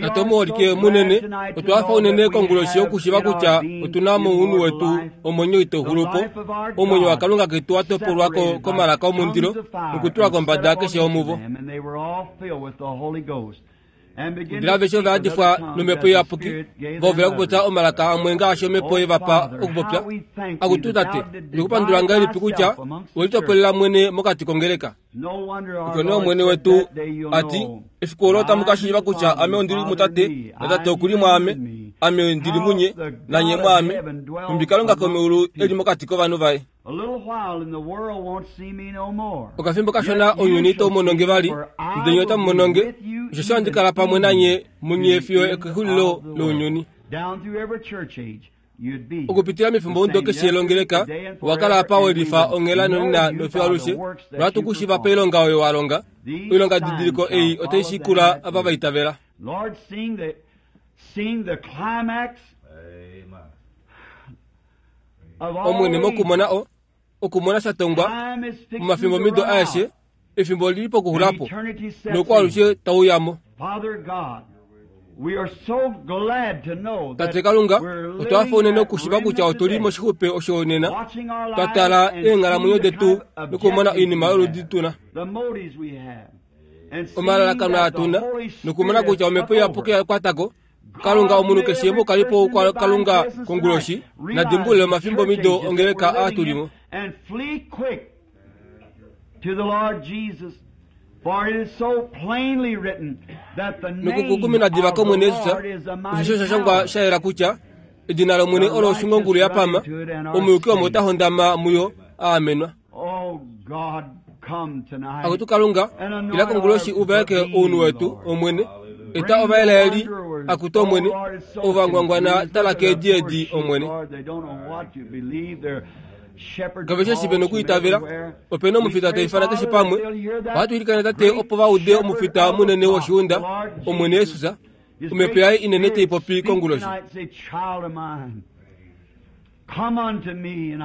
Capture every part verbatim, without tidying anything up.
Tate omuholike munene, otwa hafa unene konguloshi okushiva kutya otuna mounhu wetu omwenyo itau xulu po, omwenyo waKalunga ketu wa topolwa ko komalaka omundilo nokutulwa kombada keshe omuvo. Ndele aveshe ova yadifwa nomhepo iyapuki, va hovela okupopya omalaka amwe ngaashi omhepo yevapa okupopya. Akutu Tate, otukupandula ngahelipi kutya welitopolela mwene mokati kongeleka. Opo nee Omwene wetu ati, efiku olo otamu ka shiiva kutya ame ondili muTate, naTate okuli mwaame, ame ndili munye, nanye mwaame, nhumbi Kalunga komeulu eli mokati kovanhu vaye. Okafimbo kashona ounyuni itau mono nge vali, ndele nye otamu mono nge, osheshi ohandi kala pamwe nanye munye fiyo okexulilo lounyuni. Okupitila mefimbomudo keshe longeleka, owa kala apa welifa onghela nonena nofiyo alushe, nohatu ku shiiva pailonga oyo wa longa. Oilonga didiliko ei otai shikula ava va itavela. Omwene mokumona o okumona sha tongwa momafimbomido aeshe, efimbo olili pokuxulapo nokwaalushe tauyamo. Tate Kalunga, otwa hafa unene okushiva kutya otuli moshixupe osho nena, twa tala eenghalamwenyo detu nokumona oinima yoludi tuna, omalalakano aa tuna, nokumona kutya omhepo iyapuki ya kwatako. Kalunga omunhu keshe mokalipo kwa Kalunga konguloshi na dimbulule omafimbomido ongeleka aa tulimo. Nokukukumina diva kOmwene Jesus, osheshi osha shangwa sha yela kutya edina lOmwene olo oshungongulu ya pama, omuyuki omo ota hondama muyo a amenwa. Akutu Kalunga, ila konguloshi u vaeke ounhu wetu, Omwene. Eta ovaelaeli, akutu Omwene, ovangwangwana tala keedi edi, Omwene. Kave shi eshi ve nokwiitavela, ope na omufita ta ifana keshe pamwe. Ohatu ilikana Tate opo va ude omufita munene woshiunda, Omwene Jesus, omhepo yaye inene tai popi konguloshi.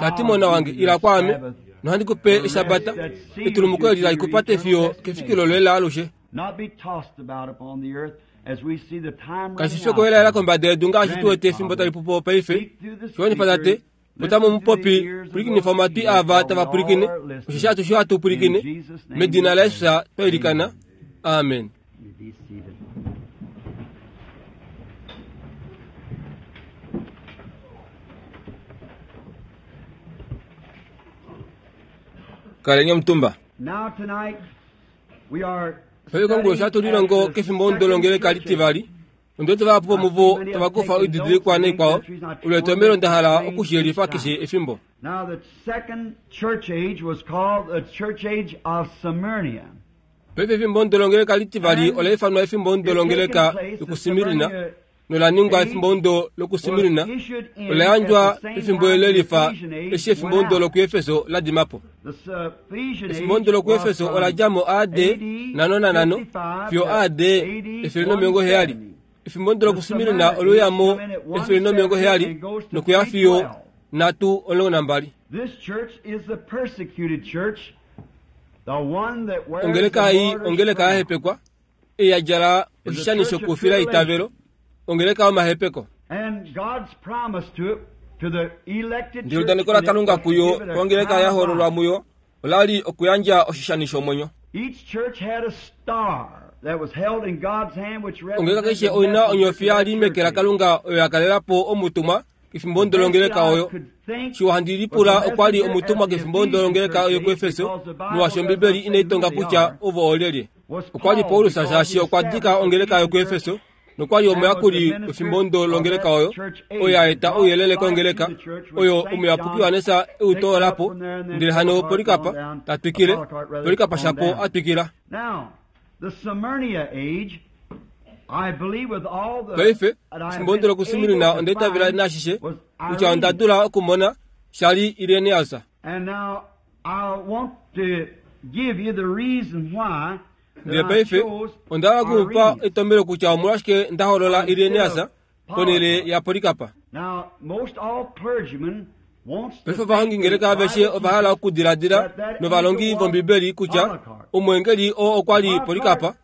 Tati mona wange, ila kwaame, nohandi ku pe eshabata, etulumuko eli tali ku pate fiyo kefikilo loye laalushe. Kashi fi okuelaela kombada yedu ngaashi tu wete efimbo tali pupo paife. Shiwanifa Tate, otamu mupopi pwilikinifa omatwi aava tava pwilikine, osheshi atushe ohatu pwilikine. Medina laJesus twa ilikana. Amen. Kaleni omutumba. Paife konguloshi ohatu lilongo kefimbo longeleka litivali. Ondiwete vahapu vomuvo tava kufa oididilikwa naikwao, olo etomhelo nda hala okushiyelifa keshe efimbo. Paife efimbo longeleka litivali ola ifanwa efimbo longeleka yokuSmirna, nola ningwa efimbo lokuSmirna ola yandjwa pefimbo lelifa eshi efimbo lokuEfeso la dima po. Efimbo lokuEfeso ola dja mo A D nhano nanhano fiyo A D efele nomilongo heyali. Efimbo lokuSmirna ole uya mo efele nomilongo heyali nokuya fiyo nhatu omulongo nambali. Ongeleka ei ongeleka ya hepekwa, ei ya djala oshishani shokufila eitavelo, ongeleka yomahepeko. Ndele eudaneko laKalunga kuyo kongeleka ya hoololwa muyo ola li okuyandja oshishani shomwenyo. Ongeleka keshe oi na onyofi ya li meke laKalunga oyo ya kalela po omutumwa kefimbo longeleka oyo. Shiwa handi lipula okwa li omutumwa kefimbo longeleka yokuEfeso, molwaashi Ombibeli inai tonga kutya ovo oolyelye. Okwa li Paulus shaashi okwa dika ongeleka yokuEfeso nokwa li omuyakuli wefimbo longeleka oyo, oyo ya eta ouyelele kongeleka oyo omuyapuki Johannes e u toola po, ndele hano Polikapa ta twikile, Polikapa shapo a twikila. Paife, efimbo lokuSmirna onda itavela naashishe kutya onda dula okumona sha li Irenaeus. Ndele paife onda hala okumupa etomhelo kutya omolwashike nda hoolola Irenaeus ponhele yaPolikapa. Paife ovahongingeleka aveshe ova hala okudiladila novalongi vOmbibeli kutya omweengeli oo okwa li Polikapa,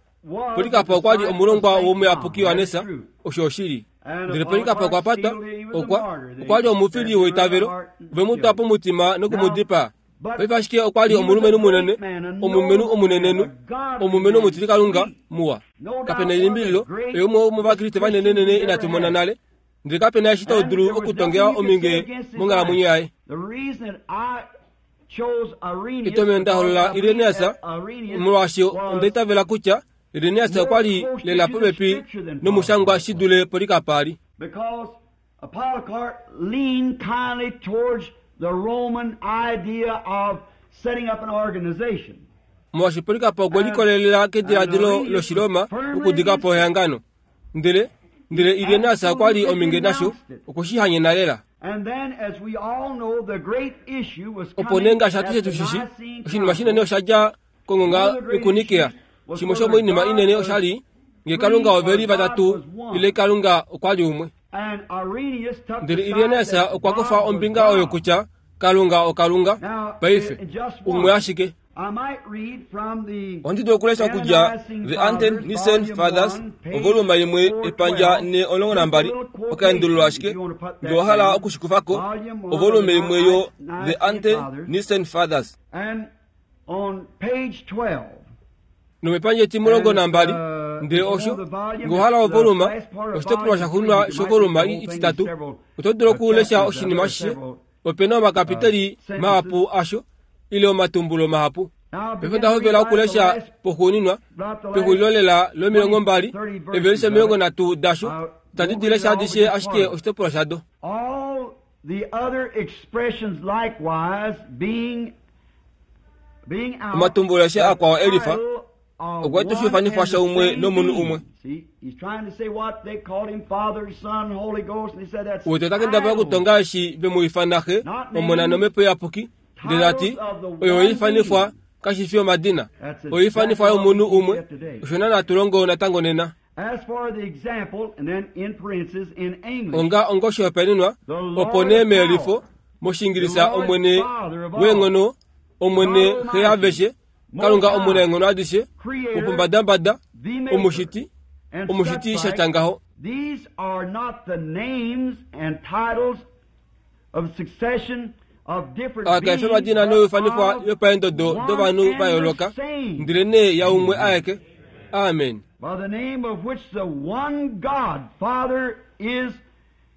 Polycarp okwa li omulongwa womuyapuki Yohanesa, osho oshili. Ndele Polycarp okwa patwa, okwa okwa li omufili weitavelo, ve mu twa pomutima nokumudipaa. Paife ashike okwa li omulumenhu munene, omulumenhu omunenenhu, omulumenhu omutilikalunga muwa. Kapena elimbililo, oye umwe womovakriste vanenenene inatu mona nale. Ndele kapena eshi to dulu okutongela ominge monghalamwenyo yaye. Etomheno nda holola Irenaeus, molwaashi onda itavela kutya Irenaeus okwa li lela popepi nomushangwa shi dule Polycarp a li. Because Polycarp leaned kindly towards the Roman idea of setting up an organization. Molwaashi Polycarp okwe likolelela kediladilo lOshiroma okudika po ehangano. Ndele ndele Irenaeus okwa li ominge nasho, okwe shi hanyena lela. And then, as we all know, the great issue was Opo coming nee ngaashi at atushe the tu shi shi, Nicene oshinima shinene osha dja kongonga yokuNikea. Shimwe shomoinima inene osha li nge Kalunga ove li vatatu ile Kalunga okwa li umwe. And Irenaeus took the Ndele side Irenaeus that okwa God kufa was ombinga God. oyo kutya Kalunga oKalunga. Now, Paife in just one, umwe ashike. I might read from the Ohandi dulu okulesha okudja The Ante-Nicene Fathers, ovoluma imwe epandja ne omulongo nambali, okaendululo ashike, nge owa hala okushikufako, ovolume imwe yo The Ante-Nicene Fathers. And on page twelve, Nomepandja etimulongo nambali, ndele osho, nge owa hala ovoluma, oshitopolwa shaxuuninwa shovoluma ititatu, oto dulu okulesha oshinima ashishe, opena omakapiteli mahapu asho, ile omatumbulo mahapu. Paife nda hovela okulesha poxuuninwa, pexulilo lela lomilongo mbali, evelishe omilongo nhatu dasho, itandi di lesha adishe ashike oshitopolwa shado. All the other expressions likewise being being out, Omatumbulo aeshe akwao elifa, the title of okwa one toshifanifwa and the shaumwe same nomunhu being. umwe. See, he's trying to say what they called him, Father, Son, Holy Ghost, and he said that's Uwete ota kendabala titles. okutonga eshi ve mu ifana Xe, Omona nOmhepo Iyapuki, ndele ta ti, oyo oifanifwa kashi fi omadina, oifanifwa yomunhu umwe, osho naana hatu longo natango nena. As for the example, and then in parentheses in English, Onga ongoshihopaenenwa, opo nee meyelifo, mOshiingilisa Omwene weenghono, Omwene Xe yaaveshe, Kalunga omunaenghono adishe, wopombadambada, the Maker, omushiti, and omushiti such sha like, tya ngaho. These are not the names and titles of succession of different Aka beings, efe omadina but noifanifwa of yopaendodo one dovanhu and va the yooloka, same, ndele nee yaumwe aeke. Amen. by the name of which the one God, Father, is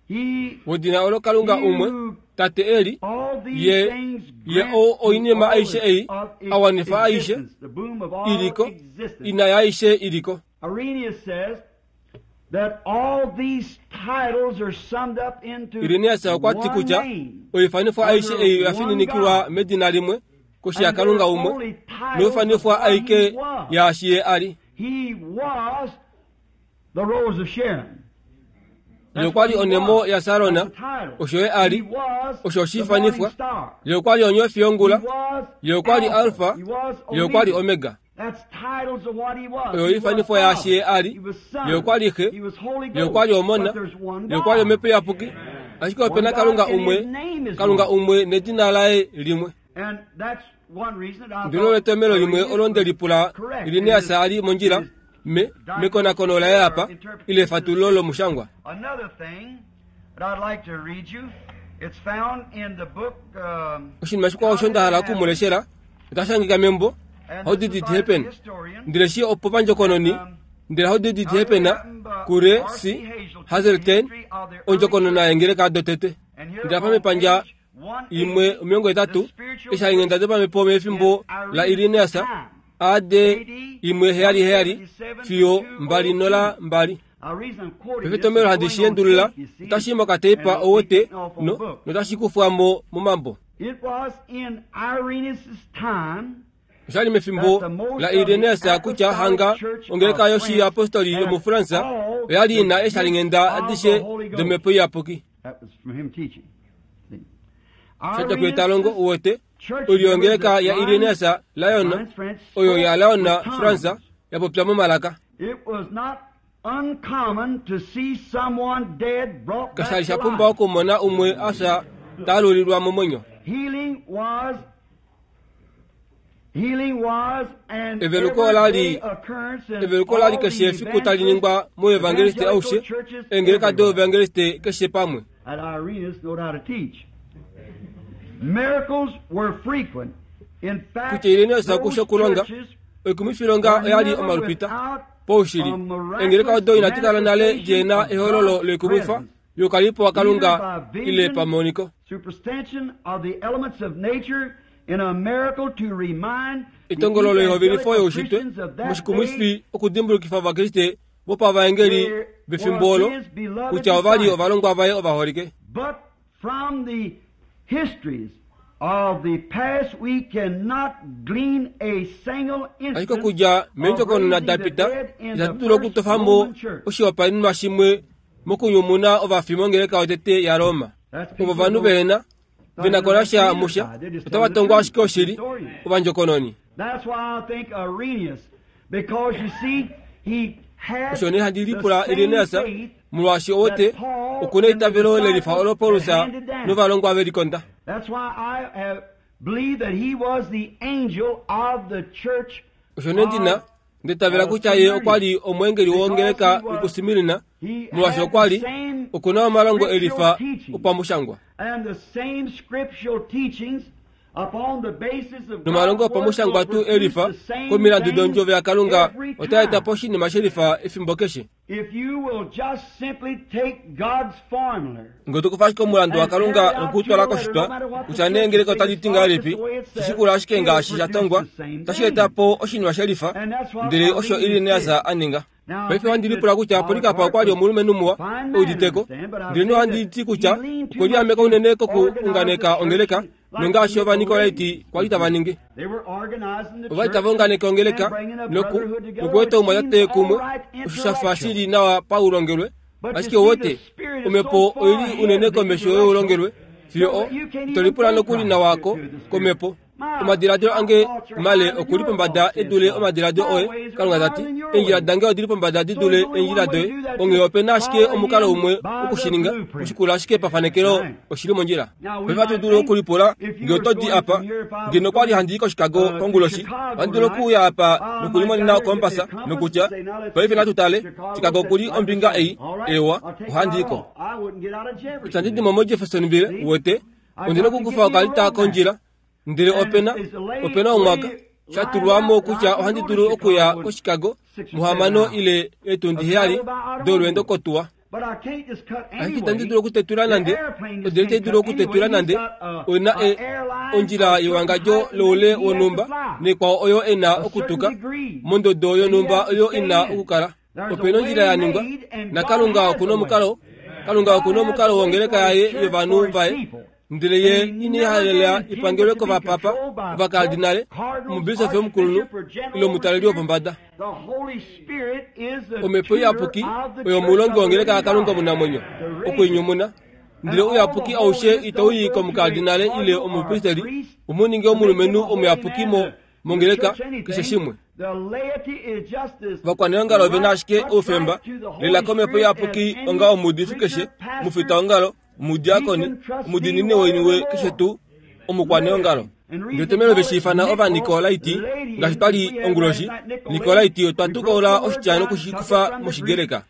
He. Wedina olo Kalunga umwe, Tate eli, All these ye things ye grant o to oinima all aishe ei of a wanifa aishe existence, the boom of all iliko, existence. ina yaaishe iliko. Irenaeus says that all these titles are summed up into Irenaeus okwa ti one kutya name. oifanifwa aishe ei oya fininikilwa medina limwe koshi yaKalunga umwe, noifanifwa aike yaashi ye a li. He was the Rose of Sharon. Ye okwa li onemo yaSarona, osho ye a li, osho oshifanifwa. Ye okwa li onyofi yongula, ye okwa li Alfa, ye okwa li Omega. Oyo oifanifwa yaashi ye a li, ye okwa li Xe, ye okwa li Omona, ye okwa li Omhepo Iyapuki, ashike opena Kalunga umwe, Kalunga umwe nedina laye limwe. Ndilo letomhelo limwe olo nde lipula Irenaeus a li mondjila me mekonakono laye apa, ile efatululo lomushangwa. Another thing that I'd like to read you, it's found in the book. Um, Oshinima shikwao osho nda hala okumuleshela, otashi hangika membo How Did It Happen? Ndele shi opo pandjokononi, ndele How Did It Happen kure C. Hazeltine, ondjokonona yengeleka dotete. Ndele apa mepandja imwe omilongo hetatu, eshi dopamhepo mefimbo la Irenaeus, A D imwe heyali heyali fiyo mbali nola mbali. Paife etomhelo handi shi endulula, otashi i mokateipa owote no notashi kufwa mo momambo. It was in Irenaeus' time Oshali mefimbo la Irenaeus kutya hanga ongeleka yoshiapostoli yomuFransa oya li ina eeshalinghenda adishe dOmhepo Iyapuki. That was from him teaching. See. Shadja kuye ta longo uwete, oilyo yongeleka ya Irenaeus Lyon, oyo ya Lyon Fransa, ya popya momalaka. It was not uncommon to see someone dead brought Kasha back li sha to pumba life. okumona umwe afya taalulilwa momwenyo. Healing was Eveluko olali eveluko olali keshe efiku tali ningwa moevangeliste aushe eengeleka doevangeliste keshe pamwe. Kutya Irenaeus okusha okulonga oikumwifilonga oyali omalupita poushili eengeleka odo inadi kala nale djena ehololo loikumwifa youkalipo waKalunga ile pamoniko. Etongolo loihovelifo youshitwe moshikumwifi okudimbulukifa Ovakriste vopavaengeli vefimbo olo kutya ovali ovalongwa vaye ovaholike. Ashike okudja meendjokonona dapita itatu dulu okutofa mo oshihopaenenwa shimwe mokunyumuna ovafi mongeleka yotete yaRoma. Ovo ovanhu vehena venakonasha musha otava tongwa ashike oshili ovandjokononi. Osho nee handi lipula Irenaeus molwaashi owote okuna eitavelo lelifa olo Paulus novalongwa velikonda. Osho nee ndina ndetavela kutya ye okwa li omweengeli wongeleka yokuSmirna molwaashi okwa li okuna omalongo elifa opamushangwa. Nomalongo opamushangwa tuu elifa komilandu dondjovo yaKalunga otaa eta po oshinima shelifa efimbo keshe. Ngee tokufa ashike omulandu waKalunga nokutwala koshitwa kutya nee ngeleka otali ti ngahelipi shishikula ashike ngaashi sha tongwa otashi eta po oshinima shelifa ndele osho Irenaeus a ninga. Paife ohandi lipula kutya Polycarp okwa li omulumenhu muwa euditeko ndele nohandi ti kutya okwe liameka unene kokuunganeka ongeleka nongaashi Ovanikolaiti kwali tava ningi. Ovali tava unganeke ongeleka noku nokueta oumwatate kumwe osho sha fa shili nawa paulongelwe ashike owote omhepo oili unene komesho youlongelwe fiyo o ito lipula nokuli nawa ko komhepo. Omadiladilo ange male okuli pombada e dule omadiladilo oye, Kalunga tati. Eendjila dange odili pombada di dule eendjila doye. Onghee opena ashike omukalo umwe wokushininga, oshikula ashike pafanekelo oshili mondjila. Paife ohatu dulu okulipula ngee oto di apa, ngeno okwa li handi i koChicago konguloshi, ohandi dulu okuuya apa nokulimonena okompasa nokutya, paife natu tale, Chicago okuli ombinga ei, ewa, ohandi i ko. Itandi di mo moJeffersonville, uwete, ondina okukufa okalita kondjila. Ndele opena opena omwaka shatulwamo kutya ohandi dulu okuya koChicago muhamano ile eetundi heyali dolweendo kotuwa. Ashike itandi dulu okutetula nande, odele itai dulu okutetula nande, oina e ondjila yewangadjo loule wonhumba nekwao oyo ena okutuka mondodo yonhumba oyo ina okukala. Opena ondjila ya ningwa, naKalunga okuna omukalo, Kalunga okuna omukalo wongeleka yaye yovanhu vaye. Ndele ye inaihalela ipangelwe kovapapa, ovakardinale, omubisofi omukulunhu ile omutaleli wopombada. Omhepo Iyapuki oyo omulongi wongeleka yaKalunga omunamwenyo okuinyumuna. Ndele ouyapuki aushe itau i komukardinale ile omupristeli umuninge omulumenhu omuyapuki mo mongeleka keshe shimwe. Ovakwaneongalo ovena ashike oufemba lela komhepo Iyapuki onga omuudifi keshe, omufitaongalo, omudiakoni, omudiinini woiniwe keshe tuu omukwaneongalo. Ndele tomelo veshi ifana Ovanikolaiti ngaashi twali onguloshi. Nikolaiti otwa tukaula oshitya nokushikufa mOshigreka.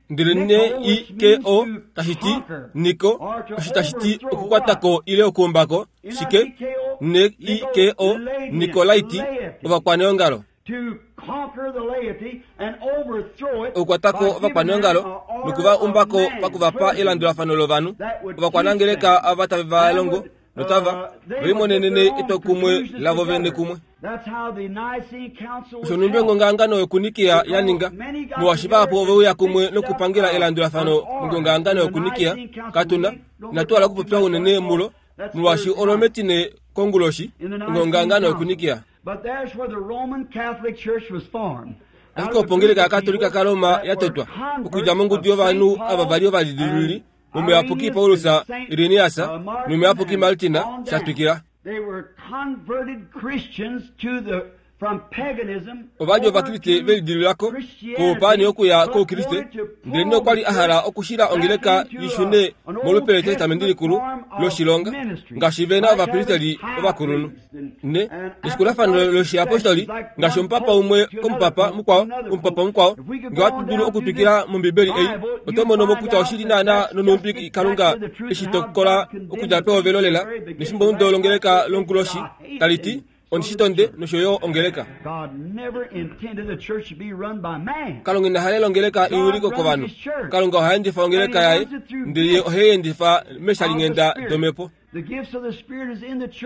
Ndele N I K O tashi ti Niko, osho tashi ti okukwatako ile okuumbako, shike? N I K O, Nikolaiti, ovakwaneongalo. Okukwatako ovakwaneongalo nokuva umbako pakuvapa elandulafano lovanhu, ovakwanangeleka ava tave va longo notava velimonenene etwokumwe lavo vene kumwe. Osho nhumbi ongongahangano yokuNikia ya ninga, molwaashi vahapu oveuya kumwe nokupangela elandulafano mongongahangano yokuNikia. Katuna inatu hala okupopya unene mulo, molwaashi olo metine konguloshi, ongongahangano yokuNikia. Ashike opo ongeleka yaKatolika kaRoma ya totwa okudja mongudu yovanhu ava vali ovalidilululi, momuyapuki Paulus, Irenaeus nomuyapuki Martin sha twikila. Ova li Ovakriste ve lidilulako koupaani okuya kOukriste, ndelenee okwa li a hala okushila ongeleka i shune molupe lEtestamenti Likulu loshilonga, ngaashi ve na ovapristeli ovakulunhu. Ne, neshikulafano loshiapostoli, ngaashi omupapa umwe komupapa mukwao, omupapa mukwao. Ngee ohatu dulu okutwikila mOmbibeli ei, oto mono mo kutya oshili naana nonhumbi Kalunga eshi tokola okudja pehovelo lela nefimbomudo longeleka longuloshi, tali ti ondishitonde nosho yo ongeleka. Kalunga ina halela ongeleka i wilikwe kovanhu. Kalunga oha endifa ongeleka yaye, ndele ye ohe i endifa meeshalinghenda domhepo.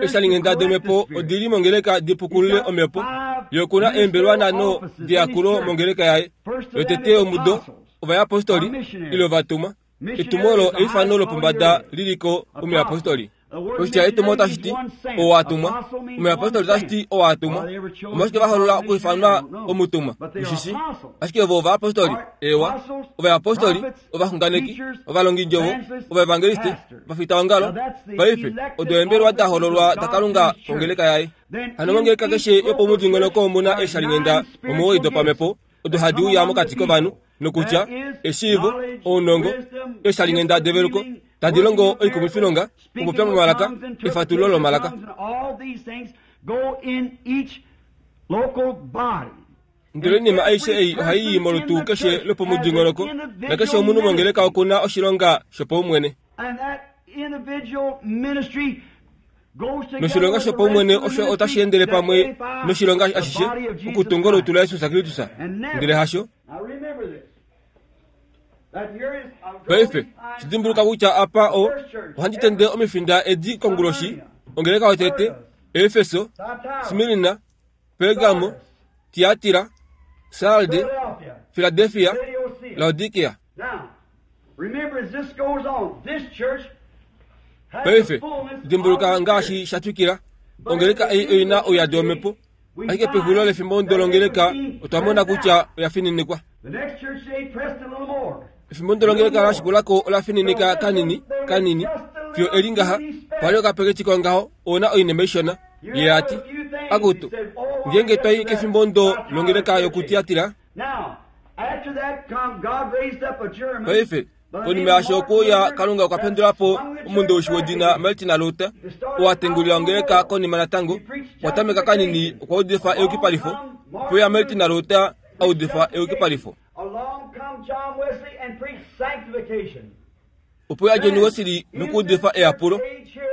Eeshalinghenda domhepo odi li mongeleka di pukulule omhepo. Ye oku na eembelwa nhano deyakulo mongeleka yaye. Yotete yomudo, ovayapostoli, ile ovatumwa. Etumo olo eifano lopombada li li ko omuyapostoli. Oshitya etumo otashi ti oo a tumwa. Omuyapostoli otashi ti oo a tumwa. Omolwashike va hoolola okuifanwa omutumwa? Ushishi? Ashike ovo ovayapostoli, eewa, ovayapostoli, ovaxunganeki, ovalongindjovo, ovaevangeliste, ovafitaongalo. Paife, odo eembelwa da hoololwa daKalunga kongeleka yaye. Hano mongeleka keshe yopomudingonoko omu na eeshalinghenda omuwoi dopamhepo odo hadi uya mokati kovanhu, nokutya eshiivo, ounongo, eeshalinghenda develuko, tadi longo oikumwifilonga, okupopya momalaka, efatululo lomalaka. Ndele oinima aishe ei ohai i molutu keshe lopomudingonoko, nakeshe omunhu mongeleka oku na oshilonga shopaumwene. Noshilonga shopaumwene osho otashi endele pamwe noshilonga ashishe okutunga olutu laJesus Kristus, ndele hasho. Paife, shi dimbuluka kutya apa o, ohandi tende omifinda edi konguloshi, ongeleka yotete, Efeso, Smirna, Pergamo, Tiatira, Sarde, Filadelfia, Laodikia. Paife, dimbuluka ngaashi sha twikila, ongeleka ei oi na ouyadi womhepo. Ashike pexulilo lefimbo longeleka otwa mona kutya oya fininikwa. Efimbo longeleka la shikula ko ola fininika kanini kanini fiyo eli ngaha pali okapeketi kongaho ouna oinima ishona. Ye a ti, Akutu, ngeenge twa i kefimbo ndo longeleka yokuTiatira. Paife, konima yaasho okuuya Kalunga okwa pendula po omundowishi wedina Martin Luther, oo a tengulila ongeleka konima natango okwa tameka kanini okwa udifa eyukipalifo, opo ya Martin Luther a udifa eyukipalifo. Opo ya John Wesley nokuudifa eyapulo.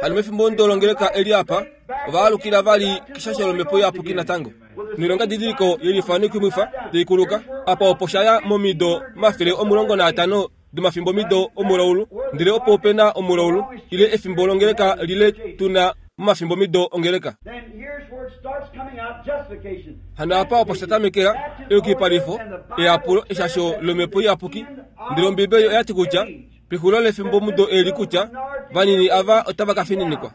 Hano mefimbo ndo longeleka eli apa, ova alukila vali keshasho lomhepo iyapuki natango. Noilonga didiliko yelifa noikumwifa tai kuluka, apa opo sha ya momido omafele omulongo naatano domafimbomido omulaulu, ndele opo ope na omulaulu, ile efimbo longeleka lile tu na momafimbomido ongeleka. Hano apa opo sha tamekela eyukipalifo, eyapulo, eshasho lomhepo iyapuki. Ndele Ombibeli oya ti kutya pexulilo lefimbomudo eli kutya vanini ava otava ka fininikwa.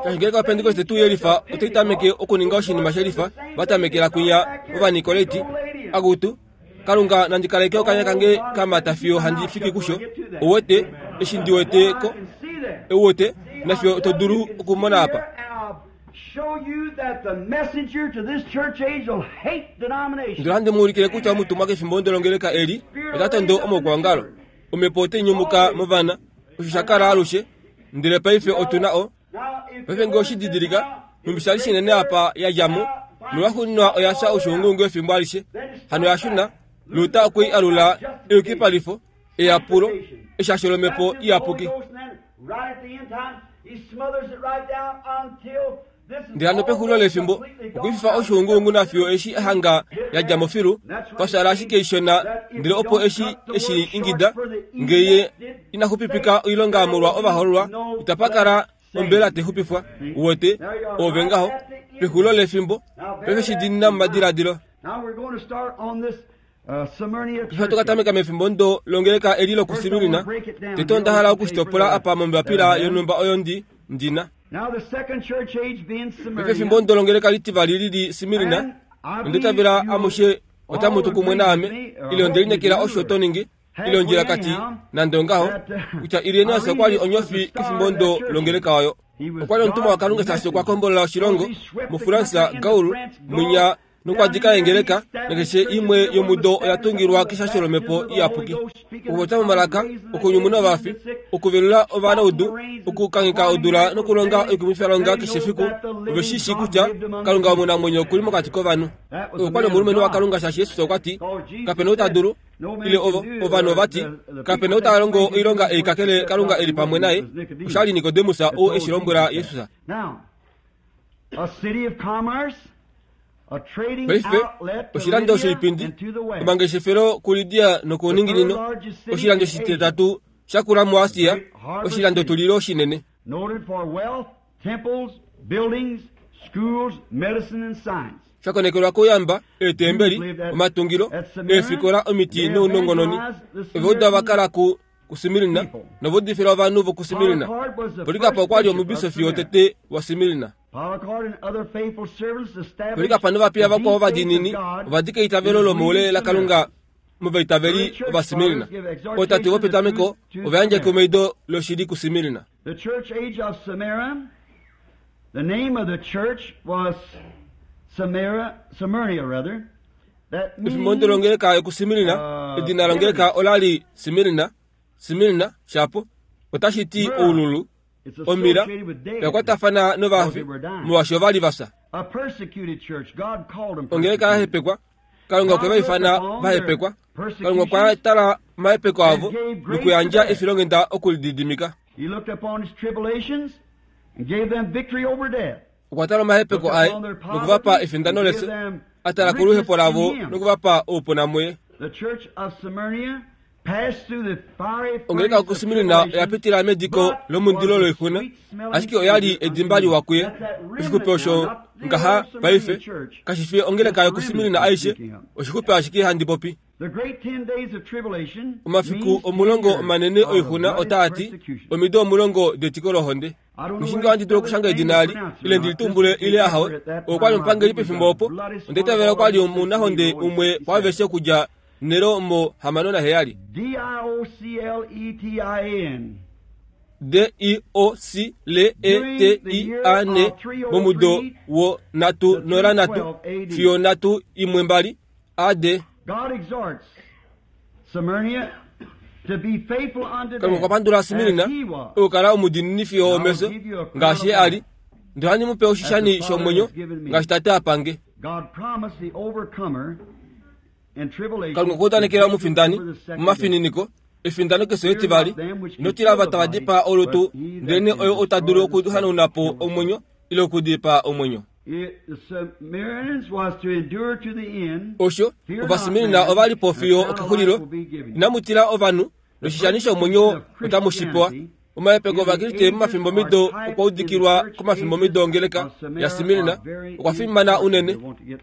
Shaashi ngeenge Opentekoste tuu yelifa otai tameke okuninga oshinima shelifa, va tamekela kwinya Ovanikolaiti, akutu, Kalunga nandi kaleke okanya kange ka mata fiyo handi fiki kusho. Ouwete, eshi ndi wete ko, ouwete, nafiyo to dulu okumona apa. Ndele ohandi mu ulikile kutya omutumwa kefimbo longeleka eli ota tondo omaukwaongalo. Omhepo otai nyumuka movana, osho sha kala alushe, ndele paife otu na o. Paife ngee oshi didilika, nhumbi sha li shinene apa ya dja mo, nolwaxuuninwa oya fya oshuunguungu efimbo alishe. Hano oya shuna, Luther okwe i alula eyukipalifo, eyapulo, eshasho lOmhepo Iyapuki. Ndele hano pexulilo lefimbo, okwe i fifa oshuunguungu nafiyo eshi a hanga ya dja mo filu, pa fyaala ashike ishona, ndele opo eshi eshi ingida, nge ye ina xupipika oilonga molwa ovahoololwa, itapa kala ombela tai xupifwa. Uwete, oove ngaho, pexulilo lefimbo, paife shi diinina momadiladilo. Paife ohatu ka tameka mefimbo ndo longeleka eli lokuSmirna. Tete onda hala oku shi topola apa mombapila yonhumba oyo ndi, ndi na. Paife efimbo ndo longeleka litivali li li Smirna, nonda itavela amushe otamu tu kumwe naame, ile onde lineekela osho to ningi, ile ondjilakati, nande ongaho, kutya Irenaeus okwa li onyofi kefimbo ndo longeleka oyo. Okwa li omutumwa waKalunga shaashi okwa kombolola oshilongo, muFransa, Gaul, mwinya Nokwadika eengeleka nakeshe imwe yomudo oya tungilwa keshasho lomhepo iyapuki, okupopya momalaka, okunyumuna ovafi, okuvelula ovanaudu, okukangheka odula nokulonga oikumwifilonga keshe efiku. Ove shi shii kutya Kalunga omunamwenyo okuli mokati kovanhu. Okwa li omulumenhu waKalunga shaashi Jesus okwa ti kapena ou ta dulu, ile ovo ovanhu ova ti kapena ou ta longo oilonga ei kakele Kalunga e li pamwe naye. Osha li Nikodemus ou eshi lombwela Jesus. Paife oshilando shoipindi, omangeshefelo kuLidia nokuuninginino, oshilando shititatu shakula muAsia, oshilando tulilo shinene. Shakonekelwa kouyamba, eetembeli, omatungilo, eefikola, omiti nounongononi. Ovauda va kala ku kuSmirna novaudifila ovanhu vokuSmirna. Polycarp okwa li omubisofi wotete waSmirna. Polycarp novapiya vakwao ovadiinini ova dika eitavelo lomoule laKalunga movaitaveli ovaSmirna. Ootate vopetameko ova yandja ekumaido loshili kuSmirna. The church age of Smyrna, the name of the church was Smyrna, Smyrna rather. That Efimbo means longeleka yokuSmirna, edina longeleka ola li Smirna, Smirna shapo otashi ti oululu, it's omira, associated with dead. oya kwatafana novafi molwaashi ova li va fya. A persecuted church. God called them Ongeleka ya persecuted. hepekwa, Kalunga okwe va ifana va hepekwa. Kalunga okwa tala omahepeko avo nokuyandja efilonghenda okulididimika. He looked upon his tribulations and gave them victory over death. Okwa tala omahepeko aye nokuvapa efindano lefyo, a tala koluhepo lavo nokuvapa oupuna muye. The church of Smyrna passed through the fiery Ongeleka furnace of yokuSmirna oya tribulation, pitila mediko lomundilo loixuna, ashike oya li edimba liwa kuye. Oshixupe osho ngaha paife kashi fi ongeleka yokuSmirna aishe, oshixupe ashike handi popi. The great ten days of tribulation Omafiku means omulongo ten years omanene of oixuna bloody otaa ti persecution. omido omulongo detiko lohonde. Mushinga wandi dulu okushanga edina ali ile ndilitumbule ile ahawe. Okwa li omupangeli pefimbo opo ondeitavela okwa li omunahonde umwe waaveshe okudja Nero mo hamano naheyali. D I O C L E T I N. D I O C L E T I A N momudo wo natu nola natu fiyo natu imwe mbali A D. God exhorts Smyrna to be faithful unto Kalunga okwa death, pandula as Smirna he was. okukala omudiinini fiyo omefyo ngaashi ye a li. Ndele ohandi mu pe oshishani shomwenyo ngaashi Tate a pange. God promised the overcomer in tribulation Kalunga okwa udanekela omufindani over the second death. momafininiko efindano kesho etivali. Ino tila ava tava dipaa olutu, ndelenee oyo ota dulu okuhanauna po omwenyo ile okudipaa omwenyo. It, the Smyrnaeans was to endure to the end. Osho Fear not ovaSmirna man, ova li po and fiyo eternal okexulilo. life will be given you. Inamu tila ovanhu noshishani shomwenyo otamu shi pewa. Omahepeko ovakriste momafimbo mido okwa udikilwa komafimbo mido ongeleka yaSmirna okwa fimana unene.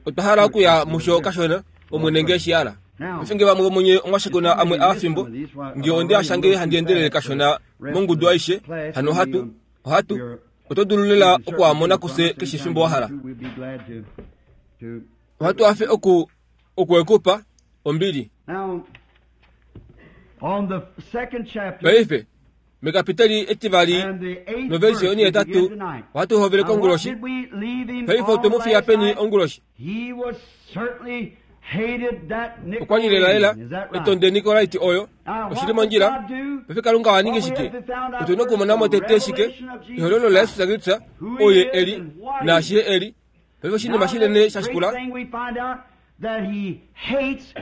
Otwa hala okuya musho kashona omwene nge shi hala. Ofinge vamwe vomunye omwashikuna amwe aafimbo nge onde ashange handi endelele kashona mongudu aishe hano ohatu ohatu oto dulu lela okuamona kufye keshe efimbo wa hala. We'll be glad to, to Ohatu hafe oku okuekupa ombili. Now, on the second chapter Paife mekapiteli etivali and the eighth noversi verse, yoni we begin etatu tonight. ohatu hovele Now, what konguloshi. did we leave him Paife on otwe mu fiya last peni night? onguloshi. He was certainly hated that Okwa li lelalela Nicolaitans. Is that right? etonde Nikolaiti oyo Now, oshili what did mondjila. God do? Paife Kalunga wa ningi What we shike? have to found out Otu na first, okumona mo the tete shike revelation of Jesus ehololo laYesus Kristus who he oye is eli and what he naashi is. ye eli. Paife oshinima Now, shinene this sha great shikula thing we find out that he hates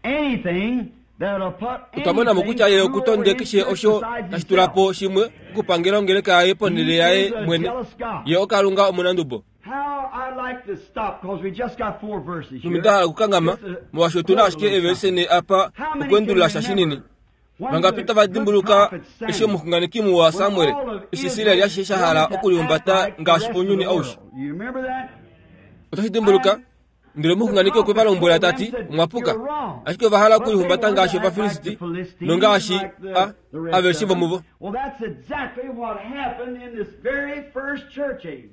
anything that'll put otwa mona mo anything kutya ye through okutonde over his keshe church osho besides tashi tula himself. po shimwe okupangela ongeleka yaye ponhele He yaye is a mwene. jealous God. Ye oKalunga omunandubo. How I like to stop because we just got four verses here. Numida hala okukangama Just a molwaashi otuna quote a ashike little evelise something. ne apa How many okuendulula can sha remember shinini. when Vangapi the tava good dimbuluka prophet eshi Samuel, omuxunganeki muwa when Samuel all of eshi Israel Israel ashishe sha hala wanted to act okulihumbata like the ngaashi rest of ounyuni the aushe. world. You remember that? Otashi dimbuluka ndele omuxunganeki okwe va lombwela tati omwa puka, ashike ova hala okulihumbata ngaashi Ovafilisti nongaashi a Aveshe vomuvo.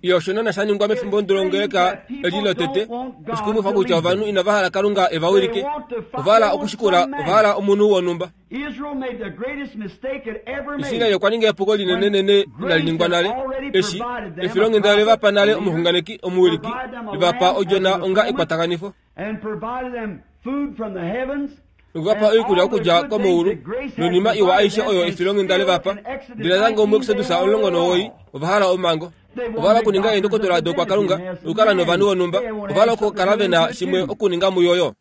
Iyo osho naana sha ningwa mefimbo ndolongeleka eli lotete. Oshikumwifa kutya ovanhu inava hala Kalunga e va wilike. Ova hala okushikula, ova hala omunhu wonhumba. Israel okwa ninga epuko linenenene inali ningwa nale. Eshi efilonghenda le va pa nale omuxunganeki omuwiliki, le va pa odjona onga ekwatakanifo, nokuvapa oikulya okudja komaulu noinima iwa aishe oyo efilonghenda le va pa. Ndele natango muExodus omulongo nomuwoi ova hala omhango. Ova hala okuninga eendokotola dokwakalunga nokukala novanhu vonhumba. Ova hala okukala ve na shimwe okuninga muyo.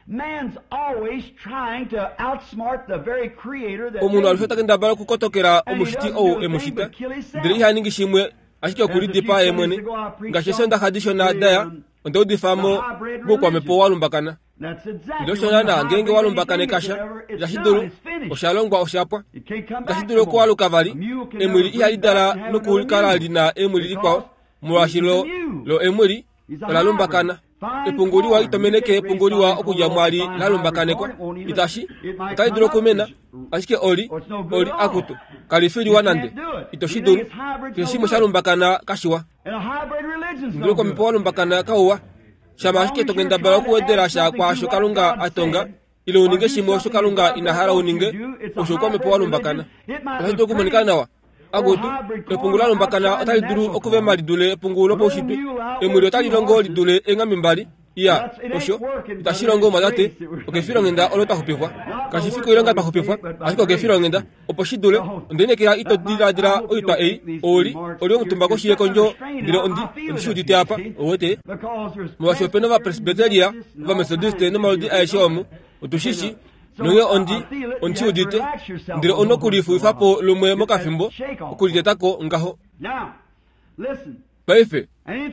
Omunhu alushe ota kendabala okukotokela omushiti ou e mu shita, ndele iha ningi shimwe ashike okulidipaa ye mwene. Ngaashi eesondaxa dishona daya, onda udifa mo moukwamhepo wa lumbakana. Ndele osho naana ngeenge wa lumbakaneka sha, itashi dulu, osha longwa osha pwa. Itashi dulu okualuka vali. Emwili ihali dala nokukala li na emwili likwao, molwaashi lo, lo emwili ola lumbakana. Epungu liwa ito meneke epungu liwa okudja mwali la lumbakanekwa. Itashi, otali dulu okumena, ashike oli, oli akutu, kali fi liwa nande. Ito shi dulu. Keshe shimwe sha lumbakana kashiwa. Ndele oukwamhepo wa lumbakana kauwa. Shama ashike to kendabala okuwedela sha kwaasho Kalunga a tonga, ile uninge shimwe osho Kalunga ina hala uninge, osho oukwamhepo wa lumbakana. Otashi dulu okumonika nawa. Akutu, epungu la lumbakana otali dulu okuvema li dule epungu lopaushitwe. Emwili otali longo li dule eenghambe mbali. Iya, osho itashi longo mwatate, okefilonghenda olo twa xupifwa. Kashi fi koilonga twa xupifwa, ashike okefilonghenda. Opo shi dule, onda inekela ito diladila oitwa ei, oli, oli omutumba koshi yekondjo, ndele ondi, ondi shi udite apa, ouwete. Molwaashi ope na Ovapresbyteria, Ovamethodiste nomaludi aeshe omu, otu shi shi, nonghee ondi, ondi shi udite, ndele onokulifuwifa po lumwe mokafimbo, okulitetako ngaho. Paife,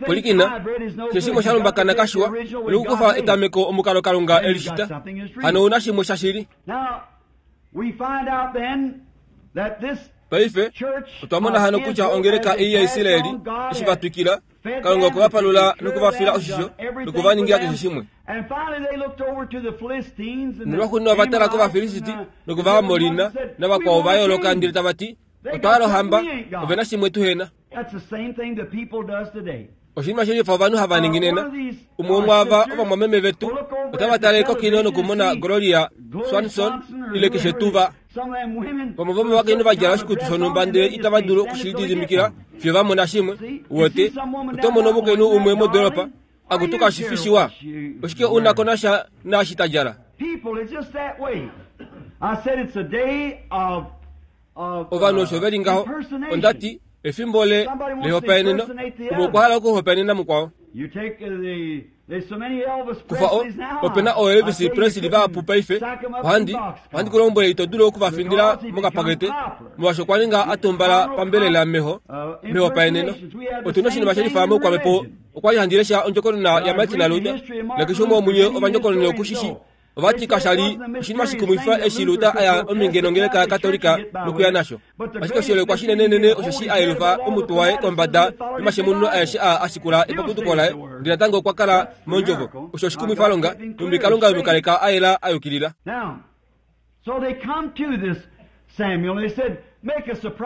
pwilikina, keshe shimwe sha lumbakana kashiwa, nokukufa etameko omukalo Kalunga e li shita. Hano ouna shimwe shashili. Paife, otwa mona hano kutya ongeleka ei yaIsraeli, eshi va twikila, Kalunga okwe va palula nokuvafila oshisho nokuva ningila keshe shimwe. Nolwaxuuninwa ova tala kOvafilisiti nokOvaamori navakwao va yooloka ndele tava ti, otwa hala ohamba, ove na shimwe tuhena. Oshinima shelifa ovanhu hava ningi nena. Umwe womwaava ovamwameme vetu otava tale kokino nokumona Gloria Swanson ile keshe tuu va. Vamwe vomovakainhu va djala oshikutu shonhumba ndele itava dulu okushilididimikila fiyo va mona shimwe. Uwete, oto mono omukainhu umwe modoolopa, akutu kashi fi shiwa. Oshike u na ko nasha naashi ta djala? Ovanhu osho ve li ngaho. Onda ti, efimbo le lehopaeneno, umwe okwa hala okuhopaenena mukwao. Kufa o, ope na ooElvis Presley vahapu paife. Ohandi, ohandi ku lombwele ito dulu okuvafindila mokapakete, molwaashi okwa ninga a tumbala pambelela meho, mehopaeneno. Otu na oshinima shelifa moukwamhepo. Okwa li handi lesha ondjokonona yaMartin Luther, nakeshe umwe womunye ovandjokonona oku shi shii. Ova ti kasha li oshinima shikumwifa eshi Luther a ya ominge nongeleka yaKatolika nokuya nasho. Ashike oshiholekwa shinenenene osheshi a yelufa omutwe waye kombada yomashemununo aeshe aa a shikula epapuduko laye, ndele natango okwa kala mondjovo. Osho oshikumwifalonga, nhumbi Kalunga e mu kaleka a yela a yukilila.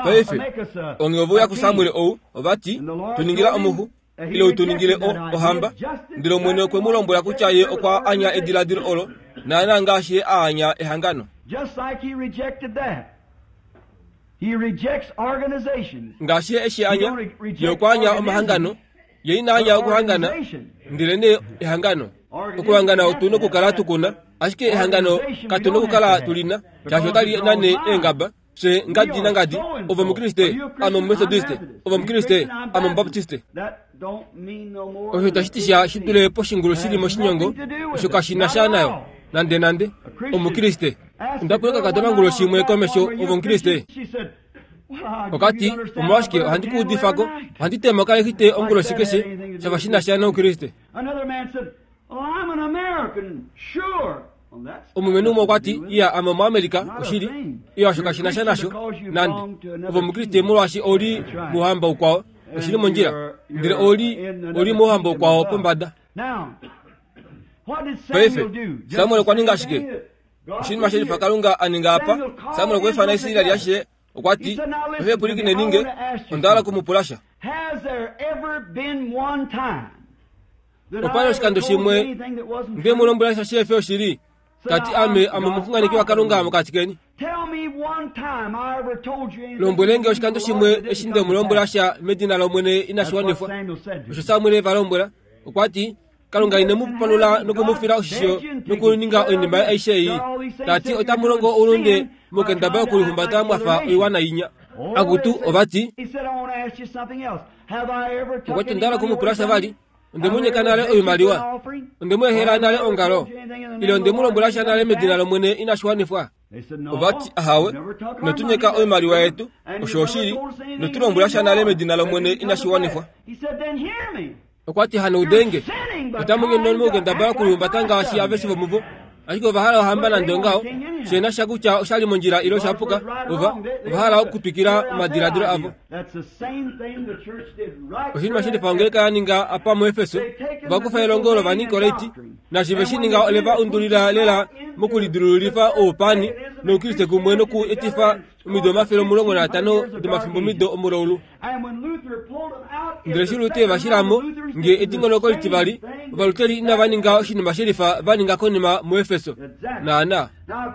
Paife, onghee ove uya kuSamuel ou, ova ti, Tu ningila omuxu, ile u tu ningile o, ohamba. Ndele Omwene okwe mu lombwela kutya ye okwa anya ediladilo olo, naana ngaashi ye a anya ehangano. Ngaashi ye eshi anya, ye okwa anya omahangano, ye ina anya okuhangana, ndelenee ehangano. Okuhangana otu nokukala tu kuna, ashike ehangano katu nokukala tu lina, shaashi otali nane eengaba. Fye ngadi nangadi, ove Omukriste, ame Omumethodiste, ove Omukriste, ame Omubaptiste. Osho itashi ti sha shi dule poshingulu shi li moshinyongo, osho kashi na sha nayo nande nande. Omukriste. Onda pula okakadona onguloshi imwe komesho, ove Omukriste? Okati, omolwashike ohandi ku udifa ko, ohandi tema okalexite onguloshi keshe, shafa shi na sha nOukriste. Omulumenhu umwe okwa ti, Iya, ame Omuamerika, oshili. Iya, osho kashi na sha nasho, nande. Ove Omukriste molwaashi ou li mouhamba ukwao. Oshi li mondjila. Ndele ou li, ou li mouhamba ukwao pombada. Paife, Samuel okwa ninga shike? Oshinima shelifa Kalunga a ninga apa. Samuel okwa ifana Israel ashishe. Okwa ti, "Ove pwilikine ninge, onda hala okumupula sha." Opa li oshikando shimwe nde mu lombwela sha shihe fi oshili, ta ti ame ame omuxunganeki waKalunga mokati keni. Lombwele nge oshikando shimwe eshi nde mu lombwela sha medina lOmwene inashi wanifwa. Osho Samuel e va lombwela. Okwa ti, Kalunga ine mu palula nokumufila oshisho nokuninga oinima aishe ei. Ta ti otamu longo oulunde mokendaba yokulihumbata mwafa oiwana inya. Akutu ova ti, okwa ti onda hala okumupula sha vali. Onde mu nyeka nale oimaliwa? Onde mu ehela nale ongalo? Ile onde mu lombwela sha nale medina lOmwene inashi wanifwa? Ova ti, ahawe, ino nyeka oimaliwa yetu, osho oshili, ino tu lombwela sha nale medina lOmwene inashi wanifwa. Okwa ti, hano udenge, otamu nyono mokukendabala okulihumbata ngaashi aveshe vomuvo. Ashike ova hala ohamba nande ongaho, shena sha kutya osha li mondjila ile osha puka, ova ova hala okutwikila omadiladilo avo. Oshinima shilifa ongeleka ya ninga apa muEfeso, ova kufa elongo lOvanikolaiti, naashi ve shi ninga ole va undulila lela mokulidilululifa oupani noukriste kumwe noku etifa omido omafele omulongo naatano domafimbomido omulaulu. Ndele eshi Luther va shila mo, nge edingonoko litivali, Ovaluteri inava ninga oshinima shelifa va ninga konima muEfeso. Naana.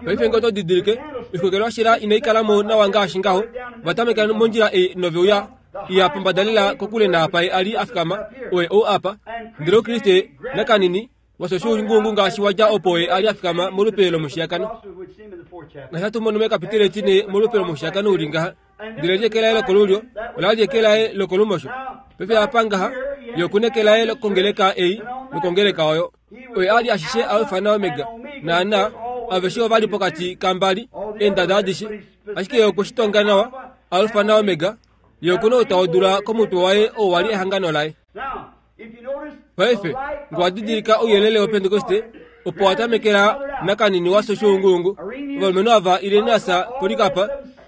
Paife nge oto didilike, oixwekelwa shila inai kala mo nawa ngaashi ngaho. Ova tamekela mondjila ei nove uya iya pombada lela kokule naapa ye a li a fikama, oye ou apa. Ndele Oukriste nakanini washo oshuunguungu ngaashi wa dja opo ye a li a fikama molupe lomushiyakano. Ngaashi hatu mono mekapiteli etine molupe lomushiyakano uli ngaha. Ndele li eke laye lokolulyo, ola li eke laye lokolumosho. Paife apa ngaha, ye oku neke laye kongeleka ei nokongeleka oyo. Oye a li ashishe Alfa naOmega, naana, aveshe ova li pokati kambali, eendada adishe. Ashike ye okwe shi tonga nawa, Alfa naOmega, ye oku na outa wodula komutwe waye oo wa li ehangano laye. Paife, nge wa didilika ouyelele wOpentekoste, opo wa tamekela nakanini wa soshuunguungu, ovalumenhu ava Irenaeus, Polycarp,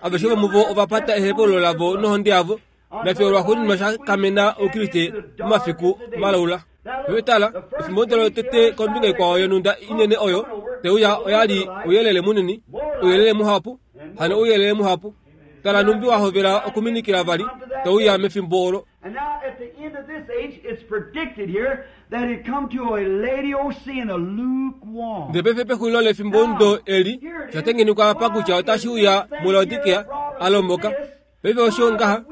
aveshe vomuvo ova pata ehepululo lavo nohonde yavo, nafye olwaxuuninwa sha kamena Oukriste momafiku malaula. Paife tala, efimbo lotete kombinga ikwao yonhunda inene oyo te uya oya li ouyelele munini, ouyelele muhapu, hano ouyelele muhapu. Tala numbi wa hovela okuminikila vali, te uya mefimbo olo. And now at the end of this age, it's predicted here that it come to a Laodicean, a lukewarm. Ndele paife pexulilo lefimbomudo eli, osha tengenekwa apa kutya otashi uya muLaodikea, a lomboka. Paife osho ngaha,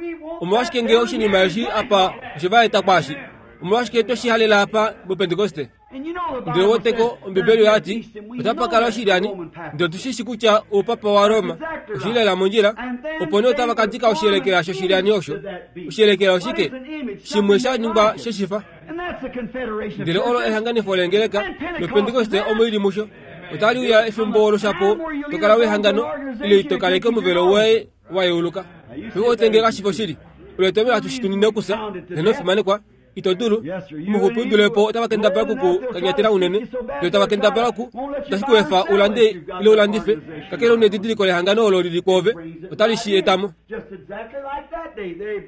omolwashike nge oshinima eshi apa oshe va eta kwaashi? Omolwashike twe shi halela apa muPentekoste? Ndele woteko Ombibeli oya ti, otapa kala oshilyani, ndele otu shi shi kutya oupapa waRoma oshi li lela mondjila, opo nee otava ka dika oshiyelekela shoshilyani osho. Oshiyelekela oshike? Shimwe sha ningwa sheshifa. Ndele olo ehanganifo leengeleka, nOpentekoste omo i li musho. Otali uya efimbo olo shapo to kala wehangano, ile ito kaleke omuvelo woye wa yeuluka. Paife otenge kashi fi oshili. Olo etomhelo hatu shi tunine okufya, heno fimanekwa. Ito dulu. Omuxupi u dule po otava kendabala oku ku kanyatela unene, ndele tava kendabala oku tashi ku efa u lande ile u landife, kakele u nedidiliko lehangano olo li li kwoove, otali shi eta mo.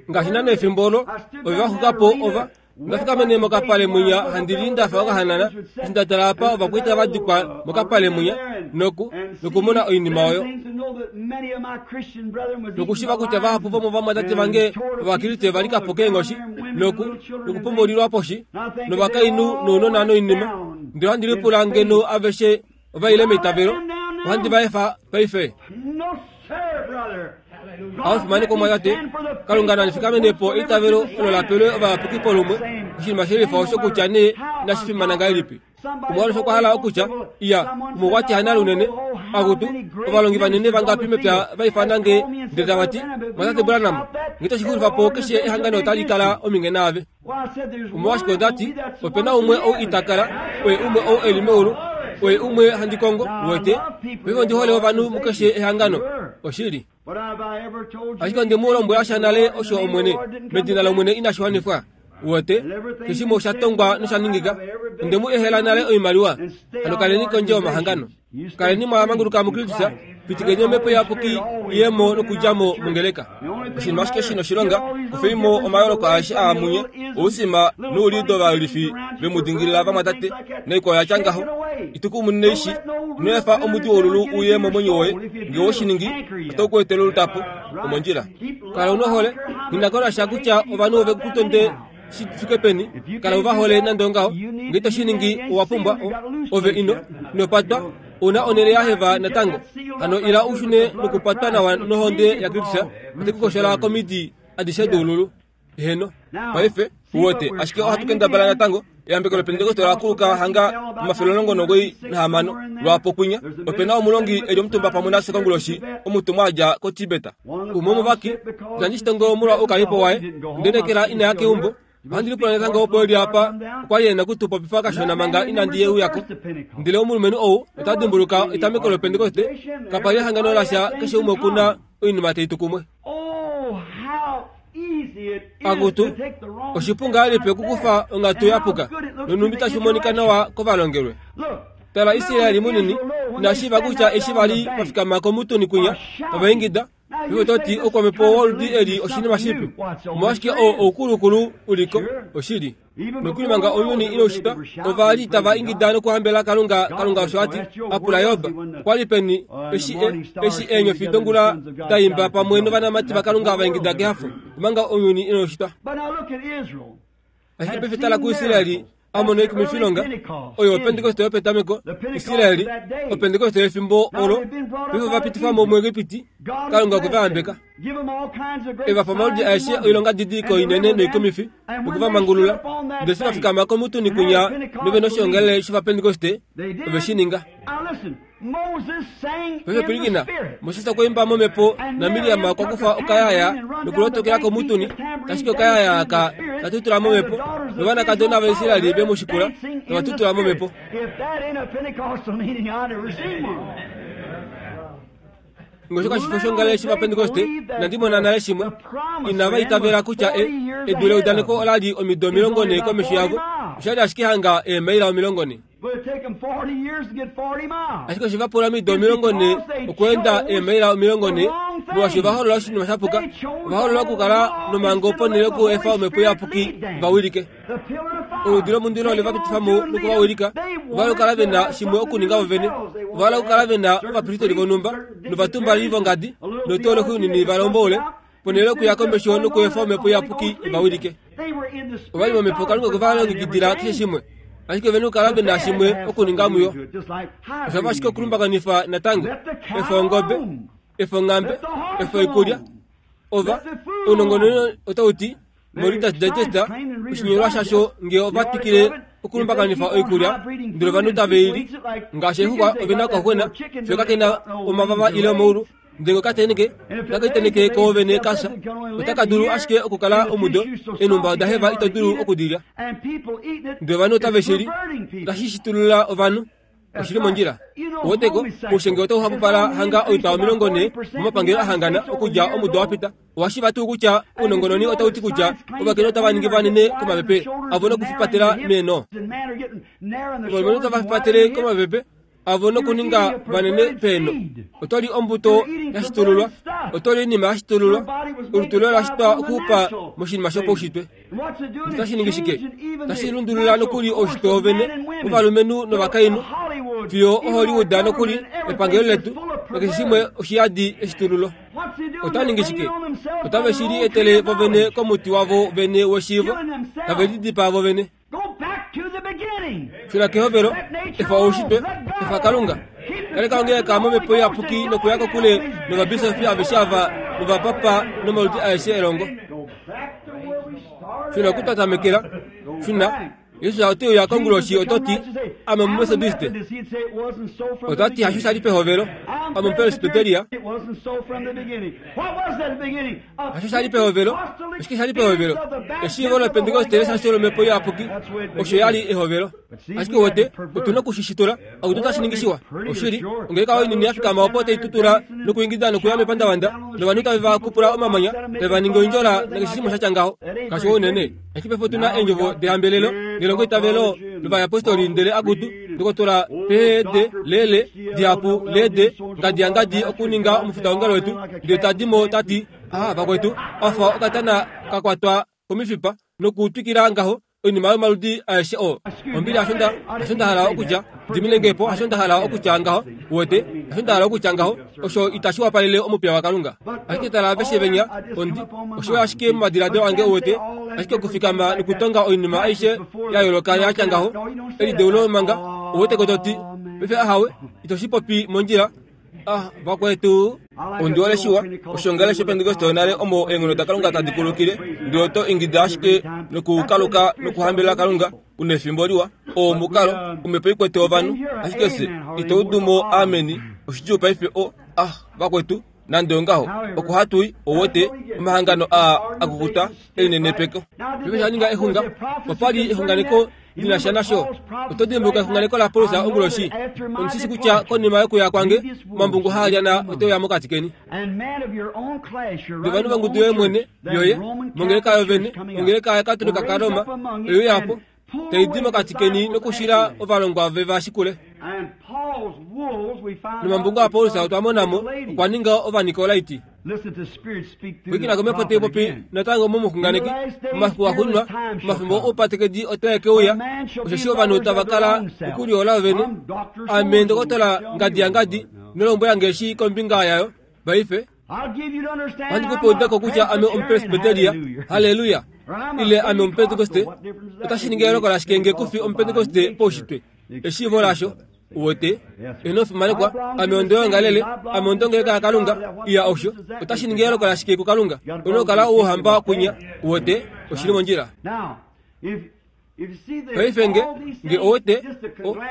Ngaashi naana efimbo olo, ove va xuka po ova nda fikamene mokapale mwinya handi li nda fa okahanana, eshi nda tala apa ovakwaita va dikwa mokapale mwinya noku nokumona oinima oyo. Nokushiva kutya vahapu vomovamwatate vange Ovakriste va lika po keenghoshi noku nokupombulilwa poshi novakainhu nounona noinima. Ndele ohandi lipula ngeno aveshe ova ile meitavelo, ohandi va efa paife. Aofimaneko omwatate, Kalunga na fikamene po eitavelo olo la pelwe ovayapuki polumwe, oshinima shelifa osho kutya nee inashi fimana ngahelipi. Umwe alushe okwa hala okutya, iya, umwe okwa ti hanale unene, akutu, ovalongi vanene vangapi mepya va ifana nge ndele tava ti, Mwatate Branham, nge to shi xulifa po keshe ehangano otali kala ominge naave. Omolwashike onda ti, ope na umwe ou ita kala, oye umwe ou e li meulu, oye umwe handi kongo, uwete. Paife ondi hole ovanhu mukeshe ehangano. Oshili. Ashike onde mu lombwela sha nale osho Omwene, medina lOmwene inashi wanifwa. Uwete, keshimwe osha tongwa nosha ningika. Onde mu ehela nale oimaliwa. Hano kaleni kondje yomahangano. Kaleni mwa manguluka muKristus, pitikeni omhepo iyapuki iye mo nokudja mo mongeleka. Oshinima ashike shi noshilonga, kufei mo omayooloko aeshe aa munye, ousima noulido vayolifi ve mu dingilila vamwatate, naikwao ya tya ngaho, Itukumuneishi ino efa omuti wolulu uye momwenyo woye ngee woshiningi oto ku etele olutapo omondjila. Kala unohole nghi kutya ovanhu ove kutonde shi fike peni kala uvahole nande ongaho ngee to shiningi owa pumbwa ove ino inopatwa una onele yaheva natango hano ila ushune nokupatwa nawa nohonde ya Kristus ote kukoshola komidi adishe doululu. Heno paife uwete ashike ohatu kendabala natango eyambeko lopentekoste olakuluka hanga omafele omulongo nomugoi nahamano lwaapo kwinya. Opena omulongi eli omutumba pamwe nafye konguloshi omutumwa adja koTibet. Umwe womuvaki itandi shitongo molwa oukalipo waye ndenekela inaya keumbo. Ohandi lipula natango opo eli apa okwali ena okutupopifa kashona manga inandi yeuyako. Ndele omulumenhu ou ota dimbuluka etameko lopentekoste kapali ehangano lasha keshe umwe okuna oinima taitu kumwe. Akutu oshipu ngahelipi okukufa onghatu yapuka nonhumbi tashi monika nawa kovalongelwe. Tala Israeli munini inashiiva kutya eshi vali vafikama komutuni kwinya tava ingida paife ototi oukwamhepo woludi eli oshinima shipe. Omolwashike oo oukulukulu uliko oshili. Nokuli manga ounyuni inaushitwa ova li tava ingida nokuhambela Kalunga. Kalunga osho ati apula Job okwali peni eshi eshi eenyofi dongula daimba pamwe novanamati vaKalunga vaingida kehafo omanga ounyuni inaushitwa. Ashike paife tala kuIsraeli amona oikumifilonga oyo opentekoste yopetameko. Israeli opentekoste yefimbo olo paife vapitifwamo muEgipiti. Kalunga okwe vayambeka evapa omaludi aeshe oilonga didiliko inene noikumifi nokuvamangulula. Ndele eshi vafikama komutuni kwinya novena oshiongalele shovapentekoste ove shi ninga. Paife pwilikina, Moses okwa imba momhepo naMiriam okwa kufa okayaya nokulotokela komutuni tashike okayaya aka tatutula momhepo novanakadona vaIsraeli ve mu shikula tava tutula momhepo. Ngosho kashifo shongalele shovapentekoste inandi mona nale shimwe. Inava itavela kutya edu leudaneko olali omido omilongo nhee komesho yavo oshali ashike hanga eemaila omilongo nhee. Ashike oshe vapula omido omilongo nhee okweenda eemaila omilongo nhee molwaashi ovaholola oshinima shapuka. Ovaholola okukala nomhango ponhele yokuefa omhepo iyapuki vawilike. Oludi lomundilo ole vapitifamo nokuvawilika. Ovahala okukala vena shimwe okuninga vovene. Ovahala okukala vena ovapristeli vonhumba novatumbali vongadi noutoloki unini valomboule ponhele yokuya komesho nokuefa omhepo iyapuki ivawilike. Ovali momhepo Kalunga okwe valongekidila keshe shimwe ashike ovena okukala vena shimwe okuninga muyo. Oshafa ashike okulumbakanifa natango efa ongobe efa onghambe efa oikulya ova ounongononi otauti moReader's Digest oshinyolwa shasho ngee ova twikile okulumbakanifa oikulya ndele ovanhu tave ili ngaashi exuxwa ovena okaxuxwena fiyo kakena omavava ile omaulu ndele okateneke otakaiteneke koovene kasha otaka dulu ashike okukala omudo eenhumba odaheva ito dulu okudilya ndele ovanhu otave shili otashi shitulula ovanhu oshili mondjila. Uweteko oushenge otau hapupala hanga oitwa omilongo nhee momapangelo ahangana okudja omudo wapita. Owashiiva tuu kutya ounongononi otauti kutya ovakainhu otava ningi vanene komapepe avo nokufipatela meeno. Ovalumenhu otava fipatele komapepe avo nokuninga vanene peeno. Otoli ombuto yashitululwa otoli oinima yashitululwa olutu loye olashitwa okuxupa moshinima shopaushitwe. Otashi ningi shike? Otashi lundulula nokuli oushitwe wovene wovalumenhu novakainhu fiyo oHollywood nokuli epangelo letu nakeshe shimwe oshiyadi eshitululo. Ota ningi shike? Otave shi etele vovene komuti wavo vene weshiivo tave lidipaa vovene. Shuna kehovelo efa oushitwe efa Kalunga kaleka ongeleka momhepo iyapuki nokuya kokule novabisofi aveshe ava novapapa nomaludi aeshe elongo. Shuna oku twatamekela. Shuna Jesus oteuya konguloshi ototi ame omumethodiste otati hasho shali pehovelo ame omupresbiteria hasho shali pehovelo oshike shali pehovelo eshiivo lopentekoste lesasho lomhepo iyapuki osho yali ehovelo. Ashike uwete otuna okushishitula akutu otashi ningi shiwa oshili ongeleka oinini yafikama opo taitutula nokuingida nokuya mepandavanda novanhu tave vakupula omamanya tave vaningi oindjola nakeshe shimwe shatya ngaho kashiwa unene. Ashike paife otuna eendjovo dehambelelo nelongo itavelo lovayapostoli ndele akutu ndokotola P D lele dihapu lede ngadi yangadi okuninga omufitaongalo wetu ndele tadimo tati ah vakwetu afa okatana kakwatwa komifipa nokutwikila ngaho Oinima yomaludi aeshe oo. Ombili hasho nda hasho nda hala okutya, diminenge po hasho nda hala okutya ngaho, uwete, hasho nda hala okutya ngaho, osho itashi wapalele omupiya waKalunga. Ashike tala aveshe venya, ondi, osho ashike momadiladilo ange uwete, ashike okufikama nokutonga oinima aishe ya yooloka yatya ngaho, elideulo manga, uwete ko toti, paife ahawe, ito shi popi mondjila. Ah, vakwetu, ondi hole shiwa, oshongele shOpentekoste yonale omo eenghono daKalunga tadi kulukile, ndele oto ingida ashike nokukaluka nokuhambelela Kalunga, una efimbo liwa, oo omukalo, omhepo ikwete ovanhu, ashike fye, ito udu mo ameni, oshidjuu paife o, ah, vakwetu, nande ongaho, oko hatu i, ouwete, omahangano aa akukuta, elinenepeko. Paife sha ninga exunga, opa li exunganeko li na sha nasho. Oto dimbuluka exunganeko laPaulus onguloshi? Omushishi kutya konima yokuya kwange, omambungu haalyana oteuya mokati keni. Ndele ovanhu vongudu yoye mwene, yoye, mongeleka yovene, ongeleka yaKatolika kaRoma, oyo yapo, tai di mokati keni nokushila ovalongwa ve va shikule. Nomambungu aPaulus otwa mona mo, okwa ninga Ovanikolaiti. Pwilikina komhepo tai popi natango momuxunganeki, momafiku axuuninwa, omafimbo oupatekedi otae ke uya, osheshi ovanhu tava kala okulihola vene. Ame ndokotola ngadi yangadi, ino lombwela nge eshi kombinga yayo, paife. Ohandi ku pe eudeko kutya ame omupresbyteria, halleluya, ile ame omupentekoste, otashi ningi eyooloko lashike nge kufi omupentekoste paushitwe, eshiivo lasho. Uwete, eno fimanekwa, ame ondoyongalele, ame ondongeleka yaKalunga, iya osho, otashi ningi eyooloko lashike kuKalunga, una okukala ouhamba kwinya, uwete, oshili mondjila. Paife nge, nge owete,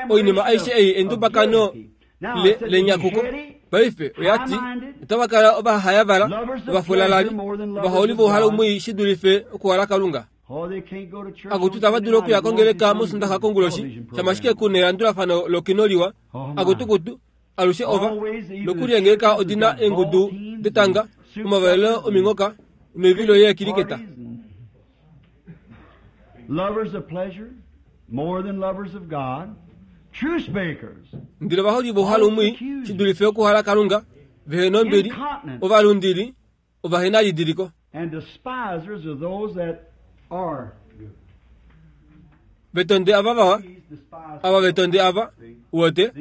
oinima aishe ei endubakano le lenyakuko, paife oyati, otava kala ovahayavala, ovafulalali, ovaholi vouhalu mwii shi dulife okuhola Kalunga. Akutu tava dulu okuya kongeleka mOsondaxa konguloshi, shama ashike ku nelandulafano lokino liwa, akutukutu, alushe ova, nokuli eengeleka odina eengudu detanga, omavalelo ominghoka, noivilo yeekiliketa. Ndele ovaholi vouhalu mwii shi dulife okuhola Kalunga, vehe nombili, ovalundili, ovahenalidiliko. Vetonde ava vawa, ava vetonde ava, uwete,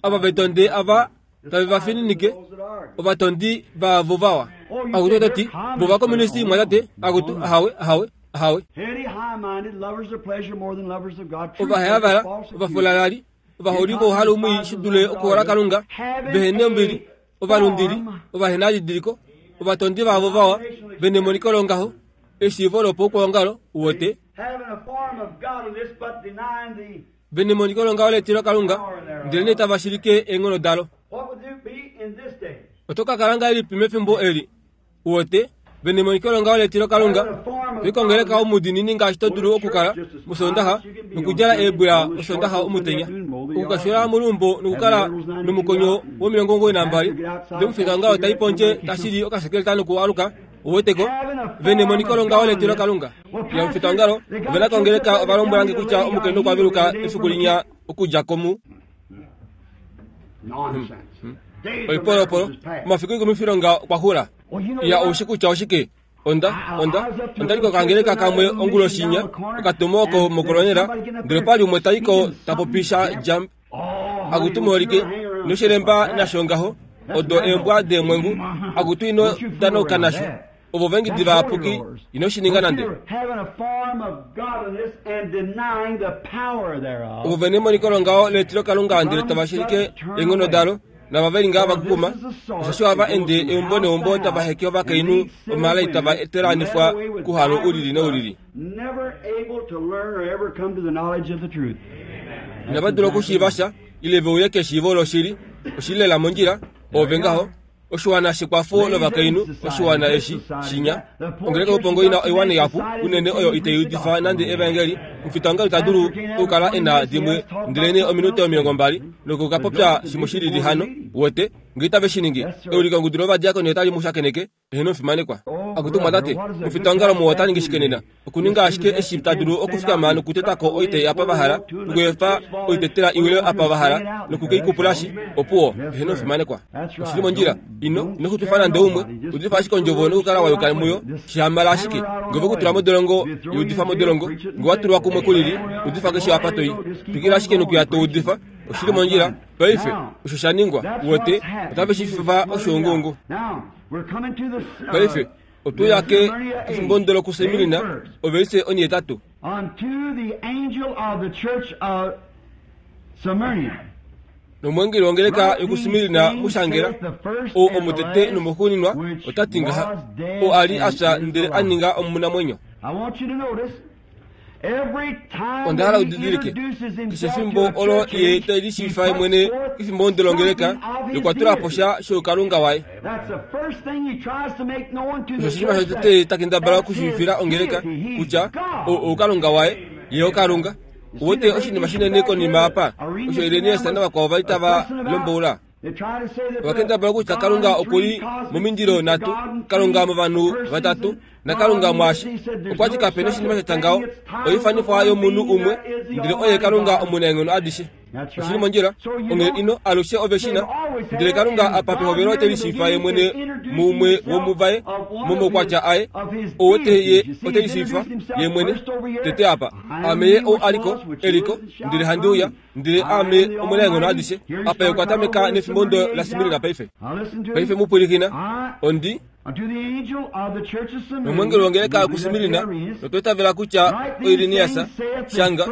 ava vetonde ava tave va fininike, ovatondi vaavo vawa. Akutu ototi, vo ovakomunisti mwatate, akutu, ahawe, ahawe, ahawe. Ovaheyavala, ovafulalali, ovaholi vouhalu mwii shi dule okuhola Kalunga, vehe nombili, ovalundili, ovahenalidiliko, ovatondi vaavo vawa, venemoniko longaho, eshiivo lopaukwaongalo, uwete. Venemoniko longaho letilo Kalunga, ndele tava shilike eenghono dalo. Oto ka kala ngahelipi mefimbo eli, uwete, venemoniko longaho letilo Kalunga, toikongeleka omudiinini ngaashi to dulu okukala mOsoondaxa nokudjala eebwila Osoondaxa omutenya, okukashula moluumbo nokukala nomukonyo womilongo omugoyi nambali, ndele omufitaongalo tai pondje tashili okasekeleta nokualuka, uweteko, venemoniko longaho letilo Kalunga. Ya omufitaongalo, ovena kongeleka ovalombwela nge kutya omukainhu okwa veluka efiku linya okudja komu. Oipolopolo, omafiku oikumifilonga okwa xula. Ya oushi kutya oshike? Onda, onda, onda li kokangeleka kamwe onguloshinya, okatumo oko mokolonela, ndele opa li umwe tai ko ta popi sha dja akutu muholike, noshilemba nasho ngaho, odo eembwa deemwengu, akutu ino danauka nasho. Ovo vengidi vayapuki, ino shi ninga nande. Ovo vene emoniko longaho letilo Kalunga ndele tava shilike eenghono dalo, nava veli ngaa vakukuma, osheshi ohava ende eumbo neumbo tava heke ovakainhu omalai tava telaanifwa kuhalo ulili noulili. Inava dula okushiiva sha, ile ve uye keshiivo loshili, oshili lela mondjila, oove ngaho. Oshiwana shekwafo lovakainhu, oshiwana eshi shinya. Ongeleka youpongo ina oiwana ihapu unene oyo itai udifa nande evaengeli. Omufitaongalo ita dulu okukala e na dimwe ndelenee ominute omilongo mbali nokukapopya shimwe shilili hano, uwete, nge itave shi ningi, eulikongudu lovadiakoni otali mu shakeneke, eheno omufimanekwa. Akutu mwatate, mufitongalo muwa ota ningi shike nena? Okuninga ashike eshi ta dulu okufikama nokutetako oitai apa va hala, nokuefa oitetela iwile apa va hala, nokukeikupulashi, opuwo, eheno ofimanekwa. Oshili mondjila, ino, ino xupifa nande umwe, udifa ashike ondjovo nokukala wa yuka muyo, shihamala ashike. Ngee ove kutula modolongo, udifa modolongo, ngee wa tulwa kumwe kulili, udifa keshe apa toi. Twikila ashike nokuya to udifa, oshili mondjila. Paife, osho sha ningwa, uwete, otave shi fifa oshoongongo. Paife, otu ya ke kefimbo ndolo kuSemirina, ovelise onhetatu. Nomwengeli wongeleka yokuSmirna mu shangela, ou omutete nomuxuuninwa, ota ti ngaha, ou a li a fya ndele a ninga omunamwenyo. Onda hala udidilike, keshe efimbo olo ye te lishiivifa ye mwene kefimbo ndolongeleka, okwa tula po sha shoukalunga waye. Osho oshinima shotete ta kendabala okushiivifila ongeleka, kutya ou oukalunga waye, ye okalunga. Uwete oshinima shinene konima apa, osho Irenaeus navakwao vali tava lomboula. Ovakendabala kutya Kalunga oku li momindilo nhatu, Kalunga movanhu vatatu, naKalunga mwaashi. Okwa ti kape noshinima sha tya ngaho, oifanifwa yomunhu umwe, ndele oye Kalunga omunaenghono adishe. Oshili mondjila, onghee ino alushe ove shina, ndele Kalunga apa pehovelo ote lishiivifa ye mwene muumwe womuvaye, momaukwatya aye, ou ote ye ote lishiivifa ye mwene tete apa. Aame ye ou aliko, eliko, ndele handi uya, ndele aame omunaenghono adishe. Apa ye okwa tameka nefimbo ndo laSmirna paife. Paife mu pwilikina, ondi nomwengeli wongeleka yokuSmirna, notwa itavela kutya oIrenaeus shanga,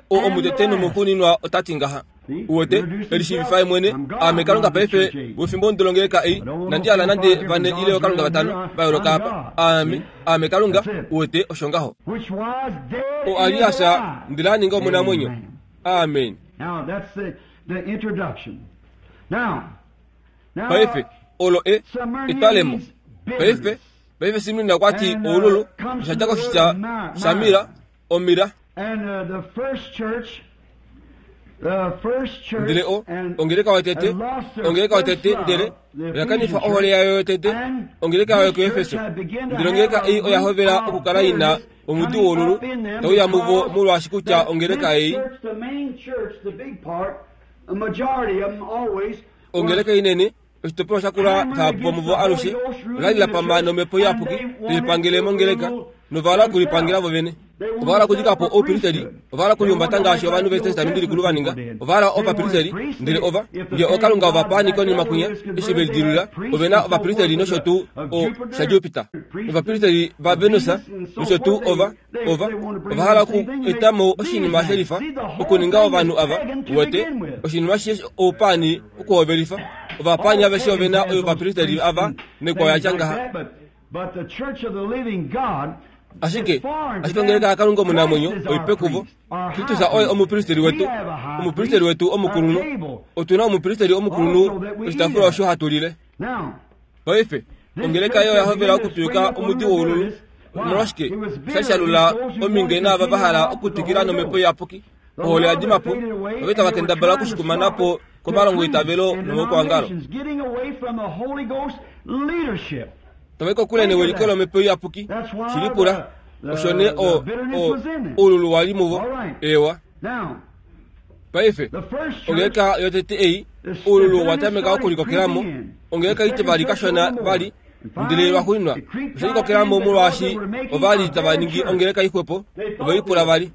ou omutete nomuxuuninwa ota ti ngaha. Uwete, elishiivifa ye mwene, aame Kalunga paife wefimbo ndolongeleka ei, nandi hala nande vane ile okalunga vatano va yooloka apa. Aame, aame Kalunga, uwete, osho ngaho. Ou a li a fya ndele a ninga omunamwenyo. Amen. Paife, olo e, etwalemo. Paife, paife Smirna okwa ti oululu, osha dja koshitya shamira, omira. Ndele o, ongeleka yotete, ongeleka yotete, ndele oya kanifa ohole yayo yotete, ongeleka yayo kuEfeso. Ndele ongeleka ei oya hovela okukala ina omudi woululu tau ya muvo, molwaashi kutya ongeleka ei, ongeleka inene, oshitopolwa shakula vahapu vomuvo alushe ola li la pama nomhepo iyapuki tai pangele mongeleka, nova hala okulipangela vo vene. Ova hala okudika po oupristeli, ova hala okulihumbata ngaashi ovanhu vEtestamenti Likulu va ninga, ova hala ovapristeli, ndele ova, ngee okalunga ovapaani konima kwinya, eshi ve lidilulula, ove na ovapristeli nosho tuu o shaJupiter, novapristeli vaVenus nosho tuu ova, ova, ova hala oku eta mo oshinima shelifa, okuninga ovanhu ava, uwete, oshinima she oupaani okuhovelifa. Ovapaani aveshe ove na ovapristeli ava naikwao ya tya ngaha. Ashike, ashike ongeleka yaKalunga omunamwenyo oipe kuvo. Kristus oye omupristeli wetu, omupristeli wetu omukulunhu. Otu na omupristeli omukulunhu oshitaafula osho hatu lile. Paife, ongeleka ei oya hovela okutwika omudi woululu. Omolwashike, osha shalula ominge naava va hala okutwikila nomhepo iyapuki. Ohole ya dima po, ove tava kendabala okushikumana po komalongo eitavelo nomaukwangalo. Tava kokule newiliko lomhepo iyapuki. Shilipula, osho nee o, o, oululu wa li muvo. Ewa. Paife, ongeleka yotete ei, oululu wa tameka okulikokela mo. Ongeleka itivali kashona vali, ndele lwaxuuninwa osha likokela mo molwaashi ova li tava ningi ongeleka ixwepo, ove lipula vali.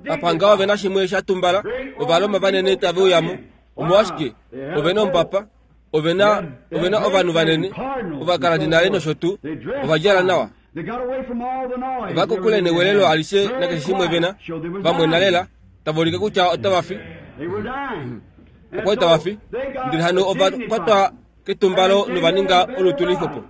Apa ngaho ove na shimwe sha tumbala, Ovaroma vanene tave uya mo. Omolwashike, ove na omupapa, ove na, ove na ovanhu vanene, ovakaradinale nosho tuu, ova djala nawa. Ova kokule newelelo alishe nakeshe shimwe ve na, vamwena lela, tava ulike kutya otava fi. Okwa li tava fi, ndele hano ova kwatwa ketumbalo nova ninga olutu lixwepo.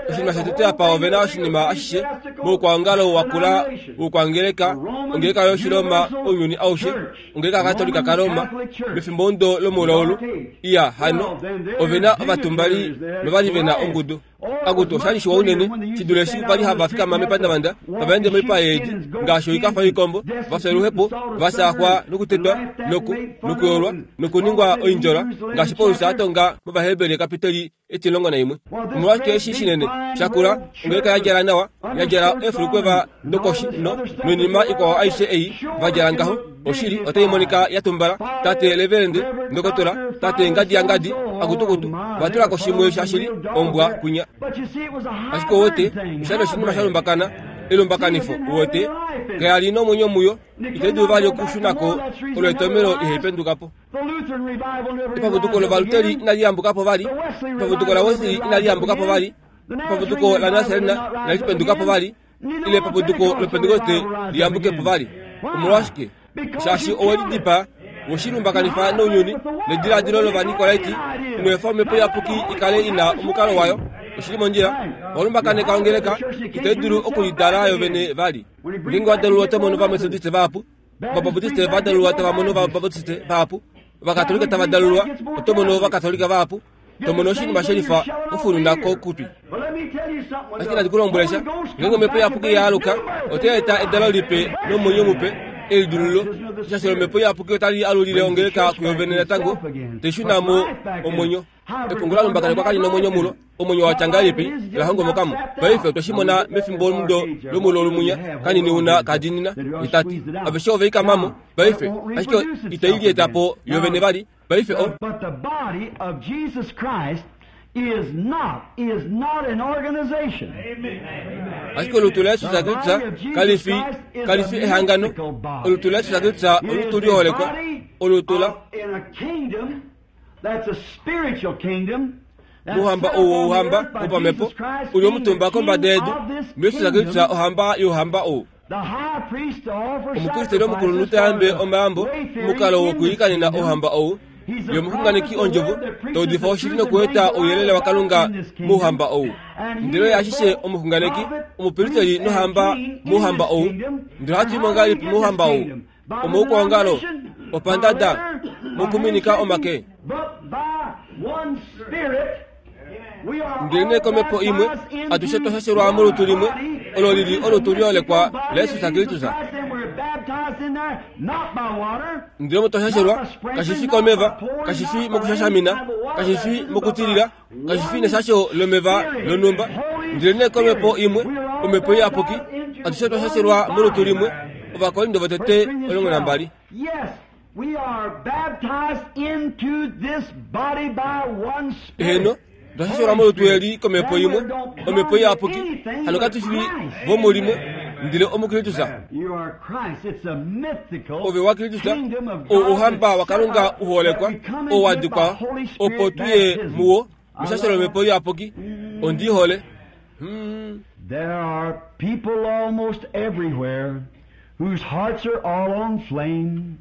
Oshinima shotete apa ove na oshinima ashishe moukwaongalo wakula woukwangeleka, ongeleka yOshiroma ounyuni aushe, ongeleka yaKatolika kaRoma, mefimbo ndo lomoulaulu. Iya, hano, ove na ovatumbali novali ve na ongudu. Akutu oshali shiwa unene shidule eshi vali hava fikama mepandavanda tava ende moipa yeedi ngaashi oikafa yoikombo vafya oluhepo vasaxwa nokutetwa noku nokuyolwa nokuningwa oindjola ngaashi Paulus atonga mOvaheberi kapiteli etilongo naimwe. Omolwashike eshi shinene shakula ongeleka yadjala nawa yadjala eefulukweva dokoshi no noinima ikwao aishe ei vadjala ngaho oshili otai monika yatumbala tate leverende ndokotola tate ngadi ya ngadi akutukutu vatulako shimwe shashili ombwa kunya. Ashike wote oshali oshinima shalumbakana elumbakanifo wote kayali nomwenyo muyo itaidu vali okushunako olwetomelo ihaipendukapo. Epaputuko lovaluteri inali yambukapo vali, epaputuko la Wesley inali yambukapo vali, epaputuko la Nazarena inali pendukapo vali, ile epaputuko lopentekoste liyambukepo vali. Omolwashike? Shaashi owelidipa woshilumbakanifa nounyuni nediladilo lovanikolaiti inoefa omhepo iyapuki ikale ina omukalo wayo. Oshili mondjila walumbakaneka ongeleka itaidulu okulidala yovene vali. Ngeenge wadalulwa otomono vametodiste vahapu, vabaptiste vadalulwa tavamono vabaptiste vahapu, vakatolika tavadalulwa otomono vakatolika vahapu, tomono oshinima shelifa ofununa kokutwi. Ashike nandi kulombwelesha ngeenge omhepo iyapuki yaaluka otai eta edalo lipe nomwenyo mupe elidululo. Shaashi omhepo iyapuki otali alulile ongeleka kuyovene natango teishunamo omwenyo. Epungu lalumbakanekwa kali nomwenyo mulo omwenyo watya ngahelipi lahongomokamo. Paife otweshimona mefimbo mudo lomulo lumunya kanini una kadinina itati aveshe oveikamamo paife ashike itailietapo yovene vali paife o. But the body of Jesus Christ is not is not an organization. Ashike olutu la Yesus Kristus kalifi kalifi ehangano. Olutu la Yesus Kristus olutu liholekwa olutu la in a kingdom that's a spiritual kingdom. Muhamba owo uhamba wopamhepo uli omutumba kombada yedu muYesus Kristus ohamba youhamba ou. Omukristeli omukulunhu tayambe omayambo mukalo wokuilikanena ohamba ou yomuxunganeki ondjovo taudifa oshili nokueta ouyelele waKalunga mouhamba ou. Ndele ashishe omuxunganeki omupristeli nohamba mouhamba ou. Ndele ohatu imo ngahelipi mouhamba ou? Omoukwongalo opandada mokuminika omake. Ndele komhepo imwe atushe twashashelwa molutu limwe olo lili olutu liholekwa laYesus Kristus. Ndele omo twashashelwa kashifi komeva, kashifi mokushashamina, kashifi mokutilila, kashifi neshasho lomeva lonhumba. Ndele komhepo imwe omhepo iyapuki atushe twashashelwa molutu limwe. Ovakorinto votete omulongo nambali. We are baptized into this body by one spirit. Eheno twashashelwa molutu eli komhepo imwe omhepo iyapuki hano katufi vomulimwe ndele omuKristus. You are Christ. It's a mythical Ove wa Kristus kingdom of o God ohamba waKalunga uholekwa that we come into o it by wadikwa Holy Spirit opo tuye baptism. muwo meshashelo lomhepo iyapuki. Ondihole. Hmm. There are people almost everywhere whose hearts are all on flame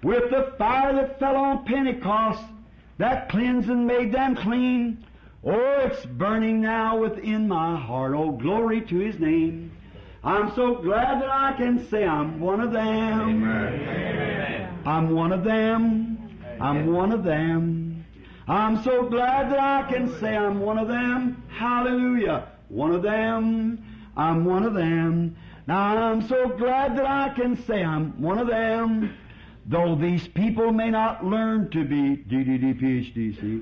with the fire that fell on Pentecost that cleansed and made them clean. Oh, it's burning now within my heart. Oh, glory to His name. I'm so glad that I can say I'm one of them. Amen. I'm one of them. I'm one of them. I'm so glad that I can say I'm one of them. Hallelujah. One of them. I'm one of them. Now I'm so glad that I can say I'm one of them. Though these people may not learn to be D D D P H D C,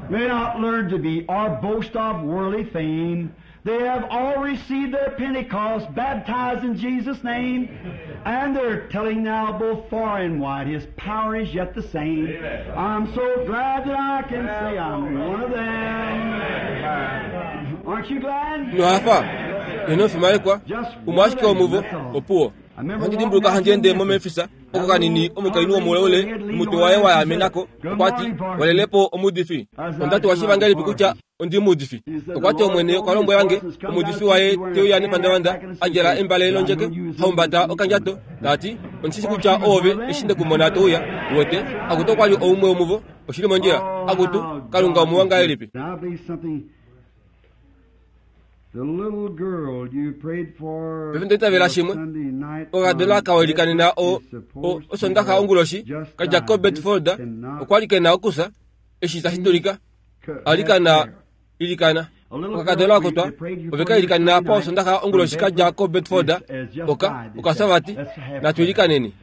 may not learn to be or boast of worldly fame, they have all received their Pentecost, baptized in Jesus' name, and they're telling now both far and wide His power is yet the same. Amen. I'm so glad that I can say I'm one of them. Aren't you glad? Nohafa enofimalekwa umwashike omuvo opuwo handidimbuluka handiende momemfisa oko kanini omukainhu womuleule omutwe waye wayamenako okwati walelepo omudifi. Ondati washivangelipi kutya ondi mudifi. Okwati omwene okwa lombwelange omudifi waye teuya nepandavanda adjala embale londjeke haumbata okandjato tati ondishishi kutya oove eshi ndekumona touya uwete akutu okwali oumwe womuvo oshili mondjila akutu Kalunga omuwa ngahelipi. Pefimbo itavela shimwe okakadona kawelikanena o osondaxa onguloshi kadja ko Bedford okwali kena okusa eshi tashi dulika alikana ilikana. Okakadona oko twa ove kailikanena apa osondaxa onguloshi kadja ko Bedford oka okasavati natwilikaneni.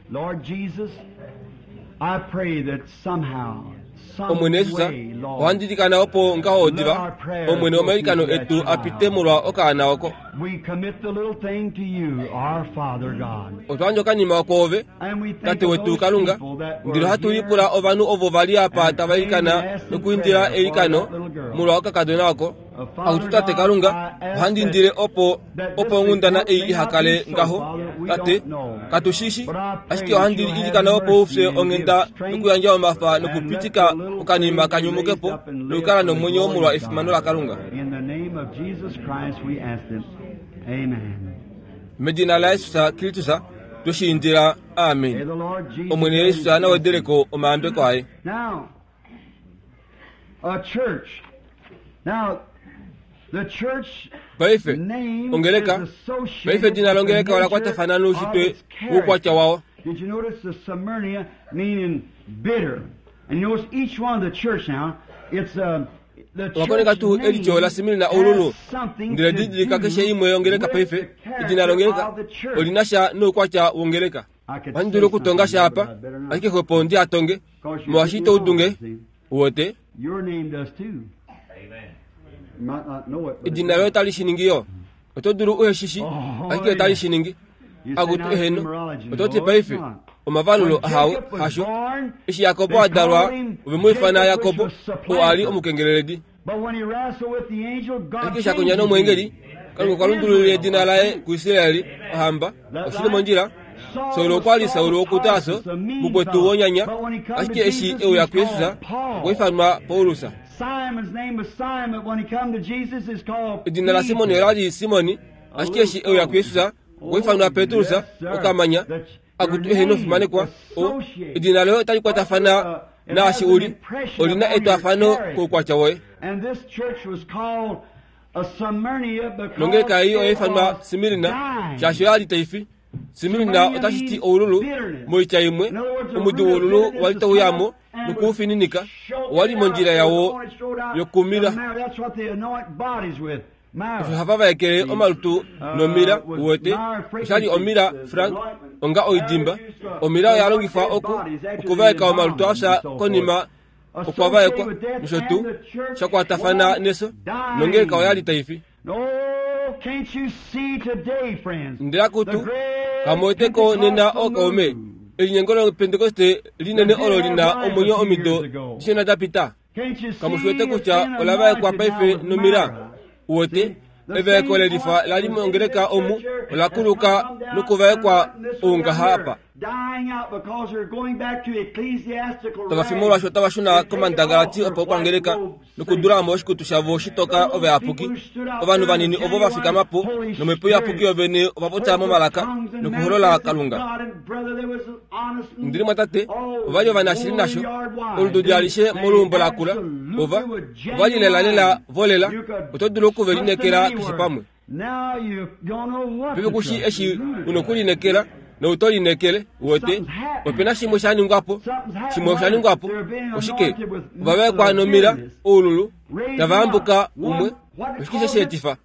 Omwene Jesus, ohandi ilikana opo ngaho odiva Omwene omailikano etu apite molwa okaana oko. Otwa yandja okanima oko ove, Tate wetu Kalunga, ndele ohatu lipula ovanhu ovo vali apa tava ilikana nokuindila eilikano molwa okakadona oko. Akutu Tate Kalunga, ohandi indile opo opo onghundana ei ihakale ngaho. Tate, katu shishi, ashike ohandi ilikana opo ufye onghenda nokuyandja omafa nokupitika okanima kanyumukepo nokukala nomwenyo molwa efimano laKalunga. Medina laJesus Kristus tweshiindila, amen. Omwene Jesus nawedeleko omayambeko aye. Paife ongeleka, paife edina longeleka ola kwatafana noushitwe woukwatya wao. Did you notice the Smyrna meaning bitter? And you notice each one of the church now, it's uh, Owakoneka tuu elityo la Smyrna oululu, ndele didilika keshe imwe yongeleka paife, edina longeleka olina sha noukwatya wongeleka. Ohandi dulu okutonga sha apa, ashike xwepo ndi atonge, molwaashi ito udunge, uwete. Edina loye otali shi ningi yo. Oto dulu uhe shishi, ashike otali shi ningi. Akutu eheno, oto ti paife, omavalulo ahawe hasho. Eshi Jakobo a dalwa, ove mu ifana Jakobo, oo ali omukengeleledi. Ashike eshi a kondja nomweengeli, Kalunga okwa lundululila edina laye kuIsraeli, ohamba, oshili mondjila. Saul okwa li Saul wokuTarso, mukwetu wonyanya, ashike eshi e uya kuJesus, okwa ifanwa Paulus. Edina laSimon ola li Simoni, ashike eshi e uya kuJesus, okwa ifanwa Petrus, okamanya. Akutu eheno fimanekwa, o edina loye otali kwatafana naashi uli, olina etwafano koukwatya woye. Nongeleka ei oya ifanwa Smyrna, shaashi oya li taifi. Smyrna otashi ti oululu, moitya imwe, omudi woululu wali tauyamo nokuufininika, owa li mondjila yawo yokumila. Osho hava vaekele omalutu nomira, uwete, oshali omira Frank, onga oidimba. Omira oya longifwa oku okuvaeka omalutu afya konima okwa vaekwa, nosho tuu, sha kwatafana neso, nongeleka oya li taifi. Ndele akutu, kamuweteko nena ookaume, elinyengo lopentekoste linene olo lina omwenyo omido dishona dapita. Kamushiwete kutya ola vaekwa paife nomira, uwete, evaeko lelifa lali mongeleka omu ola kuluka nokuvaekwa oungaha apa. Tava fi molwaashi otava shuna komandangalati opaukwangeleka nokudulamo oshikutu shavo shitoka ovayapuki. Ovanhu vanini ovo va fikama po nomhepo iyapuki yovene ova popya momalaka nokuholola Kalunga. Ndili mwatate, ova li ovanashili nasho, olududi alishe moluumbo lakula, ova ova li lelalela volela, oto dulu oku ve linekela keshe pamwe. Paife kushi eshi una okulinekela nouto linekele, uwete, opena shimwe sha ningwapo, shimwe osha ningwapo, oshike, ovavaekwa nomira, oululu, tava ambuka umwe, oshike she sheetifa,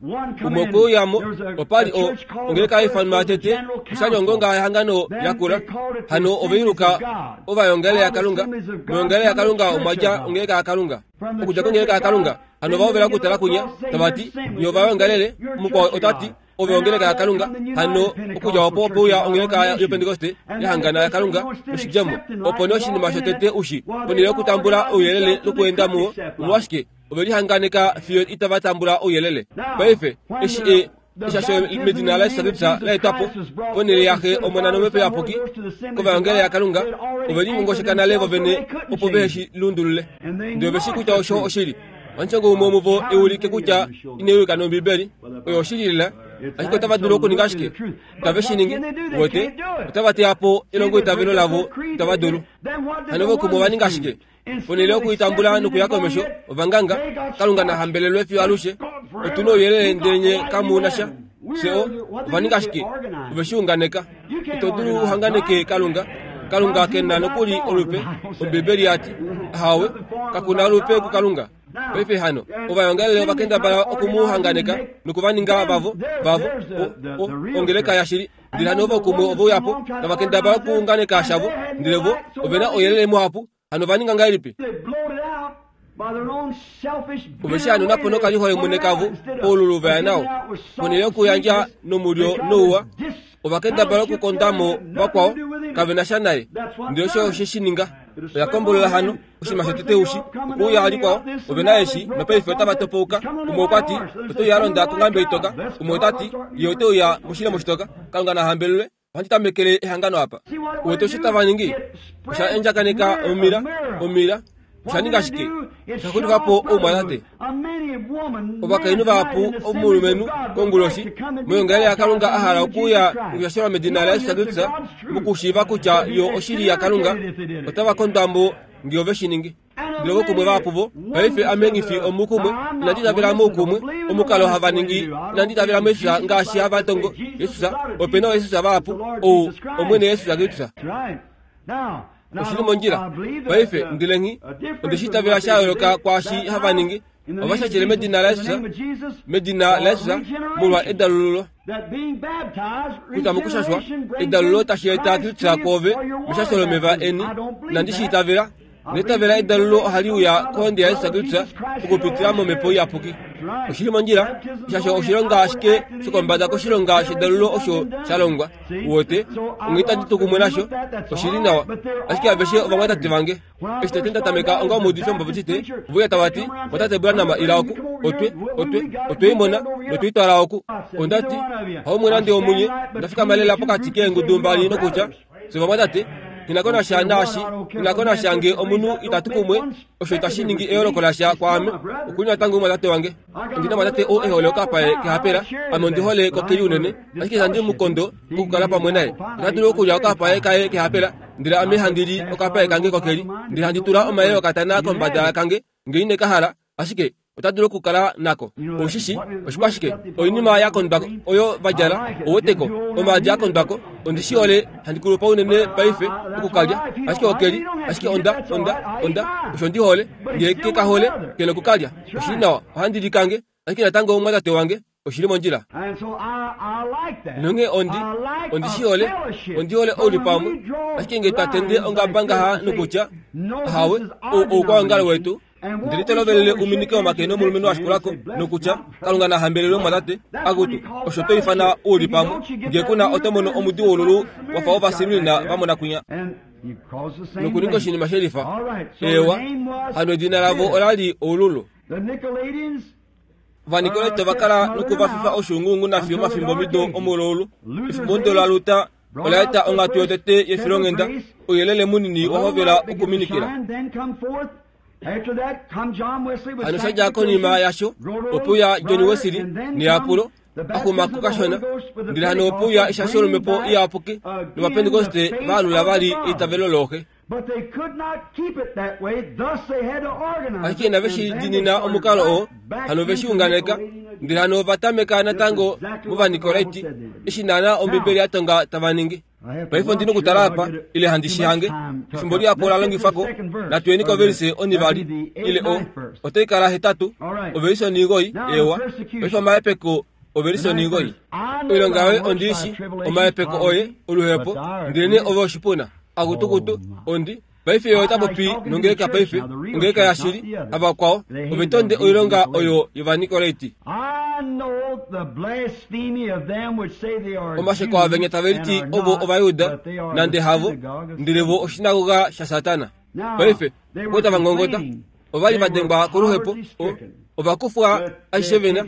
umwe okwe uyamo, opa li o ongeleka haifanwa tete, oshali ongonga yehangano yakula, hano oveiluka ovayongele yaKalunga, moyongele yaKalunga omwa dja ongeleka yaKalunga, okudja kongeleka yaKalunga, hano ova hovela okutala kunya, tava ti, nye ovayongalele, mukwao ota ti, ove ongeleka yaKalunga, hano okudja opo ope uya ongeleka yopentekoste yahangana yaKalunga noshidjemo, opo nee oshinima shotete ushi, ponhele yokutambula ouyelele nokuenda muwo, omolwashike ove lihanganeka fiyo itava tambula ouyelele. Paife eshi e eshasho medina laJesus Kristus la etwa po ponhele yaXe Omona nOmhepo Iyapuki kovayongele yaKalunga, ove lingongosheka nale vovene opo vehe shi lundulule. Ndele ove shi kutya osho oshili. Omushangwa umwe womuvo eulike kutya inai nOmbibeli, oyo oshili lela, ashike otava dulu okuninga ashike itave shi ningi, uwete, otava teya po elongoitavelo lavo, itava dulu. Hano vokumwe ova ninga ashike ponhele yokuitambula nokuya komesho, ovanganga, Kalunga na hambelelwe fiyo alushe, otu na ouyelele ndele nye kamu na sha. Fye o ova ninga ashike, ove shi unganeka. Ito dulu uhanganeke Kalunga. Kalunga ke na nokuli olupe, Ombibeli ya ti, ahawe, kaku na olupe kuKalunga. Paife hano ovayongelele ovakendabala okumuhanganeka nokuvaninga vavo vavo ongeleka yashili. Ndele hano ovo kumwe oveuyapo tavakendabala okuunganeka shavo, ndele vo ovena ouyelele muhapu. Hano vaninga ngahelipi? Ove shi hano napo nokalihole mwene kavo oululu vaya nao ponhele yokuyandja nomulyo nouwa, ovakendabala okukondamo vakwao kavena sha naye. Ndele osho oshe shi ninga oya kombolola hano oshinima shotete ushi okuuya likwao ovena eshi nopaife otava topouka. Umwe okwati oteuya alonda konghambe itoka, umwe otati ye oteuya moshilemo shitoka. Kalunga nahambelelwe, ohandi tamekele ehangano apa. Uwete osho tava ningi? Osha endjakaneka omila omila. Osha ninga shike? Osha xulifa po oumwatate. Ovakainhu vahapu omulumenhu konguloshi moyongalele yaKalunga a hala okuuya nokushashelwa medina laJesus Kristus mokushiiva kutya yo oshili yaKalunga, otava kondwa mo ngee ove shi ningi. Ndele ovo kumwe vahapu vo paife ame nghi fi omukumwe, inandi itavela moukumwe omukalo hava ningi, inandi itavela muJesus ngaashi hava tongo Jesus. Ope na ooJesus vahapu, ou Omwene Jesus Kristus. Oshili mondjila paife. Ndele nghi onde shi itavela sha yooloka kwaashi hava ningi. Ovashashele medina laJesus, medina laJesus molwa edalululo kutya mokushashwa edalululo tashi eta Kristus kwoove meshasho lomeva eni. Inandi shi itavela. Neitavela edalululo ohali uya kohonde yaJesus Kristus okupitila momhepo iyapuki. Oshili mondjila, shasho oshilonga ashike shokombada koshilonga shedalululo osho sha longwa. Uwete, onghee itandi tu kumwe nasho. Oshili nawa, ashike aveshe ovamwatate vange. Eshi tete nda tameka onga omuudifi wOmubaptiste, oveuya tava ti, "Mwatate Branham, ila oku, otwe, otwe, otwe i mona notwe i twala oku." Onda ti, "Haumwe nande omunye." Onda fikama lela pokati keengudu mbali nokutya, "Fye ovamwatate, nghi ko nasha naashi, nghi ko nasha ngee omunhu itatu kumwe, osho itashi ningi eyooloko lasha kwaame. Okuli natango omumwatate wange. Ondi na omumwatate oo e hole okapae kehapela, ame ondi hole kokeli unene, ashike itandi mu kondo okukala pamwe naye. Ota dulu okulya okapae kaye kehapela, ndele ame handi li okapae kange kokeli, ndele handi tula omayeye okatana kombada kange ngee ine ka hala, ashike ota dulu okukala nako." Oushishi oshikwashike? Oinima ya kondwako oyo va djala, ouweteko, omaadi a kondwako. Ondi shi hole, handi kulupa unene paife okukalya, ashike okeli, ashike onda, onda, onda, osho ndi hole. Ngee ke ka hole, ke nokukalya. Oshili nawa, ohandi li kange, ashike natango omumwatate wange. Oshili mondjila. Nonghee ondi, ondi shi hole, ondi hole oulipamwe, ashike ngee twa tende ongaba ngaha nokutya, "Ahawe, ou oukwaongalo wetu," ndele to lovelele uminike omake nomulumenhu a shikulako nokutya, "Kalunga na hambelelwe mumwatate," akutu, osho to ifana oulipamwe. Ngee kuna oto mono omudi woululu wafa wovasilulina va mona kwinya nokuninga oshinima shelifa. Eewa, hano edina lavo olali oululu. Ovanikolaiti ova kala nokuvafifa oshuunguungu nafiyo omafimbo mido omulaulu. Efimbo laLuther ola eta onghatu yotete yefilonghenda, ouyelele munini wa hovela okuminikila. Hano shadja konima yasho opeuya John Wesley neyapulo axumako kashona, ndele hano opeuya eshasho lomhepo iyapuki novapentekoste vaalula vali eitavelo looxe. Ashike inave shi diinina omukalo oo, hano ve shi unganeka, ndele hano ova tameka natango movanikolaiti, eshi naana Ombibeli ya tonga tava ningi. Paife ondi nokutala apa ile handi shi hange. Efimbo lihapu ola longifwako. Natuyeni kovelise onivali ile o otai kala hetatu, ovelise onigoi. Eewa, paife omahepeko, ovelise onigoi. "Oilonga yoye ondi i shi, omahepeko oye, oluhepo, ndelenee ove oshipuna. Akutukutu, ondi paife ye ota popi nongeleka paife, ongeleka yashili, havakwao. Ove tonde oilonga oyo yovanikolaiti. Omasheko avenya tave liti ovo Ovayuda, nande havo, ndele vo oshinagoga shaSatana." Paife okwa tava ngongota. Ova li va dengwa koluhepo, ova kufwa ashishe vena,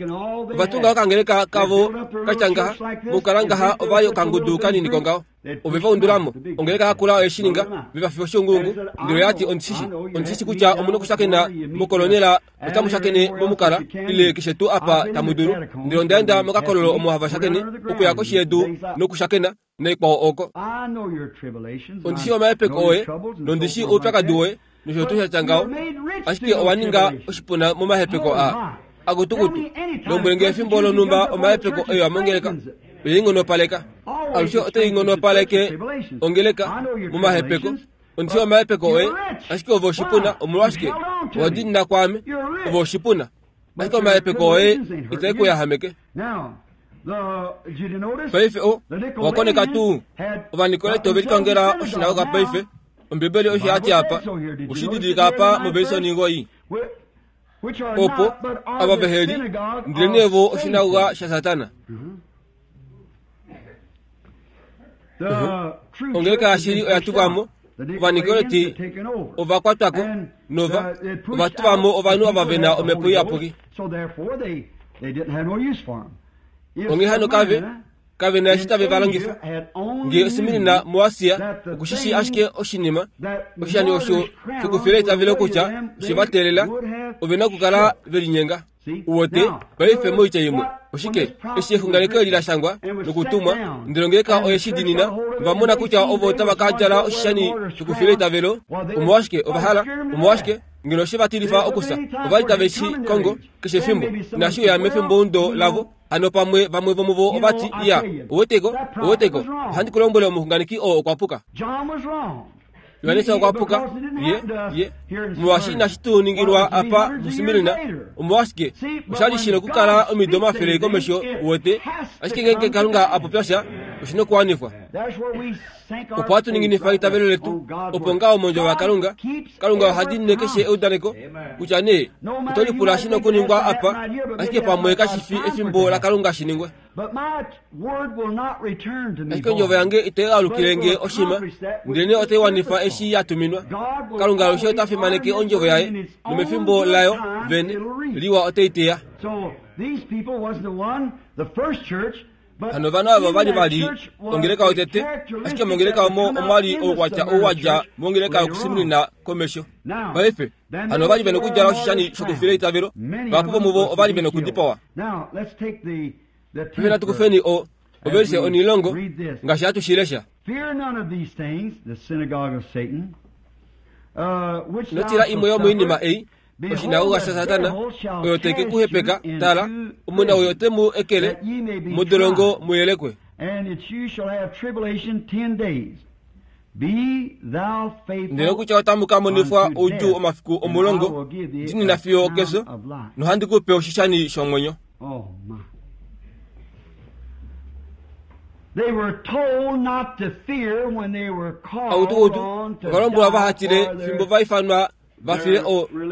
ova tunga okangeleka kavo katya ngaha, mokukala ngaha ova li okangudu kanini kongaho. Ove va undulamo ongeleka yakula oye shi ninga, ve va fifa oshuunguungu. Ndele oya ti, "Ondishishi, ondishishi kutya omu nokushakena mokolonela, otamu shakene momukala ile keshe tuu apa tamu dulu. Ndele onda enda mokakololo omo hava shakene okuya koshi yedu nokushakena naikwao oko. Ondi shii omahepeko oye, nondi shii oupyakadi woye, nosho tuu shatya ngaho, ashike owa ninga oshipuna momahepeko aa. Akutukutu, lombwele nge efimbo lonhumba omahepeko oiwa mongeleka oye i nghonopaleka. Alushe otai nghonopaleke ongeleka momahepeko. Ondi omahepeko oye, ashike ove oshipuna. Omolwashike owa diinina kwaame? Ove oshipuna, ashike omahepeko oye itae ku yahameke. Paife o owakoneka tuu Ovanikolaiti ove likongela oshinagoga paife. Ombibeli osho yati apa, oshididilika apa movelisoni oningoi opo ava veheli ndelenee vo oshinagoga shaSatana. Ongeleka yashili oya tuvamo, Ovanikolaiti ovakwatwako nova ova tuvamo ovanhu ava vena omhepo iyapuki. Onghee hano kave kave na eshi tave va longifa. Ngee Smirna muAsia okushishi ashike oshinima oshishani osho shokufila eitavelo kutya oshe va teelela, ove na okukala ve linyenga. Uwete paife moitya imwe oshike eshi exunganeko eli la shangwa nokutumwa, ndele ongeleka oye shi diinina, ova mona kutya ovo otava ka djala oshishani shokufila eitavelo. Omolwashike ova hala? Omolwashike ngeno oshe va tilifa okusa? Ova li tave shi kongo keshe efimbo, inashi uya mefimbomudo lavo. Hano pamwe vamwe vomuvo ovati, iya, ouweteko, ouweteko, ohandi ku lombwele omuxunganeki oo okwa puka. Johannes okwa puka, ye, ye, molwaashi inashi tu ningilwa apa muSmirna. Omolwashike osha li shi nokukala omido omafele komesho, uwete? Ashike ngeenge Kalunga a popya sha, oshi nokuwanifwa. Opo hatu ninginifa eitavelo letu, opo ngaho mondjovo yaKalunga. Kalunga oha diinine keshe eudaneko, kutya nee oto lipula shi nokuningwa apa, ashike pamwe kashi fi efimbo laKalunga shi ningwe. Ashike ondjovo yange itai alukile nge oshima, ndelenee otai wanifa eshi ya tuminwa. Kalunga alushe ota fimaneke ondjovo yaye, nomefimbo layo vene liwa otai teya. Hano ovanhu ava ova li vali ongeleka yotete, ashike mongeleka omo omwa li oukwatya ou wa dja mongeleka yokuSmirna komesho. Paife hano ova li ve nokudjala oshishani shokufila eitavelo, vahapu vomuvo ova li ve nokudipawa. Paife natu kufeni o ovelise onilongo ngaashi hatu shi lesha. Ino tila imwe yomoinima ei, oshinagoga shaSatana, oyo te ke ku hepeka. Tala, omuna oyo ote mu ekele modolongo mu yelekwe. Ndele kutya otamu ka monifwa oudjuu omafiku omulongo, diinina fiyo okefyo, nohandi ku pe oshishani shomwenyo. Autukutu ova lombwelwa vaha tile fimbo va ifanwa va file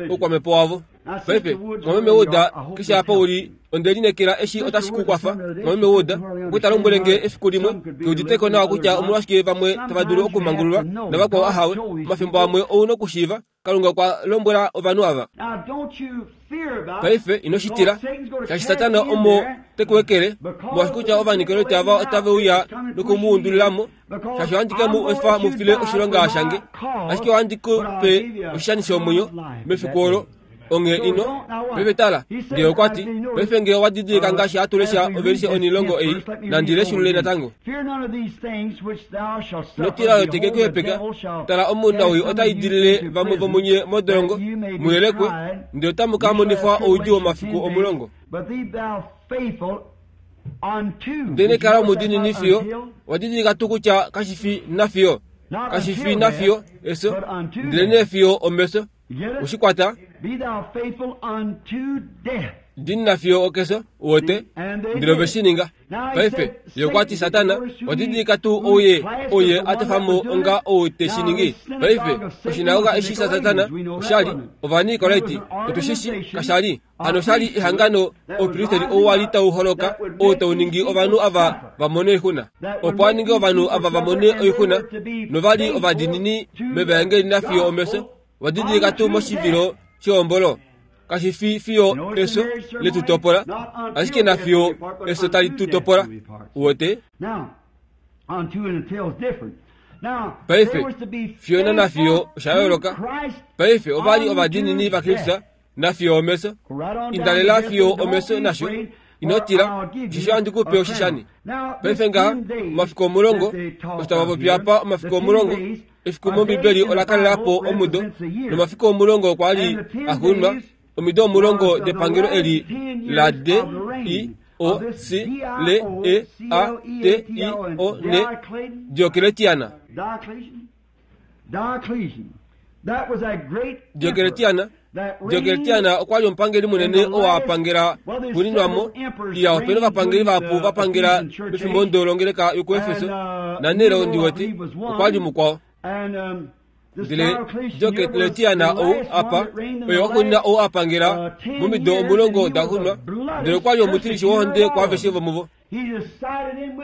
oukwamhepo wavo. Paife mwameme Wood, keshe apa uli, onde lineekela eshi otashi ku kwafa. Mwameme Wood okwe ta lombwele nge efiku limwe ke uditeko nawa kutya omolwashike vamwe tava dulu okumangululwa navakwao ahawe. Omafimbo amwe ou nokushiiva Kalunga okwa lombwela ovanhu ava. Paife ino shi tila, shaashi Satana omo te ku ekele, molwaashi kutya Ovanikolaiti ava otave uya noku mu undulila mo, shaashi ohandi ke mu efa mu file oshilonga shange, ashike ohandi ku pe oshishani shomwenyo mefiku olo. Onghee ino paife tala, ngee okwa ti, paife ngee owa didilika ngaashi hatu lesha ovelishe onilongo ei, nandi leshulule natango. Ino tila oyo te ke ku hepeka. Tala, omunawii ota idilile vamwe vomunye modolongo, mu yelekwe, ndele otamu ka monifwa oudjuu womafiku omulongo. Ndele kala omudiinini fiyo owa didilika tuu kutya kashi fi nafiyo, kashi fi nafiyo efyo, ndelenee fiyo omefyo. Ushikwata? Diinina fiyo okefyo, uwete, ndele ove shi ninga. Paife ye okwa ti, Satana, owa didilika tuu ouye ouye a tofa mo onga ou te shi ningi? Paife oshinagoga eshi shaSatana osha li Ovanikolaiti, otu shi shi kasha li hano osha li ehangano oupristeri ou wa li tau holoka ou tau ningi ovanhu ava va mone oixuna, opo a ninge ovanhu ava va mone oixuna, nova li ovadiinini mevaengeli nafiyo omefyo. Owa didilika tuu moshivilo shehombolo? Kashi fi fiyo efyo letu topola, ashike nafiyo efyo tali tu topola. Uwete? Paife, fiyo nanafiyo osha yooloka. Paife ova li ovadiinini vaKristus nafiyo omefyo. Indalela fiyo omefyo nasho. Ino tila, osheshi ohandi ku pe oshishani. Paife ngaha, omafiku omulongo, osho tava popi apa omafiku omulongo, efiku mOmbibeli ola kalela po omudo, nomafiku omulongo okwa li a xuunwa, omido omulongo depangelo eli la D I O C L E A T I O N, Diocletiana. Diocletiana Diocletiana okwa li omupangeli munene oo apangela kuninwamo iya opena ovapangeli vahapu vapangela mefimbo ndolongeleka yokuefeso na Nero ndiwete okwa li mukwao. Ndele Diocletiana ou apa oye wakunina ou apangela momido omulongo daxunwa, ndele okwa li omutilishi wohonde kwaaveshe vomuvo.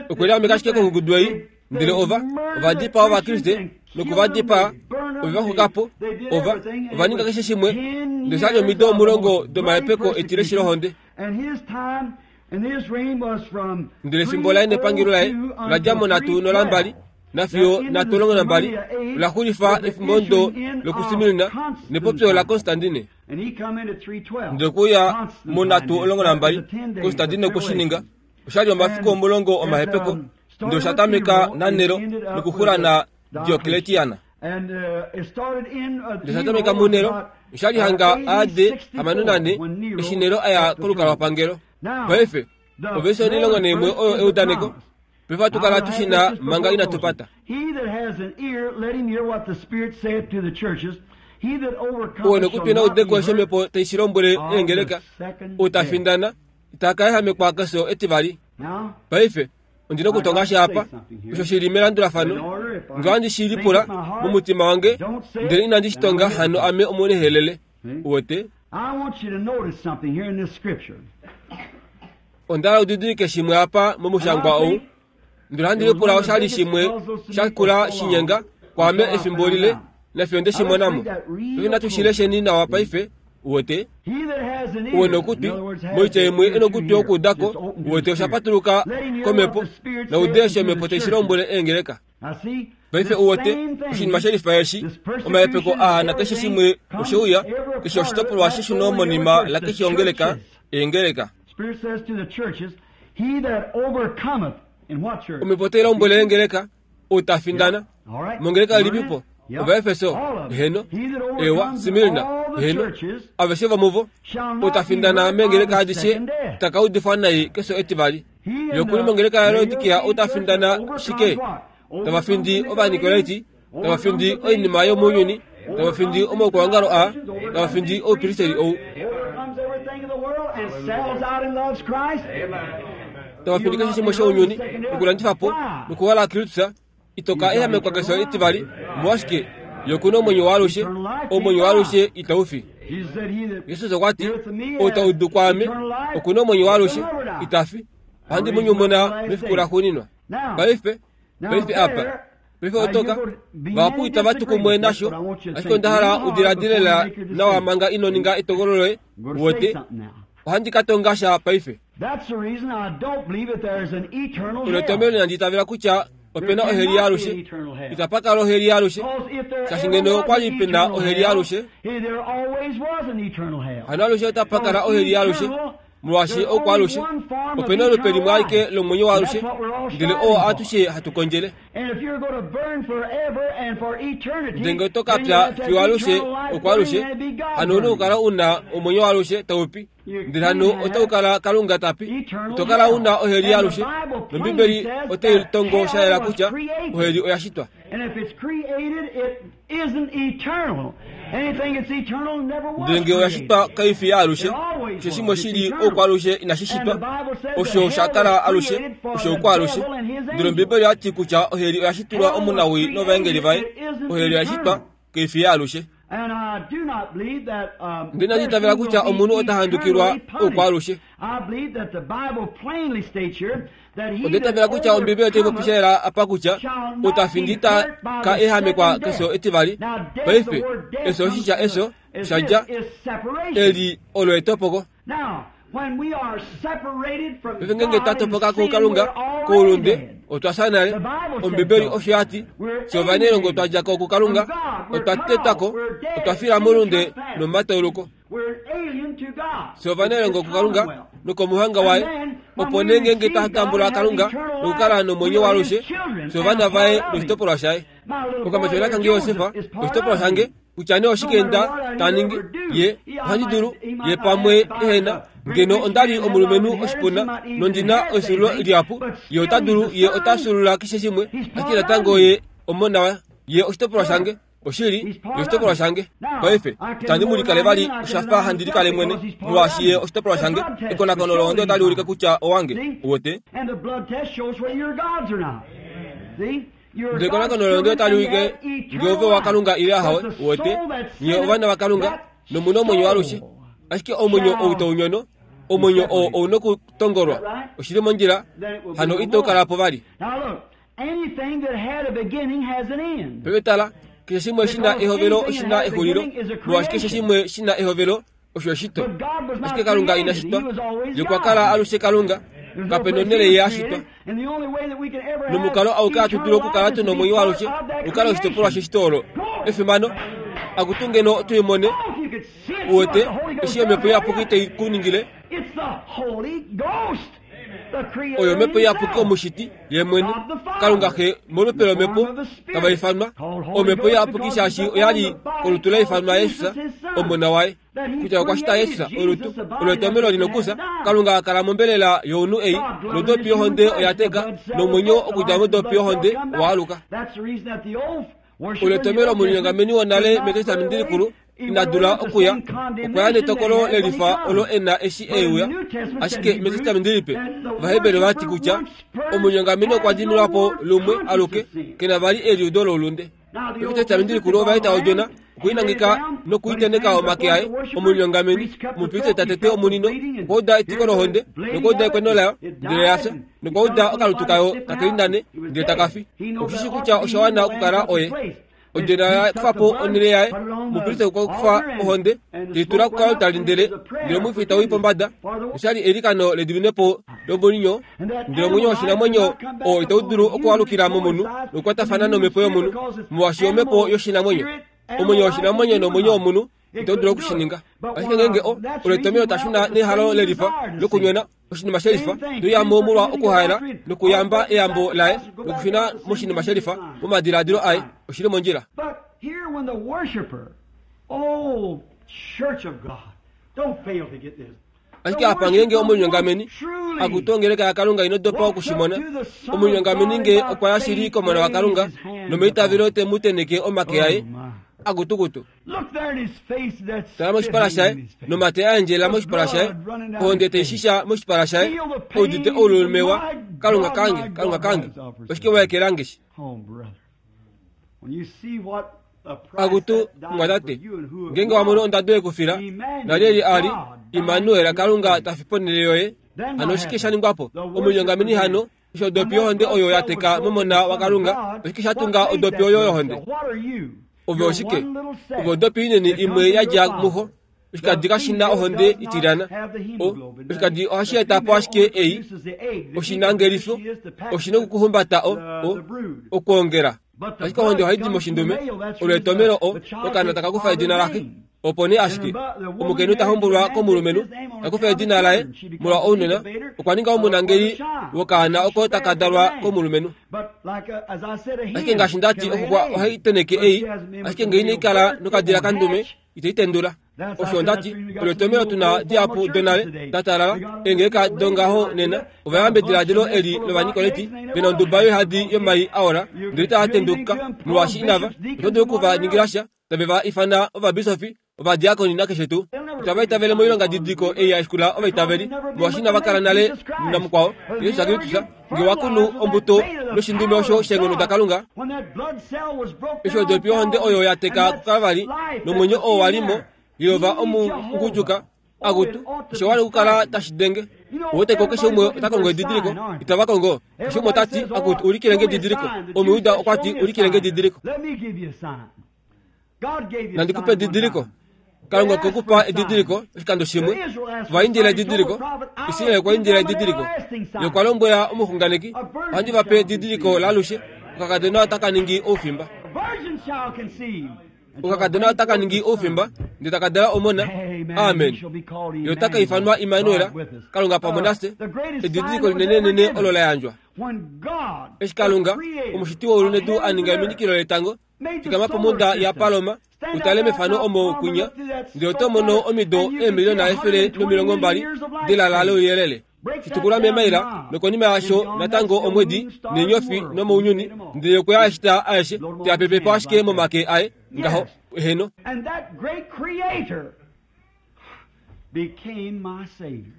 Okwe liameka ashike kongudu ei, ndele ova ovadipaa Ovakriste nokuvadipaa, ove va xukapo, ova ova ninga keshe shimwe, ndele oshali omido omulongo domahepeko etileshi lohonde. Ndele efimbo laye nepangelo laye ola dja monhatu nolambali nafiyo nhatu omulongo nambali, ola xulifa efimbo ndo lokuSmyrna nepopyo laConstantine. Ndele okuya monhatu omulongo nambali, Constantine okwe shi ninga. Oshali omafiku omulongo omahepeko, ndele osha tameka naNero nokuxula na Diocletiana. Ndele osha tameka muNero, oshali hanga A D hamano nane eshi Nero aya kolukalwapangelo. Paife ovesi onilongo naimwe oyo eudaneko. Paife ohatu kala tushina manga inatu pata. Ou nokutwi na udeko eshi omhepo tai shi lombwele eengeleka, ou ta findana ita ka ehamekwa kefyo etivali. Paife ondina okutonga sha apa osho shili melandulafano, ngee ohandi shi lipula momutima wange ndele inandi shi tonga, hano ame omunehelele. Uwete? Onda hala udidilike shimwe apa momushangwa ou, ndele ohandi lipula oshali shimwe sha kula shinyenga kwaame efimbo lile nafiyo nde shi mona mo. Paife natu shi lesheni nawa paife. Uwete? Uwe nokutwi, moitya imwe enokutwi okuudako, uwete osha patuluka komhepo, naude eshi omhepo tai shi lombwele eengeleka. Paife uwete, oshinima shelifa eshi, omahepeko aa nakeshe shimwe osheuya, keshe oshitopolwa sheshuno monima lakeshe ongeleka, eengeleka. Omhepo otai lombwele eengeleka, ou ta findana mongeleka ilipipo? Ovaefeso, heno, ewa, Smyrna, heno, aveshe vomuvo, ou ta findana meengeleka adishe ta ka udifwa nai kefyo etivali. Yokuli mongeleka yaLaodikia ou ta findana shike? Tava findi Ovanikolaiti, tava findi oinima yomounyuni, tava findi omaukwaongalo aa, tava findi oupristeri ou. Tava findi keshe shimwe shounyuni, nokulandifa po, nokuhola Kristus, ito ka ehamekwa kefyo etivali, omolwashike ye oku na omwenyo waalushe, omwenyo waalushe itau fi. Jesus okwa ti, ou ta udu kwaame oku na omwenyo waalushe, ita fi, ohandi mu nyumuna mefiku laxuuninwa. Paife, paife apa, paife otoka, vahapu itava tu kumwe nasho, ashike onda hala udiladile lela nawa manga ino ninga etokolo loye, uwete, ohandi ka tonga sha paife. Olo etomhelo inandi itavela kutya opena oheli yaalushe. Itapa kala oheli yaalushe, shaashi ngeno okwa li pena oheli yaalushe, hano alushe otapa kala oheli yaalushe, molwaashi oukwaalushe opena olupe limwe alike lomwenyo waalushe, ndele oo atushe hatu kondjele. Ndele ngee oto ka pya fiyo alushe okwaalushe, hano ouna okukala una omwenyo waalushe taupi, ndele hano otau kala Kalunga tapi. Ito kala una oheli yaalushe, nOmbibeli otai tongo sha yela kutya oheli oya shitwa. Ndele ngee oya shitwa kai fi yaalushe, osho shimwe shi li oukwaalushe inashi shitwa, osho sha kala alushe, osho oukwaalushe. Ndele Ombibeli oya ti kutya oheli oya shitilwa omunawii novaengeli vaye. Oheli oya shitwa, kai fi yaalushe. Ndele inandi itavela kutya omunhu ota handukilwa oukwaalushe. Onda itavela kutya Ombibeli otai popi sha yela apa kutya ou ta findi ita ka ehamekwa kefyo etivali. Paife, efyo oshitya efyo osha dja eli olo etopoko. Paife ngeenge twa topoka kuKalunga koulunde, otwa fya nale. Ombibeli osho ya ti, fye ovanailongo twa dja ko kuKalunga, otwa tetwa ko, otwa fila moulunde nomomatauluko. Fye ovanailongo kuKalunga nokomuhanga waye, opo nee ngeenge twa tambula Kalunga nokukala nomwenyo waalushe, fye ovana vaye noshitopolwa shaye. Okamatyona kange Josef, oshitopolwa shange, kutya nee oshike nda ta ningi, ye ohandi dulu, ye pamwe ehena, ngeno onda li omulumenhu oshipuna nondi na efyuululo lihapu, ye ota dulu, ye ota fyuulula keshe shimwe, ashike natango ye omona waye, ye oshitopolwa shange. Oshili, oshitopolwa shange. Paife, itandi mu likale vali oshafa handi likale mwene, molwaashi ye oshitopolwa shange. Ekonakono lohonde otali ulike kutya owange. Uwete? Ndele ekonakono lohonde otali ulike nge ove waKalunga ile ahawe. Uwete? Nye ovana vaKalunga, nomuna omwenyo alushe. Ashike omwenyo ou taunyono, omwenyo oo ouna okutongolwa. Oshili mondjila, hano ito kala po vali. Paife tala, keshe shimwe shina ehovelo oshina exulilo, molwaashi keshe shimwe shina ehovelo osho eshito. Ashike Kalunga ina shitwa, ye okwa kala alushe Kalunga, kape nonhele ye a shitwa. Nomukalo auke hatu dulu okukala tuna omwenyo alushe, okukala oshitopolwa sheshito olo. Efimano, akutu ngeno tuimone, uwete, eshi omhepo iyapuki tai ku ningile. Oyo omhepo iyapuki omushiti ye mwene, Kalunga Xe molupe lomhepo tava ifanwa omhepo iyapuki shaashi oyali kolutu la ifanwa Jesus omona waye. Kutya okwa shita Jesus olutu olo etomelo lina okusa. Kalunga akala mombelela younhu ei, nodopi yohonde oya teka, nomwenyo okudja modopi yohonde owa aluka. Olo etomelo omulinyongameni wonale mEtestamenti Likulu ina dula okuya, okwa ya netokolo lelifa olo ena eshi euya. Ashike mEtestamenti Lipe, Ovaheberi vati kutya omulinyongameni okwa diminwa po lumwe aluke, kena vali eliudo loulunde. MEtestamenti Likulu ova eta odjona, okuinangeka nokuiteneka omake aye. Omulinyongameni, omupristeli ta tete omunino, okwa uda etiko lohonde, nokwa uda ekweno layo, ndele ya fya, nokwa uda okalutu kayo takelindane, ndele takafi. Okushishi kutya osha wana okukala oye. Odjona ya kufa po onhele yaye, omupristeli okwa kufa ohonde, teitula kukalutali ndele ndele omwifi tau i pombada. Oshali eilikano lediminepo lomulinyo, ndele omwenyo woshinamwenyo oo itau dulu okualukila momunhu nokukwatafana nomhepo yomunhu, molwaashi omhepo yoshinamwenyo. Omwenyo woshinamwenyo nomwenyo womunhu itau dulu okushininga. Ashike ngeenge o olo etomelo tashuna nehalo lelifa lokunyona oshinima shelifa, toyamo molwa okuhaela nokuyamba eyambo laye nokushuna moshinima shelifa momadiladilo aye, oshili mondjila. Ashike apa ngeenge omulinyongameni akutu ongeleka yaKalunga ino dopa okushimona, omulinyongameni nge okwa ya shili komona waKalunga nomeitavelo te mu teneke omake aye, akutukutu. Tala moshipala shaye, nomate a endjelela moshipala shaye, ohonde teishisha moshipala shaye, oudite oululumewa, Kalunga kange, Kalunga kange, oshike wa ekelange shi? Akutu mwatate, ngeenge wa mono ondado yekufila, nalyeli ali Immanuel, Kalunga tafi ponhele yoye. Hano oshike sha ningwa po? Omulinyongameni hano, osho odopi yohonde oyo ya teka momona waKalunga, oshike sha tunga odopi oyo yohonde? Ove oshike? Ove odopi inene imwe ya dja muxo. Oshikadi kashina ohonde itilyana. Oshikadi ohashi eta po ashike ei oshinangelifo, oshina okukuhumbata o o okwoongela. Ashike ohonde ohai di moshindume, olo etomelo o okaana taka kufa edina laxe. Opo nee ashike omukainhu ta hombolwa komulumenhu, ta kufa edina laye molwa ounona, okwa ninga omunangeli wokaana oko taka dalwa komulumenhu. Ashike ngaashi ndati, oxuxwa ohai teneke ei, ashike ngee inai kala nokadila kandume, itai tendula. Osho ndati, olo etomelo tuna dihapu donale da talala, eengeleka dongaho nena, ova yamba ediladilo eli lOvanikoleti, vena onduba yoihadi yomai a ola, ndele itava tenduka molwaashi inava, oto dulu oku va ningila sha, tave va ifana ovabisofi, ovadiakoni nakeshe tuu. Itava itavele moilonga didiko ei ya shikula ovaitaveli, molwaashi inava kala nale namukwao, Jesus Kristus, nge wa kunu ombuto noshindume osho sheenghono daKalunga, eshi odopi yohonde oyo ya teka kuKalvari, nomwenyo oo wa li mo, Yehova omungudjuka akutu, osho wali okukala tashi denge. Uweteko keshe umwe ota kongo edidiliko, itava kongo. Keshe umwe ota ti, akutu, ulikile nge edidiliko. Omuyuda okwa ti, ulikile nge edidiliko. Nandi kupe edidiliko. Kalunga okwe ku pa edidiliko oshikando shimwe. Ova indila edidiliko. Israel okwa indila edidiliko. Ye okwa lombwela omuxunganeki, ohandi va pe edidiliko laalushe, okakadona otaka ningi oufimba. Okakadona otaka ningi oufimba, ndele taka dala omona. Amen. Ye otaka ifanwa Immanuel, Kalunga pamwe nafye. Edidiliko linenenene olo la yandjwa. Eshi Kalunga, omushiti weulu nedu, a ninga eminikilo letango, fikama pomhunda yaPaloma, utale mefano omo kwinya, ndele oto mono omido eemiliona efele nomilongo mbali delala louyelele. Shitukula meemaila nokonima yaasho natango omwedi neenyofi nomounyuni ndele okwe a shita aeshe teapepepo ashike momake aye ngaho eheno. And that great creator became my Savior.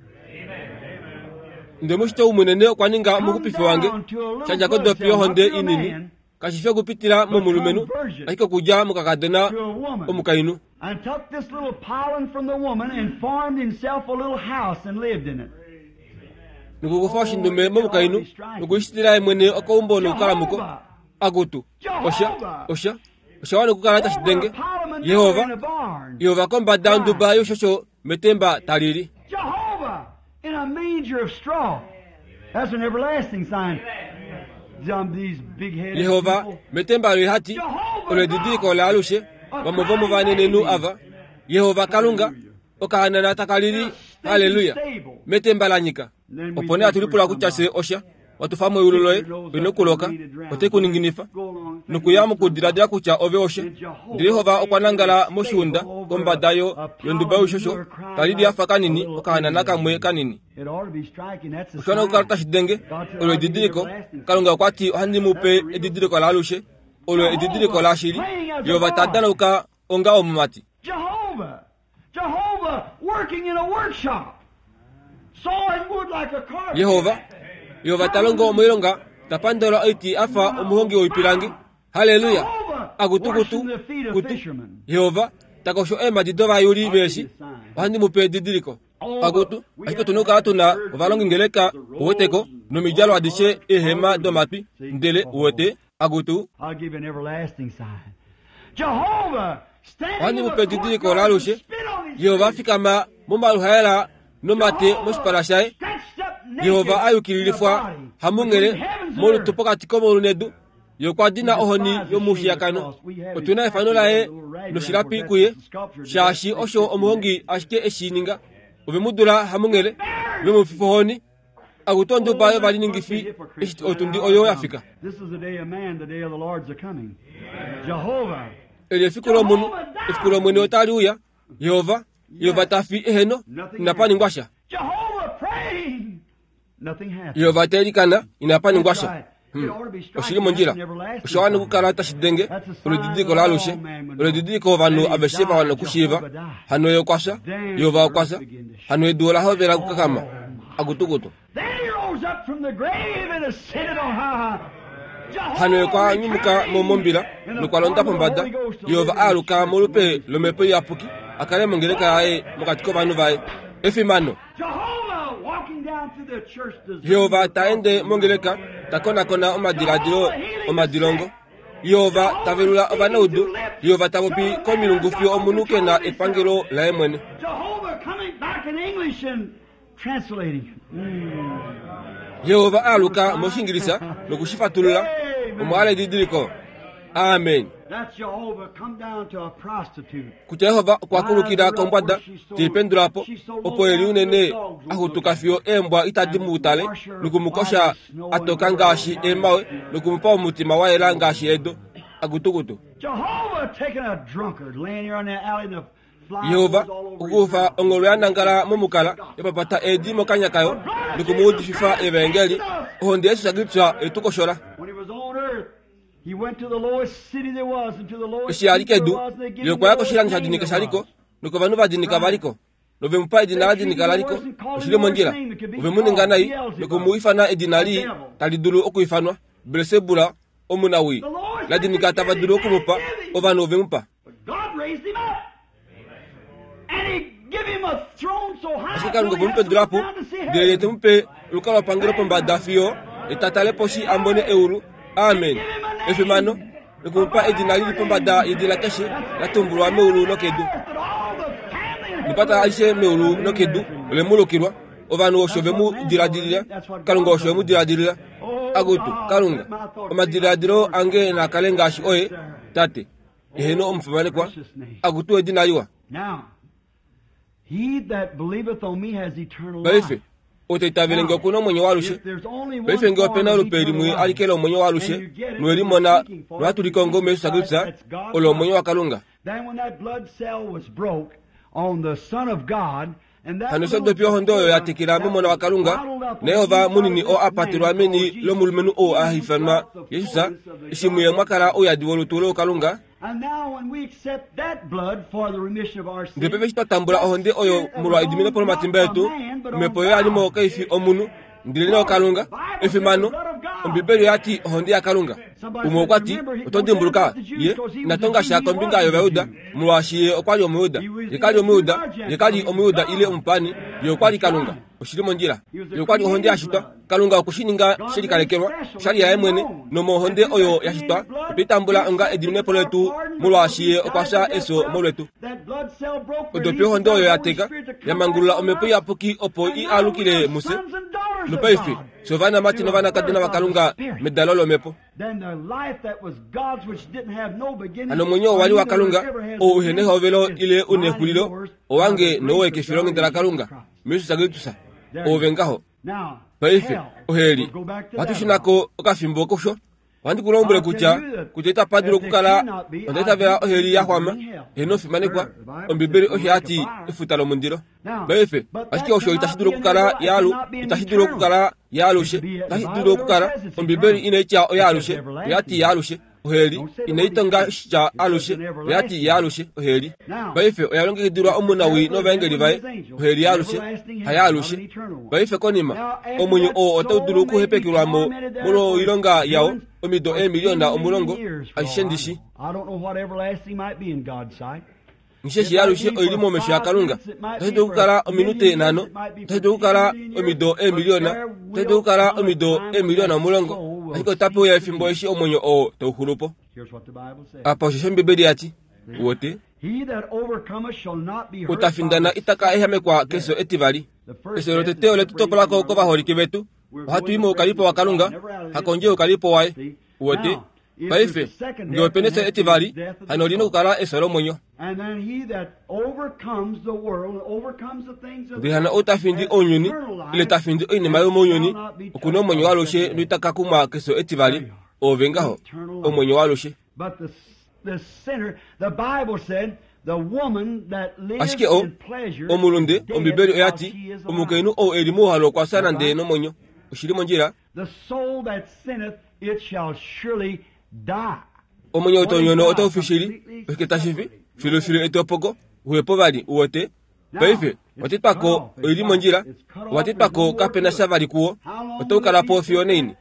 Ndele mushito umunene okwa ninga omuxupifi wange shadja kodopi yohonde inini kashifi okupitila momulumenhu ashike okudja mokakadona omukainhu. And took this little pollen from the woman and formed himself a little house and lived in it. Nokukufa oshindume momukainhu nokuishitila ye mwene okaumbo nokukala muko. Akutu osha osha osha wana okukala tashi denge. Yehova Yehova kombada yonduba yoshosho metemba talili. Jehovah in a manger of straw. That's an everlasting sign. These big-headed Yehova people. metemba loihati olo edidiliko laalushe vamwe vomovanenenhu ava. Yehova Kalunga okahanana takalili haleluya metemba la nyika. Opo nee hatulipula kutya fye osha watufa meulu loye oina okuloka ote kuninginifa nokuya mokudiladila kutya ove osha. Ndele Yehova okwa nangala moshiunda kombada yo yonduba youshosho talili afa kanini okahanana kamwe kanini. It ought to be striking. That's a Osha wana okukala sign. tashi denge olo edidiliko. Kalunga okwa ti ohandi mu pe edidiliko laalushe olo edidiliko lashili. Yehova ta danauka onga omumati. Jehovah, Jehovah working in a workshop, sawing wood like a carpenter. Yehova Yehova ta longo moilonga ta pandola oiti afa omuhongi woipilangi. Haleluya akutukutu kutu. Yehova takosho eemadi dovayuli veeshi ohandi mu pe edidiliko. Akutu ashike otuna okukala tuna ovalongingeleka uweteko nomidjalo adishe eehema domatwi ndele uwete akutu I'll give you an everlasting sign. Jehovah standing ohandi in mu the pe edidiliko courtyard laalushe. and spit on his Yehova face. afikama momaluhaela nomate moshipala shaye. Stretched up naked Yehova ayukililifwa in a body hamunghele between heavens and molutu earth. pokati komaulu nedu. Ye okwa dina ohoni yomushiyakano. Otuna efano laye noshilapi kuye shaashi osho omuhongi ashike eshi ninga. Ove mu dula hamunghele ve mu fifa ohoni. Akutu onduba yovaliningifi eshi otundi oyo ya fika. This is the day of man, the day of the Lord's a coming. Jehovah. Eli efiku lomunhu, efiku lomwene otali uya. Yehova, Yehova ta fi eheno, inapa ningwa sha. Jehovah praying. Nothing happened. Yehova ta ilikana, inapa ningwa sha. Hmm. Oshili mondjila. Osha wana okukala tashi denge olo edidiliko laalushe. Olo edidiliko ovanhu aveshe va wana okushiiva. Hano ye okwa fya, Yehova okwa fya. Hano edu ola hovela okukakama. Akutukutu. Then he rose up from the grave and ascended on high. Hano ye okwa nyumuka mo mombila nokwa londa pombada. Yehova aaluka molupe lomhepo iyapuki a kale mongeleka yaye mokati kovanhu vaye. Efimano. Jehovah walking down through the church Yehova ta ende mongeleka ta konakona omadiladilo omadilongo. Yehova ta velula ovanaudu. Yehova ta popi komilungu fiyo omunhu ke na epangelo laye mwene. Jehovah coming back in English and translating. Mm. Yehova aaluka moshingilisa nokushifatulula omo ala edidiliko. Amen. That's Jehovah come down to a prostitute. Kutya Yehova okwa kulukila kombwada teipendulapo opo eli unene axutuka fiyo eembwa itadi mu tale nokumukosha atoka ngaashi eemawe nokumupa omutima wa yela ngaashi edo. Akutukutu. Jehovah taking a drunkard laying here on the alley and the flies Yehova all over his okukufa mouth. ongolo ya nangala momukala yapapata eedi mokanya kayo nokumuudififa evangeli. Ohonde yesu Kristus etukoshola. When he was on earth, he went to the lowest city there was and to the lowest Eshi ali street there kedu was, and they gave ye him okwa ya the lowest koshilando sha name dinika there shaliko was. nokovanhu va dinika valiko nove mu pa edina la dinika laliko oshili mondjila. Ove mu ninga nai nokumu ifana edina lii tali dulu okuifanwa Belsebula omunawii la dinika tava dulu okumupa ovanhu ove mu pa. But God raised him up. And he gave him a throne so high Ashike Kalunga till he okwe mu had to pendula po look down to see ndele ye te heaven. mu pe olukalwapangelo pombada fiyo etatale poshi a mone eulu. Amen. Efimano nokumupa edina lili pombada yedina keshe la tumbulwa meulu nokedu. That all the family and Nipata alishe meulu nokedu ole mu lukilwa. Ovanhu osho ve mu diladilila. Kalunga osho ve mu diladilila. Akutu Kalunga omadiladilo ange na kale ngaashi oye tate eheno omufimanekwa. Akutu edina liwa. Now, he that believeth on me has eternal Paife life. otoitavele nge okuna omwenyo waalushe. If there's only one Paife nge form opena of olupe eternal limwe life, alikele omwenyo waalushe nowelimona nohatulikongo muYesu Kristus olo omwenyo waKalunga. Then when that blood cell was broke on the Son of God Hano eshi odopi yohonde oyo ya tekela momona waKalunga, naYehova munini oo a patelwa meni lomulumenhu oo a ifanwa Jesus, eshi muye mwa kala ouyadi wolutu looKalunga. Ndele paife eshi twa tambula ohonde oyo molwa ediminepo lomatimba etu, omhepo oyo ya li mo kai fi omunhu, ndele Kalunga. Efimano, Ombibeli oya ti ohonde yaKalunga. Umwe okwa ti, oto dimbuluka, ye ina tonga sha kombinga yOvayuda, molwaashi ye okwa li Omuyuda. Ye ka li Omuyuda, ye ka li Omuyuda ile omupani, ye okwa li Kalunga. Oshili mondjila. Ye okwa li ohonde ya shitwa. Kalunga okwe shi ninga she likalekelwa, oshali yaye mwene, nomohonde oyo ya shitwa, otwe i tambula onga ediminepo letu, molwaashi ye okwa fya efyo molwetu. Odopi yohonde oyo ya teka, ya mangulula omhepo iyapuki opo i alukile mufye. Nopaife, fye ovanamati novanakadona vaKalunga medalo lomhepo. Hano omwenyo oo wa li waKalunga, oo uhe nehovelo ile u nexulilo, owange nowoye kefilonghenda laKalunga, muJesus Kristus, oove ngaho. Paife, oheli, ohatu shunako okafimbo kusho. Ohandi ku lombwele kutya kutya itapa dulu okukala onda itavela oheli ya xwama, eheno ofimanekwa. Ombibeli osho ya ti efuta lomundilo. Paife, ashike osho itashi dulu okukala yaalu, itashi dulu okukala yaalushe, itashi dulu okukala. Ombibeli inai tya oyaalushe, oya ti yaalushe. Oheli inai tonga sha alushe, oya ti yaalushe oheli. Paife oya longekidilwa omunawii novaengeli vaye, oheli yaalushe, hayaalushe. Paife konima, omwenyo oo otau dulu okuhepekelwa mo molwoilonga yao omido eemiliona omulongo, ashishe ndishi. Nisheshi yaalushe oili momesho yaKalunga. Otashi dulu okukala ominute nhano, otashi dulu okukala omido eemiliona, otashi dulu okukala omido eemiliona omulongo, ashike otape uya efimbo eshi omwenyo oo tau xulu po. Apa osho Ombibeli ya ti, wote utafindana itaka ehamekwa kefyo etivali. Efyo lotete ole tu topolako kovaholike vetu. Ohatu i moukalipo waKalunga, hakondje youkalipo waye. Wote paife nge opena efyo etivali, hano oli nokukala efyo lomwenyo. Ndele hano ou tafindi ounyuni, ile tafindi oinima yomounyuni, okuna omwenyo waalushe noitaka kumwa kefyo etivali. Oove ngaho, omwenyo waalushe. Ashike o omulunde, Ombibeli oya ti, omukainhu ou e li mouhalo okwa fya nande nomwenyo. Oshili mondjila. Omwenyo wotonyona otau fi shili, oshike tashi fi? Filufilu etopoko, uhepo vali, uwete. Paife, watetwako oili mondjila, watetwako kapena sha vali kuwo, otau kala po fiyo neini.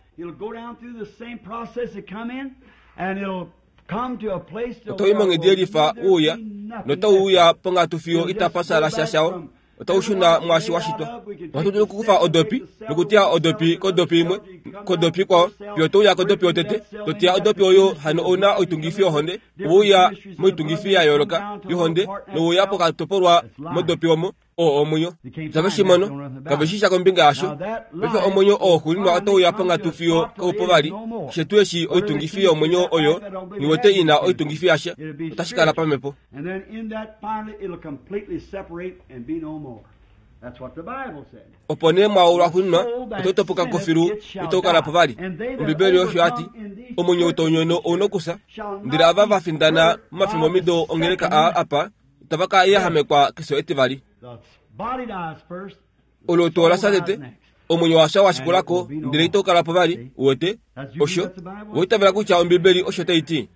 Otau i monghedi yelifa uuya, notau uya ponghatu fiyo itapa sala sha shao. Otau shuna mwaashi wa shitwa. Ohatu dulu okukufa odopi nokuteya odopi kodopi imwe kodopi ikwao, fiyo touya kodopi yotete, toteya odopi oyo. Hano ouna oitungifi yohonde, ouya moitungifi ya yooloka yohonde, nouya pokatopolwa modopi omo oo omwenyo. Itave shi mono, kave shi sha kombinga yasho. Paife omwenyo oo xuuninwa otauya ponghatu fiyo kaupo vali. Shetu eshi oitungifi yomwenyo oyo niwete ina oitungifi yasha, otashi kala pamhepo. Opo nee mwao lwaxuuninwa otau topoka ko filu itau kala po vali. Ombibeli osho ya ti, omwenyo wotonyona ouna okufya. Ndele ava va findana momafimbo omido ongeleka aa apa, itava ka yahamekwa kefyo etivali. Olutu ola fya tete, omwenyo washa wa shikulako, ndele itau kala po vali. Uwete osho owa itavela kutya Ombibeli osho tai ti.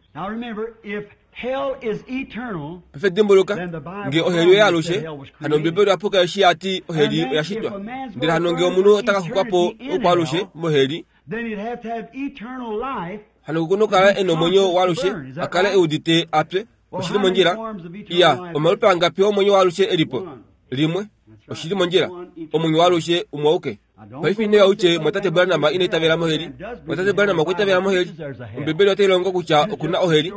Paife dimbuluka, nge oheli oyaalushe, hano Ombibeli oya puka eshi ya ti oheli oya shitwa. Ndele hano nge omunhu ota ka xukwa po oukwaalushe moheli, hano oku nokukala e nomwenyo waalushe, a kale e udite apye. Oshili mondjila. Iya, omalupe angapi omwenyo waalushe elipo? Limwe. Oshili mondjila. Omwenyo waalushe umwe auke. Paife ino ya utye mwatate Branham ina itavela moheli. Mwatate Branham okwa itavela moheli. Ombibeli otai longo kutya okuna oheli,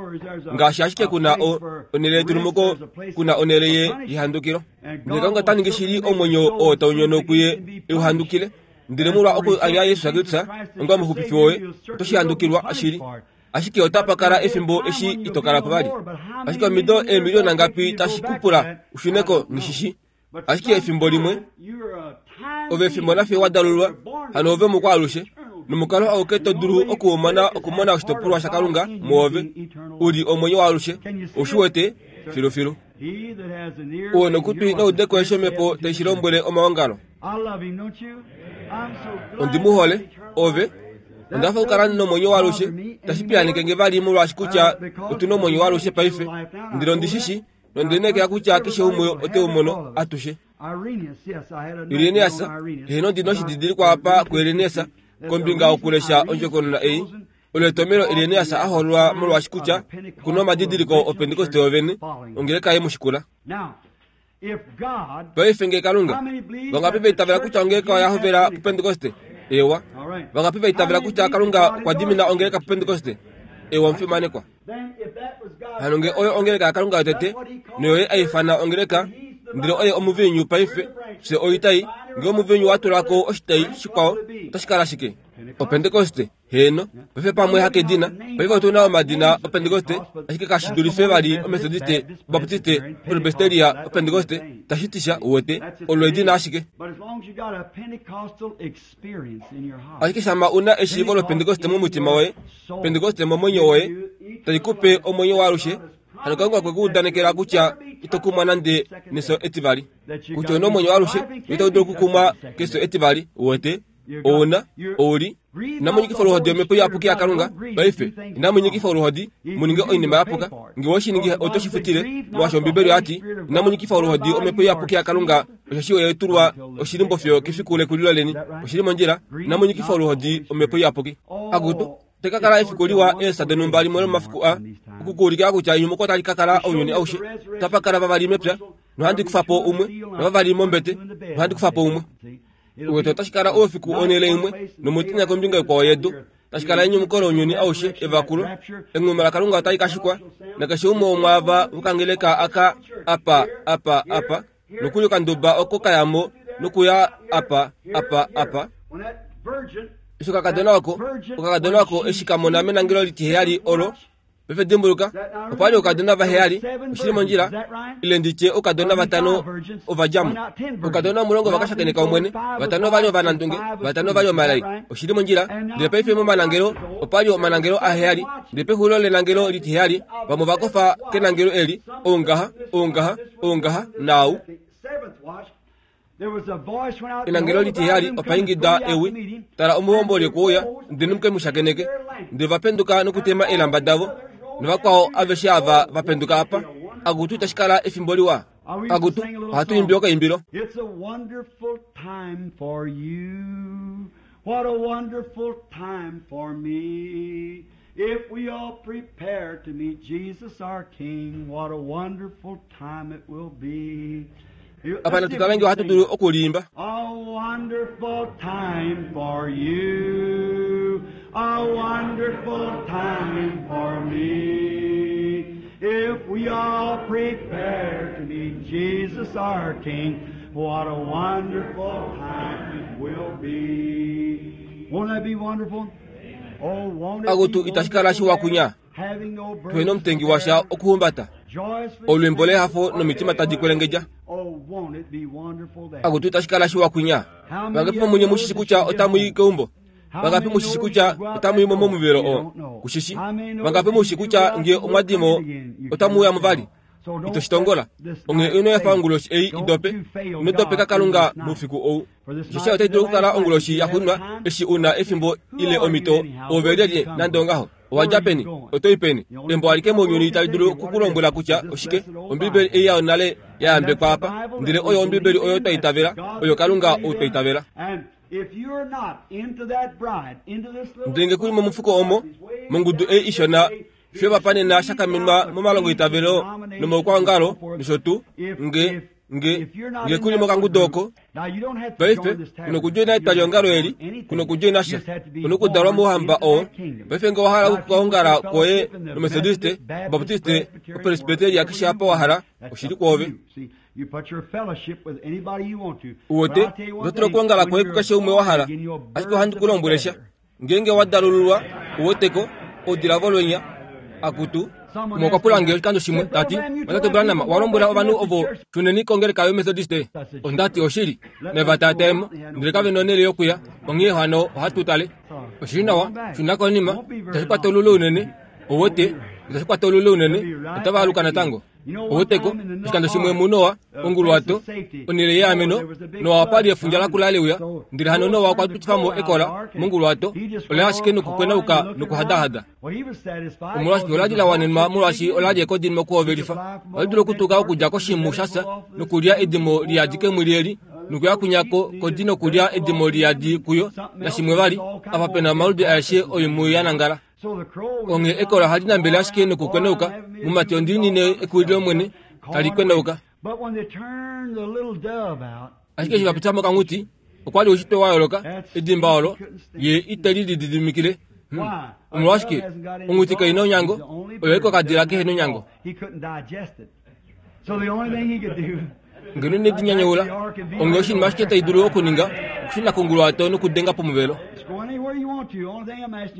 ngaashi ashike kuna o onhele yetulumuko, kuna onhele ye yehandukilo. Ndele Kalunga ta ningi shili omwenyo oo tau nyono kuye euhandukile. Ndele molwa oku anya Jesus Kristus onga omuxupifi woye, oto shi handukilwa shili. Ashike otapa kala efimbo eshi ito kala po vali. Ashike omido eemiliona ngapi tashi kupula ushuneko ngishishi. Ashike efimbo limwe ove efimbo nafye wa dalulwa, hano ove mukwaalushe, nomukalo auke to dulu okuumona okumona oshitopolwa shaKalunga muove, u li omwenyo waalushe. Oushi wete filufilu. Ou nokutwi noudeko eshi omhepo tai shi lombwele omaongalo. Ondi mu hole, ove. Onda hafa okukala nomwenyo waalushe, tashi piyaaneke nge vali molwaashi kutya otu na omwenyo waalushe paife. Ndele ondi shi shi, nonde kutya keshe umwe ote u mono atushe. Irenaeus, heeno ndi noshididilikwa apa kuIrenaeus kombinga okulesha ondjokonona ei. Olo etomelo Irenaeus a hoololwa molwaashi kutya okuna omadidiliko opentekoste yovene, ongeleka ye mu shikula. Paife nge Kalunga, vangapi vaitavela kutya ongeleka oya hovela pupentekoste? Ewa. Vangapi vaitavela kutya Kalunga okwa dimina ongeleka pupentekoste? Ewa, omufimanekwa. Hano nge oyo ongeleka yaKalunga yotete, noyo a ifana ongeleka, ndele oye omuviinyu paife, fye oitai, nge omuviinyu wa tulako oshitai shikwao, otashi kala shike? Opentekoste, heeno. Paife pamwe hakedina, paife otu na omadina opentekoste, ashike kashi dulife vali omethodiste, obaptiste, presbyteria, opentekoste, tashi tisha uwete, olo edina ashike. Ashike shama una eshiivo lopentekoste momutima woye, pentekoste momwenyo woye, tai kupe omwenyo waalushe, hano Kalunga okwe ku udanekela kutya ito kumwa nande neso etivali. Kutya una omwenyo waalushe, ito dulu okukumwa keso etivali, uwete, ouna, ouli. Inamunyikifa oluhodi omhepo iyapuki yaKalunga, paife. Inamunyikifa oluhodi, muninge oinima yapuka. Nge owe ningi oto shi futile, molwaashi Ombibeli oyati, inamunyikifa oluhodi omhepo iyapuki yaKalunga, osheshi oye tulwa oshilimbo fiyo kefiku lekulilo leni. Oshili mondjila, inamunyikifa oluhodi omhepo iyapuki. Akutu, teka kala efiku liwa eesa donhumba limwe lomafiku a, okukuulikila kutya enyumuko otali ka kala ounyuni aushe. Otapa kala vavali mepya, nohandi kufa po umwe, novavali mombete, nohandi kufa po umwe. Uwete otashi kala oufiku onhele imwe, nomutenya kombinga ikwao yedu. Tashi kala enyumuko lounyuni aushe, evakulo. Enghuma laKalunga otali ka shikwa, nakeshe umwe womwaava vokangeleka aka apa, apa, apa, nokuli okanduba oko kayamo nokuya apa, apa, apa. Eshi okakadona oko, okakadona oko eshi ka mona menangelo litiheyali olo, paife dimbuluka, opa li oukadona vaheyali, oshili mondjila, ile nditye oukadona vatano ovadjamo. Oukadona omulongo vakashakeneka Omwene, vatano ovali ovanandunge, vatano ovali omalai, oshili mondjila. Ndele paife momanangelo opa li omanangelo aheyali, ndele pexulilo lenangelo litiheyali, vamwe ovakofa kenangelo eli, oungaha, oungaha, oungaha, naau. Enangelo litiheyali opa ingida ewi, tala omuhomboli okuuya, ndele muke mu shakeneke. Ndele vapenduka nokutema eelamba davo, novakwao aveshe ava vapenduka apa. Akutu itashi kala efimbo liwa. Akutu, ohatu imbi okaimbilo. It's a wonderful time for you. What a wonderful time for me. If we all prepare to meet Jesus our King, what a wonderful time it will be. Apa natutale nge ohatu dulu okuliimba. A wonderful time for you, a wonderful time for me. If we all prepare to meet Jesus our King, what a wonderful time it will be. Won't that be wonderful? Oh, won't it Akutu be itashi kala shiwa kunya. Having no Tuhena omutengi washa okuhumbata. joyously Olwimbo lehafo nomitima tadi kwelengedja. Oh, won't it be wonderful there? Akutu itashi kala shiwa kunya. Vangapi vomunye mushishi kutya otamu i keumbo? Vangapi mushishi kutya otamu i mo momuvelo oo? Kushishi. Vangapi mushishi kutya nge omwadimo otamu uya muvali? Ito shitongola. Onghee ino efa onguloshi ei idope. Ino dopeka Kalunga moufiku ou. Osheshi otai dulu okukala onguloshi yaxuuninwa eshi una efimbo ile omhito ove lyelye nande ongaho. Owadja peni? Oto i peni? Embo alike mounyuni tali dulu okukulombwela kutya oshike. Ombibeli ei yonale ya yambekwa apa, ndele oyo Ombibeli oyo twa itavela, oyo Kalunga ou twa itavela. And if you're not into that bride, into this little Ndele nge kuli momufuko omo, mongudu ei ishona, fye vapanena shakamenwa momalongo itavelo nomoukwaongalo nosho tuu, nge nge nge kuli mokangudu oko. Paife kuno kudjoina etwaliongalo eli, kuno kudjoina sha, kuno kudalwa mouhamba oo. Paife nge owahala okukaongala kwoye nomethodiste, obaptiste, opresbyteria keshe apa wahala, oshili kwoove. Uwete, oto dulu okuongala kwoye kukeshe umwe wahala, ashike ohandi ku lombwele sha. Ngeenge wa dalululwa, uweteko, oudila volwenya, akutu. Umwe okwa pula nge oshikando shimwe, tati, Tate Branham, owa lombwela ovanhu ovo shuneni kongeleka yomethodiste. Ondati oshili, nava taataemo, ndele kave na onhele yokuya, onghee hano ohatu tale. Oshili nawa, shuna konima, itashi kwata olule unene, uwete, itashi kwata olule unene, otava aluka natango. Oweteko oshikando shimwe muNoa onguluwato onhele yeameno Noa okwa li efundja lakula leuya ndele hano Noa okwa pitifa mo ekola monguluwato ola ashike nokukwenauka nokuhadahada. Omolwashike ola li la wanenwa molwaashi ola li ekodi mokuhovelifa. Ola dula okutuka okudja koshimu shafya nokulya edimo liyadi kemwili eli nokuya kunyako kodi nokulya edimo liyadi kuyo nashimwe vali apa pena omaludi aeshe oimhu ya nangala. Onghee ekola ohali nambele ashike nokukwenauka mumati ondiinine ekuwililo mwene tali kwenauka. Ashike eshi vapita mokanghuti okwa li oushitwe wa yooloka edimba olo ye ite li lididimikile. Omolwashike onghuti kai na onyango oyo ekokadila kehe nonyango. Ngeno inedi nyanyaula onghee oshinima ashike tai dulu okuninga okushuna konguluwato nokudenga pomuvelo.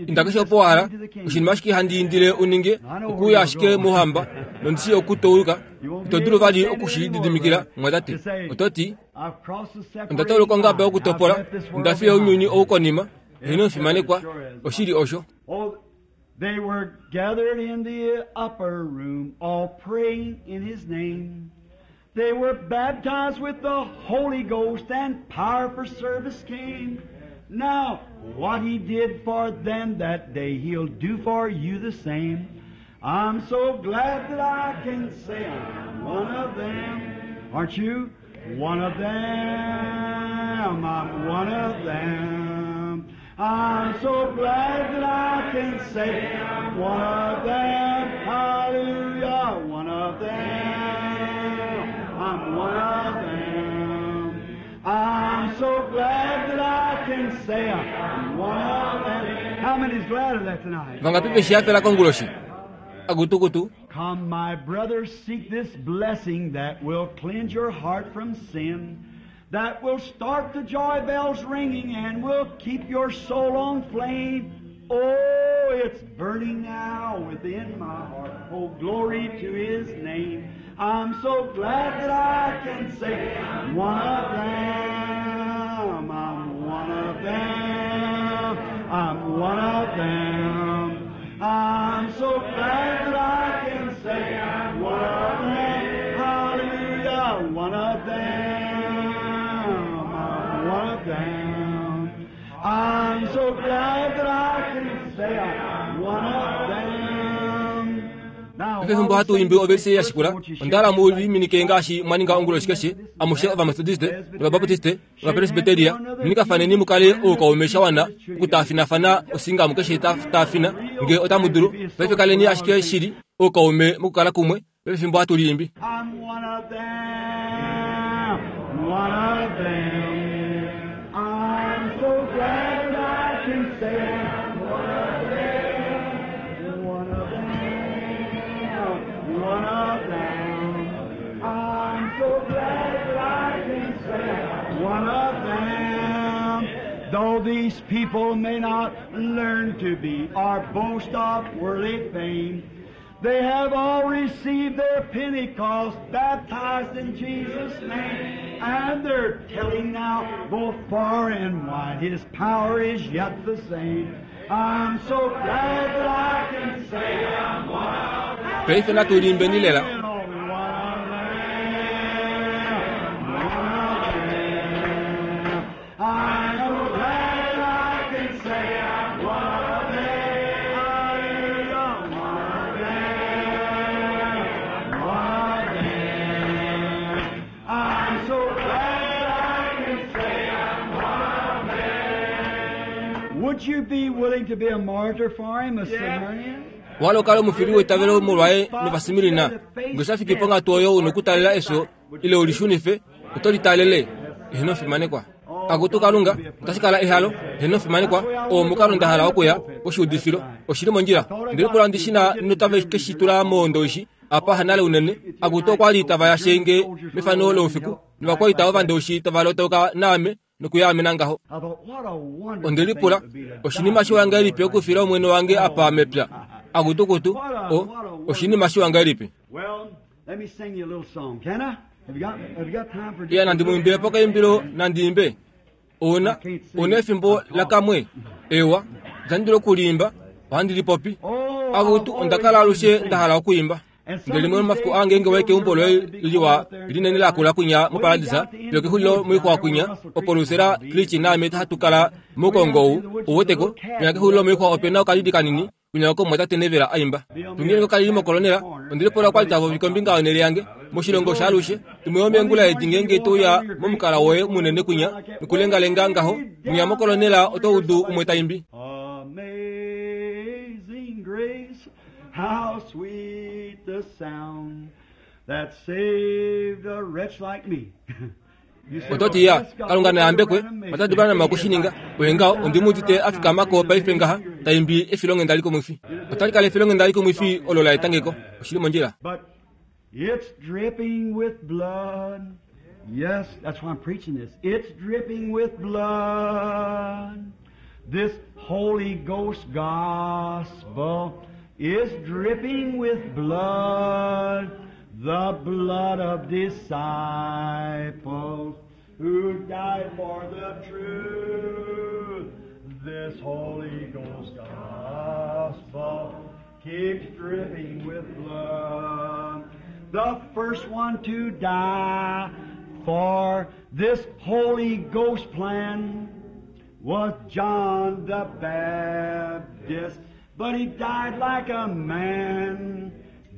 Inda keshe opo wa hala oshinima ashike handi indile uninge okuuya ashike mouhamba nondishi okutouluka ito dulu vali okushilididimikila mwatate. Oto ti onda tauluka ongaba yokutopola onda fiya ounyuni ou konima heeno omufimanekwa oshili osho. They were gathered in the upper room, all praying in His name. They were baptized with the Holy Ghost, and power for service came. Now, what He did for them that day, He'll do for you the same. I'm so glad that I can say I'm one of them. Aren't you? One of them. I'm one of them. I'm so glad that I can say I'm one of them. Hallelujah, one of them. I'm one of them. I'm so glad that I can say I'm one of them. How many's glad of that tonight? Vangapi veshihafela konguloshi? Agutukutu. Come, my brothers, seek this blessing that will cleanse your heart from sin, that will start the joy bells ringing and will keep your soul on flame. Oh, it's burning now within my heart. Oh, glory to His name. I'm so glad that I can say I'm one of them. I'm one of them. I'm one of them. I'm so glad that I can say I'm one of them. Hallelujah, one of them. I'm one of them. I'm so glad that I can say I'm one of them. Pefimbo hatu imbi overse ya shikula ondala mu liminike ngaashi mwaninga onguloshi keshe amushe ovamethodiste novabaptiste ovapresbiteria minikafaneni mukale oukaume shawana okutaafinafana osinga keshe taafina nge otamu dulu paife kaleni ashike shili oukaume mokukala kumwe pefimbo hatu liimbi. I'm one of them, one of them. I'm so glad I can say I'm one of them, one of them, one of them. I'm so glad that I can say I'm one of them. Though these people may not learn to be or boast of worldly fame, they have all received their Pentecost, baptized in Jesus' name, and they're telling now both far and wide His power is yet the same. I'm so glad that I can say I'm one of them. Paife natu liimbeni lela. One of them, one of them. I'm so glad I can say I'm one of them. Hallelujah, one of them, one of them. I'm so glad I can say I'm one of them. Would you be willing to be a martyr for him, a Smyrnian? Walo kala omufili weitavelo molwaye novasimirina nge shafiki pongatu oyo una okutalela efyo ile ulishunife oto litalele eheno fimanekwa. Akutu Kalunga otashi kala ehalo eheno fimanekwa oo omukalo nda hala okuya koshiudifilo oshili mondjila ndele pula ndishina notave keshitula moondoishi apa hanale unene akutu okwa li tava yashenge mefano loufiku novakwaita ovandoishi tava lotoka naame nokuyaamena ngaho. I thought, what a wonderful Ondelipula thing it would be to oshinima die shiwangelipi okufila omwene wange apa mepya akutukutu o oshinima shiwangelipi. Well, let me sing you a little song, can I? Have you got, have you got time for Iya nandi muimbile pokaimbilo nandiimbe ona ona efimbo lakamwe ewa ndandilo okuliimba ohandi lipopi Oh, akutu I've ondakala always alushe been ndahala okuimba. Ndele limwe lomafiku aa ngeenge wayi keumbo loye liwa linene lakula kwinya moparadisa, fiyo kexulilo moixwa kwinya, opo Lucera Creek naame hatu kala moukongo ou, ouweteko, kwinya kexulilo moixwa opena okalidi kanini kwinya oko omumwatate Neville aimba. Tungileni okalili mokolonela, ondilipula okwali tavopi kombinga yonhele yange moshilongo shaalushe. Imwe yomeengula edi ngeenge touya momukala woye munene kwinya nokulengalenga ngaho mwinya mokolonela oto udu umwe taimbi. Amazing grace, how sweet the sound that saved a wretch like me. Ototi ya Kalunga nayambekwe otatu Branham okushininga oye ngaho ondimuudite afikamako paife ngaha taimbi efilonghenda likumwifi. Otali kala efilonghenda likumwifi olo la etangeko oshili mondjila. But it's dripping with blood. Yes, that's why I'm preaching this. It's dripping with blood. This Holy Ghost gospel is dripping with blood. The blood of disciples who died for the truth. This Holy Ghost gospel keeps dripping with blood. The first one to die for this Holy Ghost plan was John the Baptist, but he died like a man.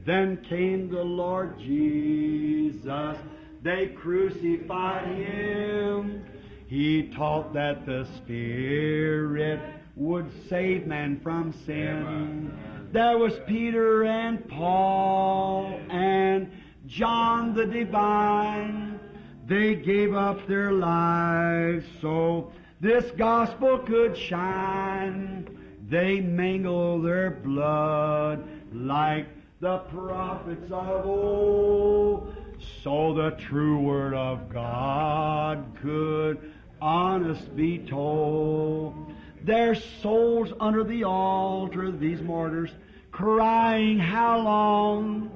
Then came the Lord Jesus. They crucified him. He taught that the Spirit would save man from sin. There was Peter and Paul and John the Divine. They gave up their lives so this gospel could shine. They mingled their blood like the prophets of old, so the true word of God could honest be told. Their souls under the altar, these martyrs, crying, how long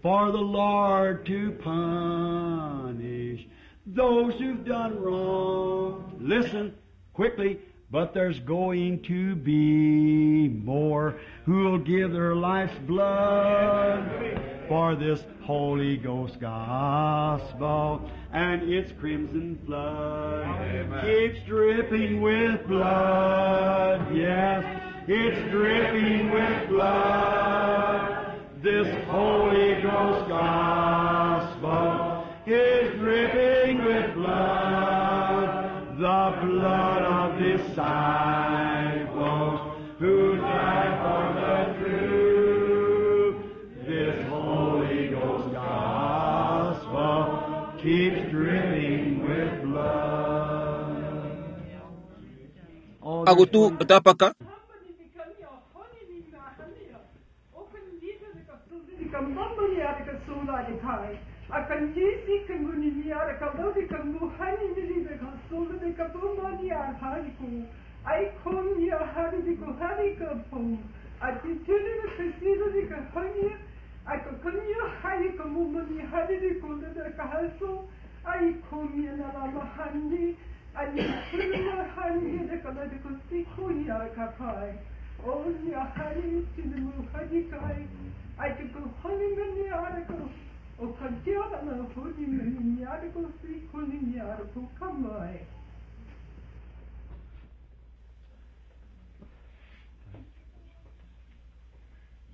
for the Lord to punish those who've done wrong. Listen quickly, but there's going to be more who'll give their life's blood for this Holy Ghost gospel, and its crimson flood Amen. keeps dripping with blood. Yes, it's dripping with blood. This Holy Ghost gospel is dripping with blood, the blood of disciples who died for the truth. This Holy Ghost gospel keeps dripping with blood. Oh, there's Akutu one- otapaka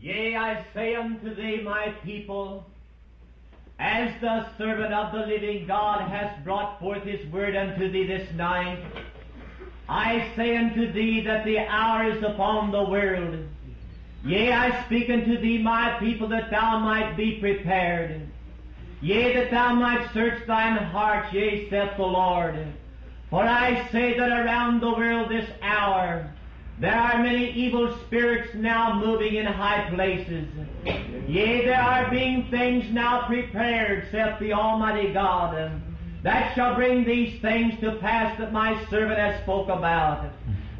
Yea, I say unto thee, my people, as the servant of the living God has brought forth his word unto thee this night, I say unto thee that the hour is upon the world. Yea, I speak unto thee, my people, that thou might be prepared. Yea, that thou might search thine heart, yea, saith the Lord. For I say that around the world this hour, there are many evil spirits now moving in high places. Yea, there are being things now prepared, saith the Almighty God, that shall bring these things to pass that my servant has spoke about.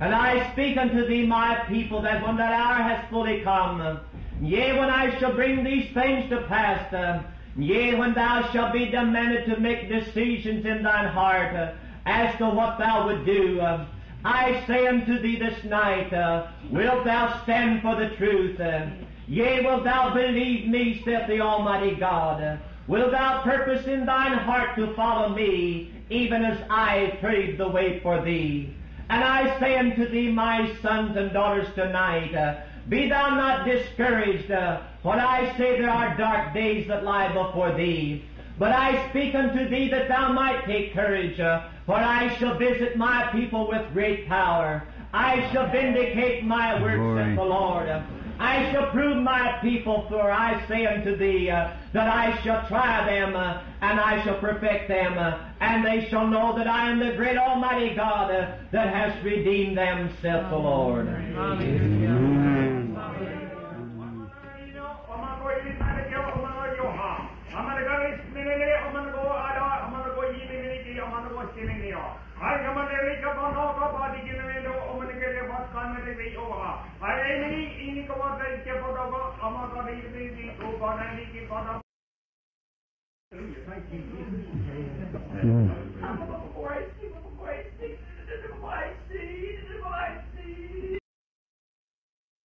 And I speak unto thee, my people, that when that hour has fully come, yea, when I shall bring these things to pass, uh, yea, when thou shalt be demanded to make decisions in thine heart uh, as to what thou would do, uh, I say unto thee this night, uh, wilt thou stand for the truth? Uh, Yea, wilt thou believe me, saith the Almighty God? Wilt thou purpose in thine heart to follow me, even as I paved the way for thee? And I say unto thee, my sons and daughters, tonight, uh, be thou not discouraged, uh, for I say there are dark days that lie before thee. But I speak unto thee that thou might take courage, uh, for I shall visit my people with great power. I shall vindicate my works, Glory. saith the Lord. I shall prove my people, for I say unto thee uh, that I shall try them, uh, and I shall perfect them, uh, and they shall know that I am the great Almighty God uh, that has redeemed them, saith the Lord. Amen.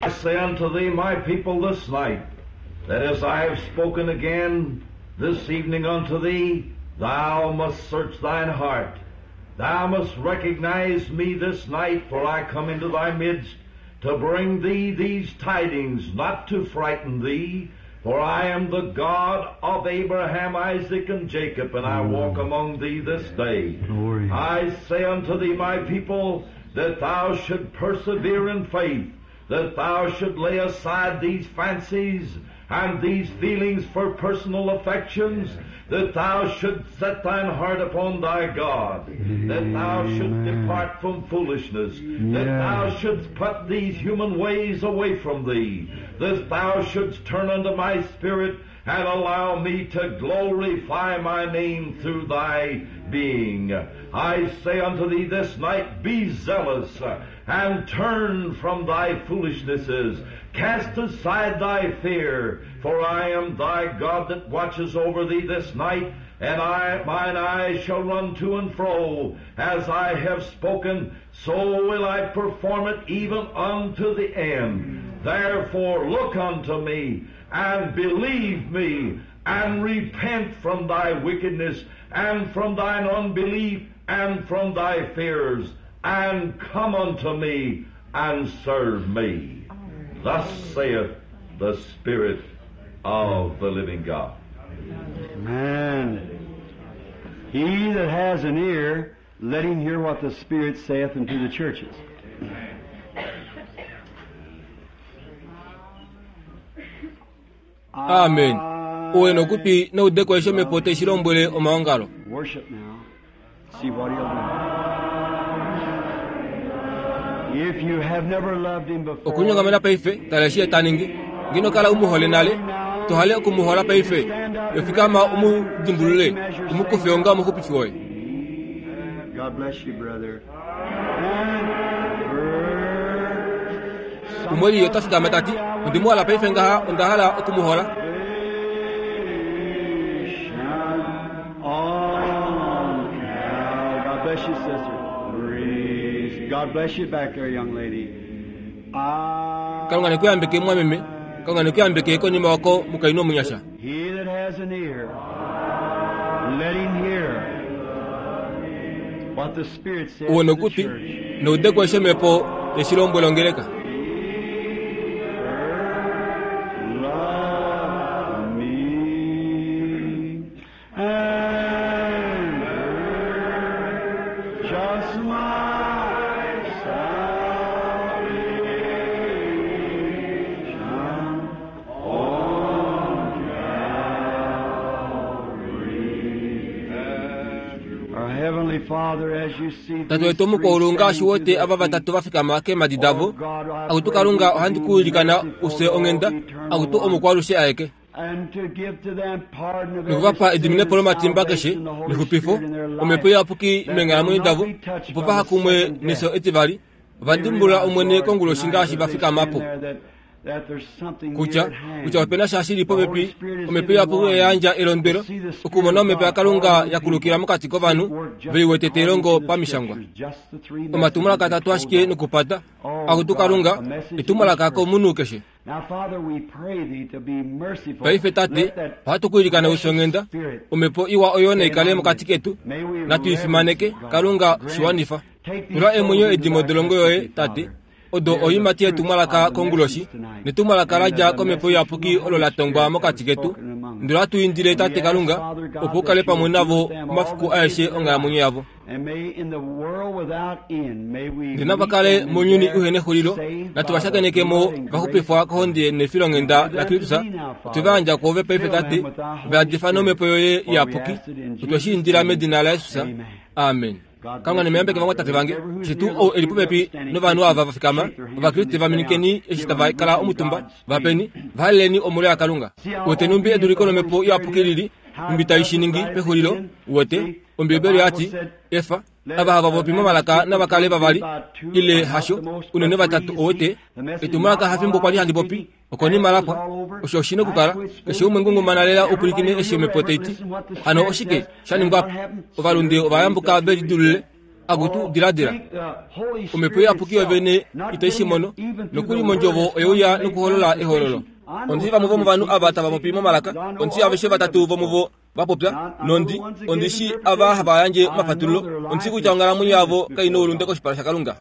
I say unto thee, my people, this night, that as I have spoken again this evening unto thee, thou must search thine heart. Thou must recognize me this night, for I come into thy midst to bring thee these tidings, not to frighten thee, for I am the God of Abraham, Isaac, and Jacob, and I walk among thee this day. Glory. I say unto thee, my people, that thou should persevere in faith, that thou should lay aside these fancies and these feelings for personal affections, that thou shouldst set thine heart upon thy God, that thou shouldst depart from foolishness, that thou shouldst put these human ways away from thee, that thou shouldst turn unto my spirit and allow me to glorify my name through thy being. I say unto thee this night, be zealous and turn from thy foolishnesses. Cast aside thy fear, for I am thy God that watches over thee this night, and I, mine eyes shall run to and fro. As I have spoken, so will I perform it even unto the end. Therefore look unto me, and believe me, and repent from thy wickedness, and from thine unbelief, and from thy fears, and come unto me, and serve me. Thus saith the Spirit of the living God. Amen. He that has an ear, let him hear what the Spirit saith unto the churches. Amen. Uwe nokupi noudeko esho mepo te shilombwele omaongalo. Worship now. See what he'll do. If you have never loved him before, Okunyongamena paife tala eshi taningi ngino kala umuhole nale tohale okumuhola paife yofikama umudimbulule umukufe onga omuxupifi woye. God bless you, brother. And Umweli otafikama tati ondimuhala paife ngaha ondahala okumuhola. On now. God bless you, sister. Praise. God bless you back there, young lady. I, Kalunga nekuyambeke mwameme Kalunga nekuyambeke konyuma wako mukainu omunyasha. he that has an ear, let him hear what the Spirit says Uwe to the nokupi church. noudeko esho mepo te shilombwele ongeleka. Love me and just my salvation on Calvary. Our Heavenly Father, as you see Tate these wetu three omukoulu ngaashi standing wote to their ava feet, vatatu vafikama keemadi davo akutu Kalunga ohandi kuulikana use onghenda akutu omukwalushe aeke and to give to them pardon of nokuvapa every sin ediminepo and lomatimba keshe salvation, the Holy nexupifo Spirit in their life, omhepo iyapuki that meenghalamwenyo will not davo be touched opo by vaha the kumwe second death. nefyo etivali ovandimbula omwene konguloshi ngaashi vafikamapo kutya kutya opena sha shili popepi omhepo iyapuki oyayandja elondwelo okumona omhepo yakalunga yakulukila mokati kovanhu veiwete telongo pamishangwa omatumwalaka atatu ashike nokupata akutu kalunga etumwalaka komunhu keshe. Paife tate, ohatu ku ilikana ufyonghenda, omhepo iwa oyo naikale mokati ketu, natu ifimaneke, Kalunga shiwanifa. Tula emwenyo edimo dolongo yoye, tate, odo oiimati yetumwalaka konguloshi, netumwalaka la dja komhepo iyapuki olo la tongwa mokati ketu. Ndele ohatu indile tate Kalunga, opo u kale pamwe navo omafiku aeshe onghalamwenyo yavo. Ndele nava kale mounyuni uhena exulilo, natu va shakeneke mo va xupifwa kohonde nefilonghenda laKristus. Otwe va yandja kwoove paife tate, va yadifa nomhepo yoye iyapuki. Otwe shi indila medina laJesus. Amen. Kalunga nemeyambeke vamwe tate vange, shetu ou eli popepi novanhu ava va fikama, Ovakriste va minikeni eshi tava kala omutumba, vapeni, vahaleleni omolwo yaKalunga. Uwete numbi eduliko lomhepo iyapuki lili, numbi tai shi ningi pexulilo, uwete, Ombibeli oyati, efa, ava hava popi momalaka nava kale vavali, ile hasho, unene vatatu owete, etumwalaka hafimbo kwali handi popi, okonima lapwa, osho oshi nokukala, keshe umwe ngungumana lela upwilikine eshi omhepo taiti. Hano oshike sha ningwa po? Ovalunde ovayambuka ve lidulule, akutu diladila. Omhepo iyapuki yovene itai shi mono, nokuli mondjovo oyeuya nokuholola ehololo. Ondi vamwe vomovanhu ava tava popi momalaka, ondi aveshe vatatu vomuvo va popya, nondi ondi shi ava hava yandje omafatululo, ondi shi kutya onghalamwenyo yavo kai noulunde koshipala shaKalunga.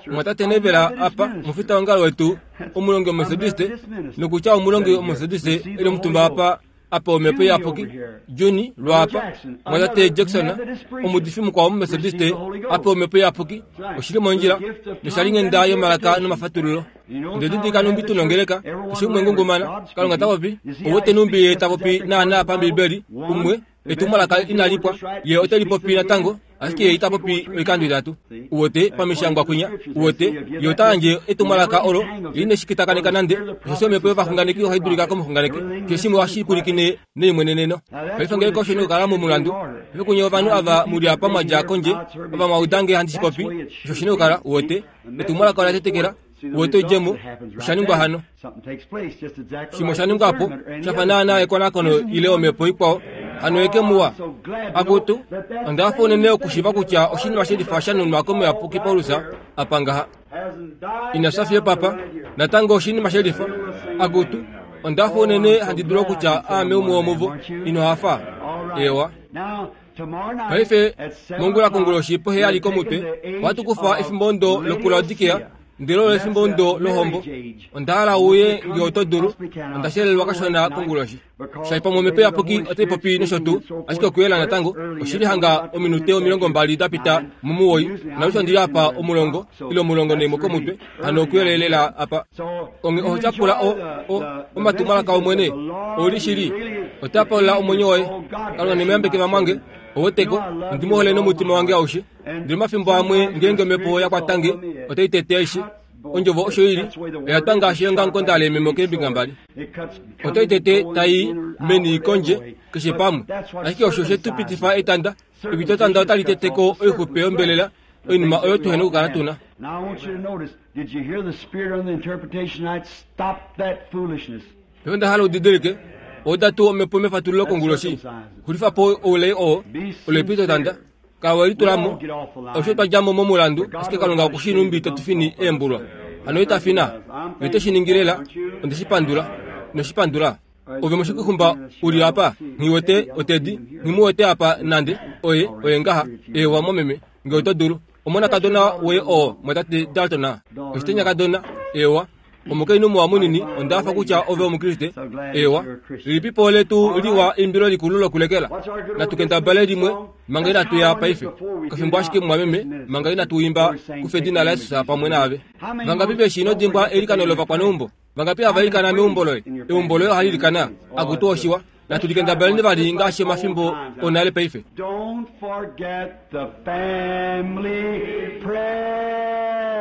Mwatate Neville apa, omufita wongalo wetu, omulongi Omumethodiste, nokutya omulongi Omumethodiste eli omutumba apa, apa omhepo iyapuki, Juni lwaapa, mwatate Jackson, omuudifi mukwao Omumethodiste, apa omhepo iyapuki, oshili mondjila, noshalinghenda yomalaka nomafatululo. Ndele didilika numbi tunongeleka, keshe umwe ngungumana, Kalunga ta popi, ouwete numbi ye ta popi naana pambibeli, umwe, etumwalaka inali pwa, ye ote lipopi natango, ashike ye ita popi oikando itatu. Uwete pamishangwa kwinya, uwete, ye ota yandje etumwalaka olo, ye ine shi kitakaneka nande, osheshi omhepo yovaxunganeki ohai dulika komuxunganeki, keshe shimwe ohashi pwilikine neimweneneno. Paife ngeenge osho nokukala momulandu, paife kunye ovanhu ava muli apa mwa dja kondje, ava mwa uda nge handi shi popi, osho shi nokukala, uwete, etumwalaka ola tetekela, uwete oidjemo, osha ningwa hano. Shimwe osha ningwa po, sha fa naana ekonakono ile omhepo ikwao, hano eke muwa. Akutu, onda hafa unene okushiiva kutya oshinima shelifa sha nunwa komuyapuki Paulus apa ngaha. Ina fya fiyo papa, natango oshinima shelifa. Akutu, onda hafa unene handi dulu okutya aame umwe womuvo. Ino hafa? Ewa. Paife, mongula konguloshi poheyali komutwe, ohatu kufa efimbo ndo lokuLaodikea, ndele olo efimbo ndo lohombo. Onda hala uye nge oto dulu, onda shelelwa kashona konguloshi. Shai pamwe omhepo iyapuki otai popi nosho tuu, ashike okuyela natango, oshili hanga ominute omilongo mbali da pita mumuwoi, nalusha ndili apa omulongo, ile omulongo naimwe komutwe, hano okuyelelela apa. Onge oho tyapula o, o, omatumwalaka Omwene, ouli shili, ota paula omwenyo woye. Kalunga nemeyambeke vamwange, oweteko, ondi mu hole nomutima wange aushe. Ndele omafimbo amwe ngeenge omhepo ya kwatange, otai tete aishe. Ondjovo osho ili, oya twa ngaashi eongamukonda leememo keembinga mbali. Otai tete tai meni kondje, keshe pamwe. Ashike osho she tu pitifa etanda, epitotanda otali teteko oixupe yombelela, oinima oyo tuhena okukala tuna. Paife onda hala udidilike, oda tuu omhepo mefatululo konguloshi, xulifa po oulai oo, olo epitotanda. Kala we litula mo, osho twa dja mo momulandu, ashike Kalunga oku shii numbi to fini eembulwa. Hano ita fina, ye ote shi ningi lela, onde shi pandula, ino shi pandula. Ove moshikuxumba uli apa, nghi wete otedi, nghi mu wete apa nande, oye, oye ngaha, eewa momeme, nge oto dulu. Omonakadona woye oo, mwatate Dalton, oshitenyakadona, eewa. Omukainhu muwa munini, onda hafa kutya ove Omukriste. Eewa, lilipipo letu liwa eimbilo likulu lokulekela. Natu kendabale limwe, manga inatu ya paife. Okafimbo ashike mumwameme, manga inatu imba kufa edina laJesus pamwe naave. Vangapi veshi ino dimbwa eilikano lovakwaneumbo? Vangapi hava ilikana meumbo loye? Eumbo loye ohali ilikana. Akutu oshiwa. Natu likendabaleni vali ngaashi omafimbo onale paife. Don't forget the family prayer.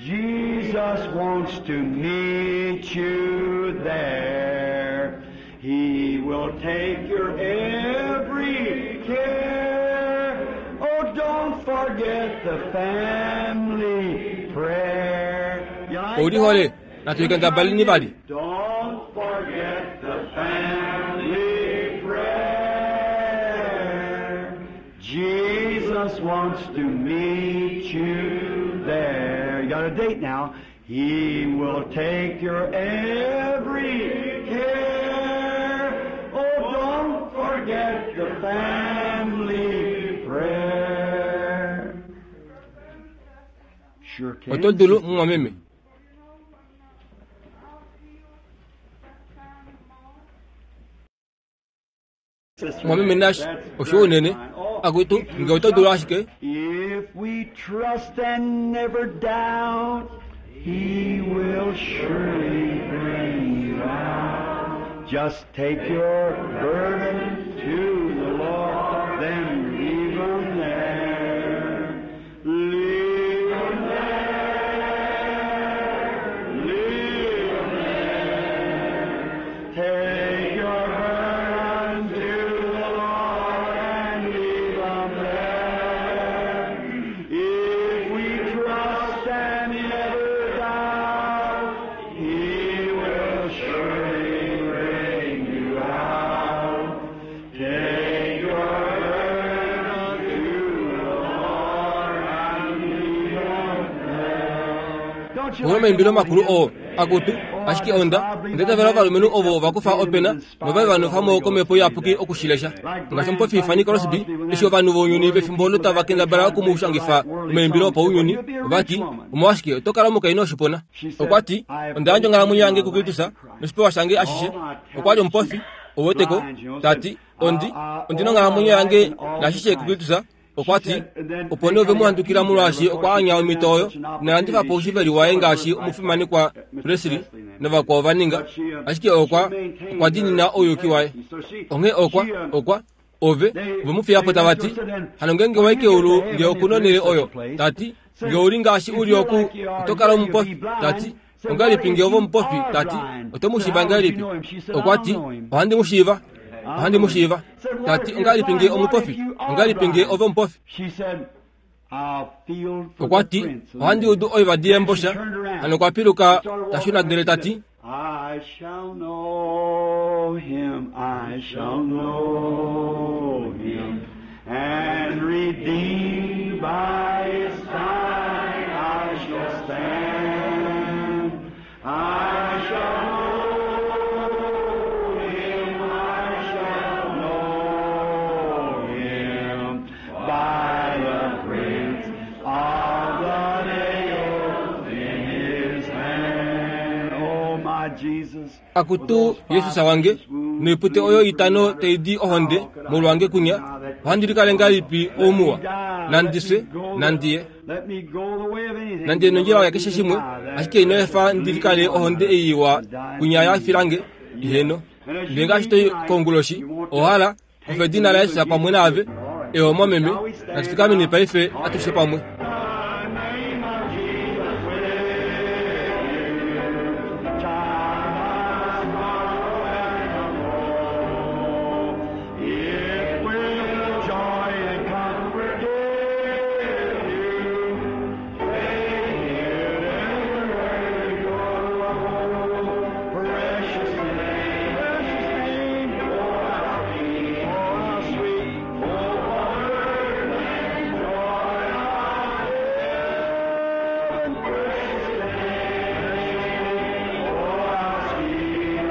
Jesus wants to meet you there. He will take your every care. Oh, don't forget the family prayer. You like Ouli hole, natu likendabaleni vali. Don't forget the family prayer. Jesus wants to meet you there. You got a date now. He will take your every care. Oh, don't forget the family prayer. Sure can. Oto dulu mumwameme. Mwameme Nash, osho unene. Akutu, nge oto dulu ashike. If we trust and never doubt, He will surely bring you out. Just take your burden to the Lord, then leave 'em there. Leave 'em there. Leave 'em there. Take your burden to the Lord and leave 'em there. If we trust and never doubt, He will surely bring you out. Take your burden to the Lord and leave 'em there. Don't you Omwe maimbilo makulu oo akutu ashike onda ondetavela ovalumenhu ovo vakufa opena nova vanofamo komhepo iyapuki okushilesha ngaashi omupofi Fanny Crosby eshi ovanhu vounyuni vefimbo olo tava kendabala okumushangifa omaimbilo opaunyuni ovati omolwashike oto kala omukainhu oshipona. Okwa ti onda yandja onghalamwenyo yange kuKristus noshipewa shange ashishe. Okwa li omupofi ouweteko tati ondi ondina onghalamwenyo yange nashishe kuKristus. Okwa ti opo nee ove mu handukila molwaashi okwa anya omhito oyo nalandifa po oushiveli waye ngaashi omufimanekwa Presley navakwao va ninga, ashike okwa okwa diinina ouyuki waye. Onghee okwa okwa ove ove mu fiya po tava ti hano ngeenge wa i keulu nge okuna onhele oyo tati nge ouli ngaashi uli oku oto kala omupofi tati ongahelipi nge ove omupofi tati oto mu shiiva ngahelipi. Okwa ti ohandi mu shiiva ohandi mu shiiva tati ongahelipi nge omupofi ongahelipi nge ove omupofi. She said, I'll feel for Okwa the ti prince. ohandi udu oivadi yembosha hano okwa piluka ta shuna ndele tati I shall know him, I shall know him, and redeemed by his side I shall stand. I shall know him, I shall know him, by the prints of the nails in his hand. Oh, my Jesus. Akutu Jesus wange noipute oyo itano taidi ohonde molwange kunya ohandi likale ngahelipi oumuwa nandiswe nandiye Let me go the way of anything. nandiye nondjila yakeshe shimwe ashike ino efa ndilikale ohonde ei iwa kunya yafilange iheno. Ndele ngaashi toi konguloshi ohala kufa edina laYesu pamwe naave eho momeme natufikameni paife atushe pamwe. The name of Jesus with you. Child, sorrow and woe. It will joy and comfort give you. Take it everywhere you go. Precious name, precious name, oh how sweet, oh how sweet, oh wonder and joy of heaven. Precious name, precious name, oh how sweet,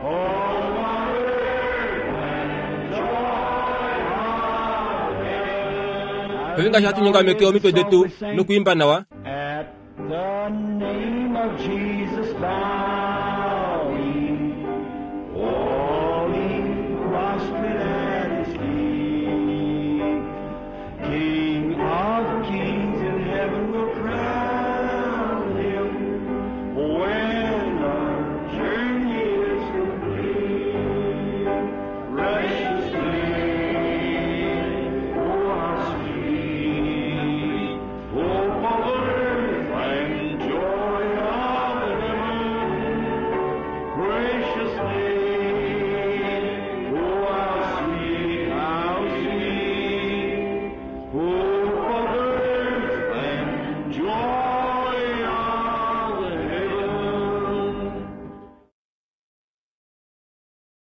oh wonder and joy of heaven. Paife ngaashi hatu nyongameke omitwe detu nokuimba nawa At the name of Jesus bow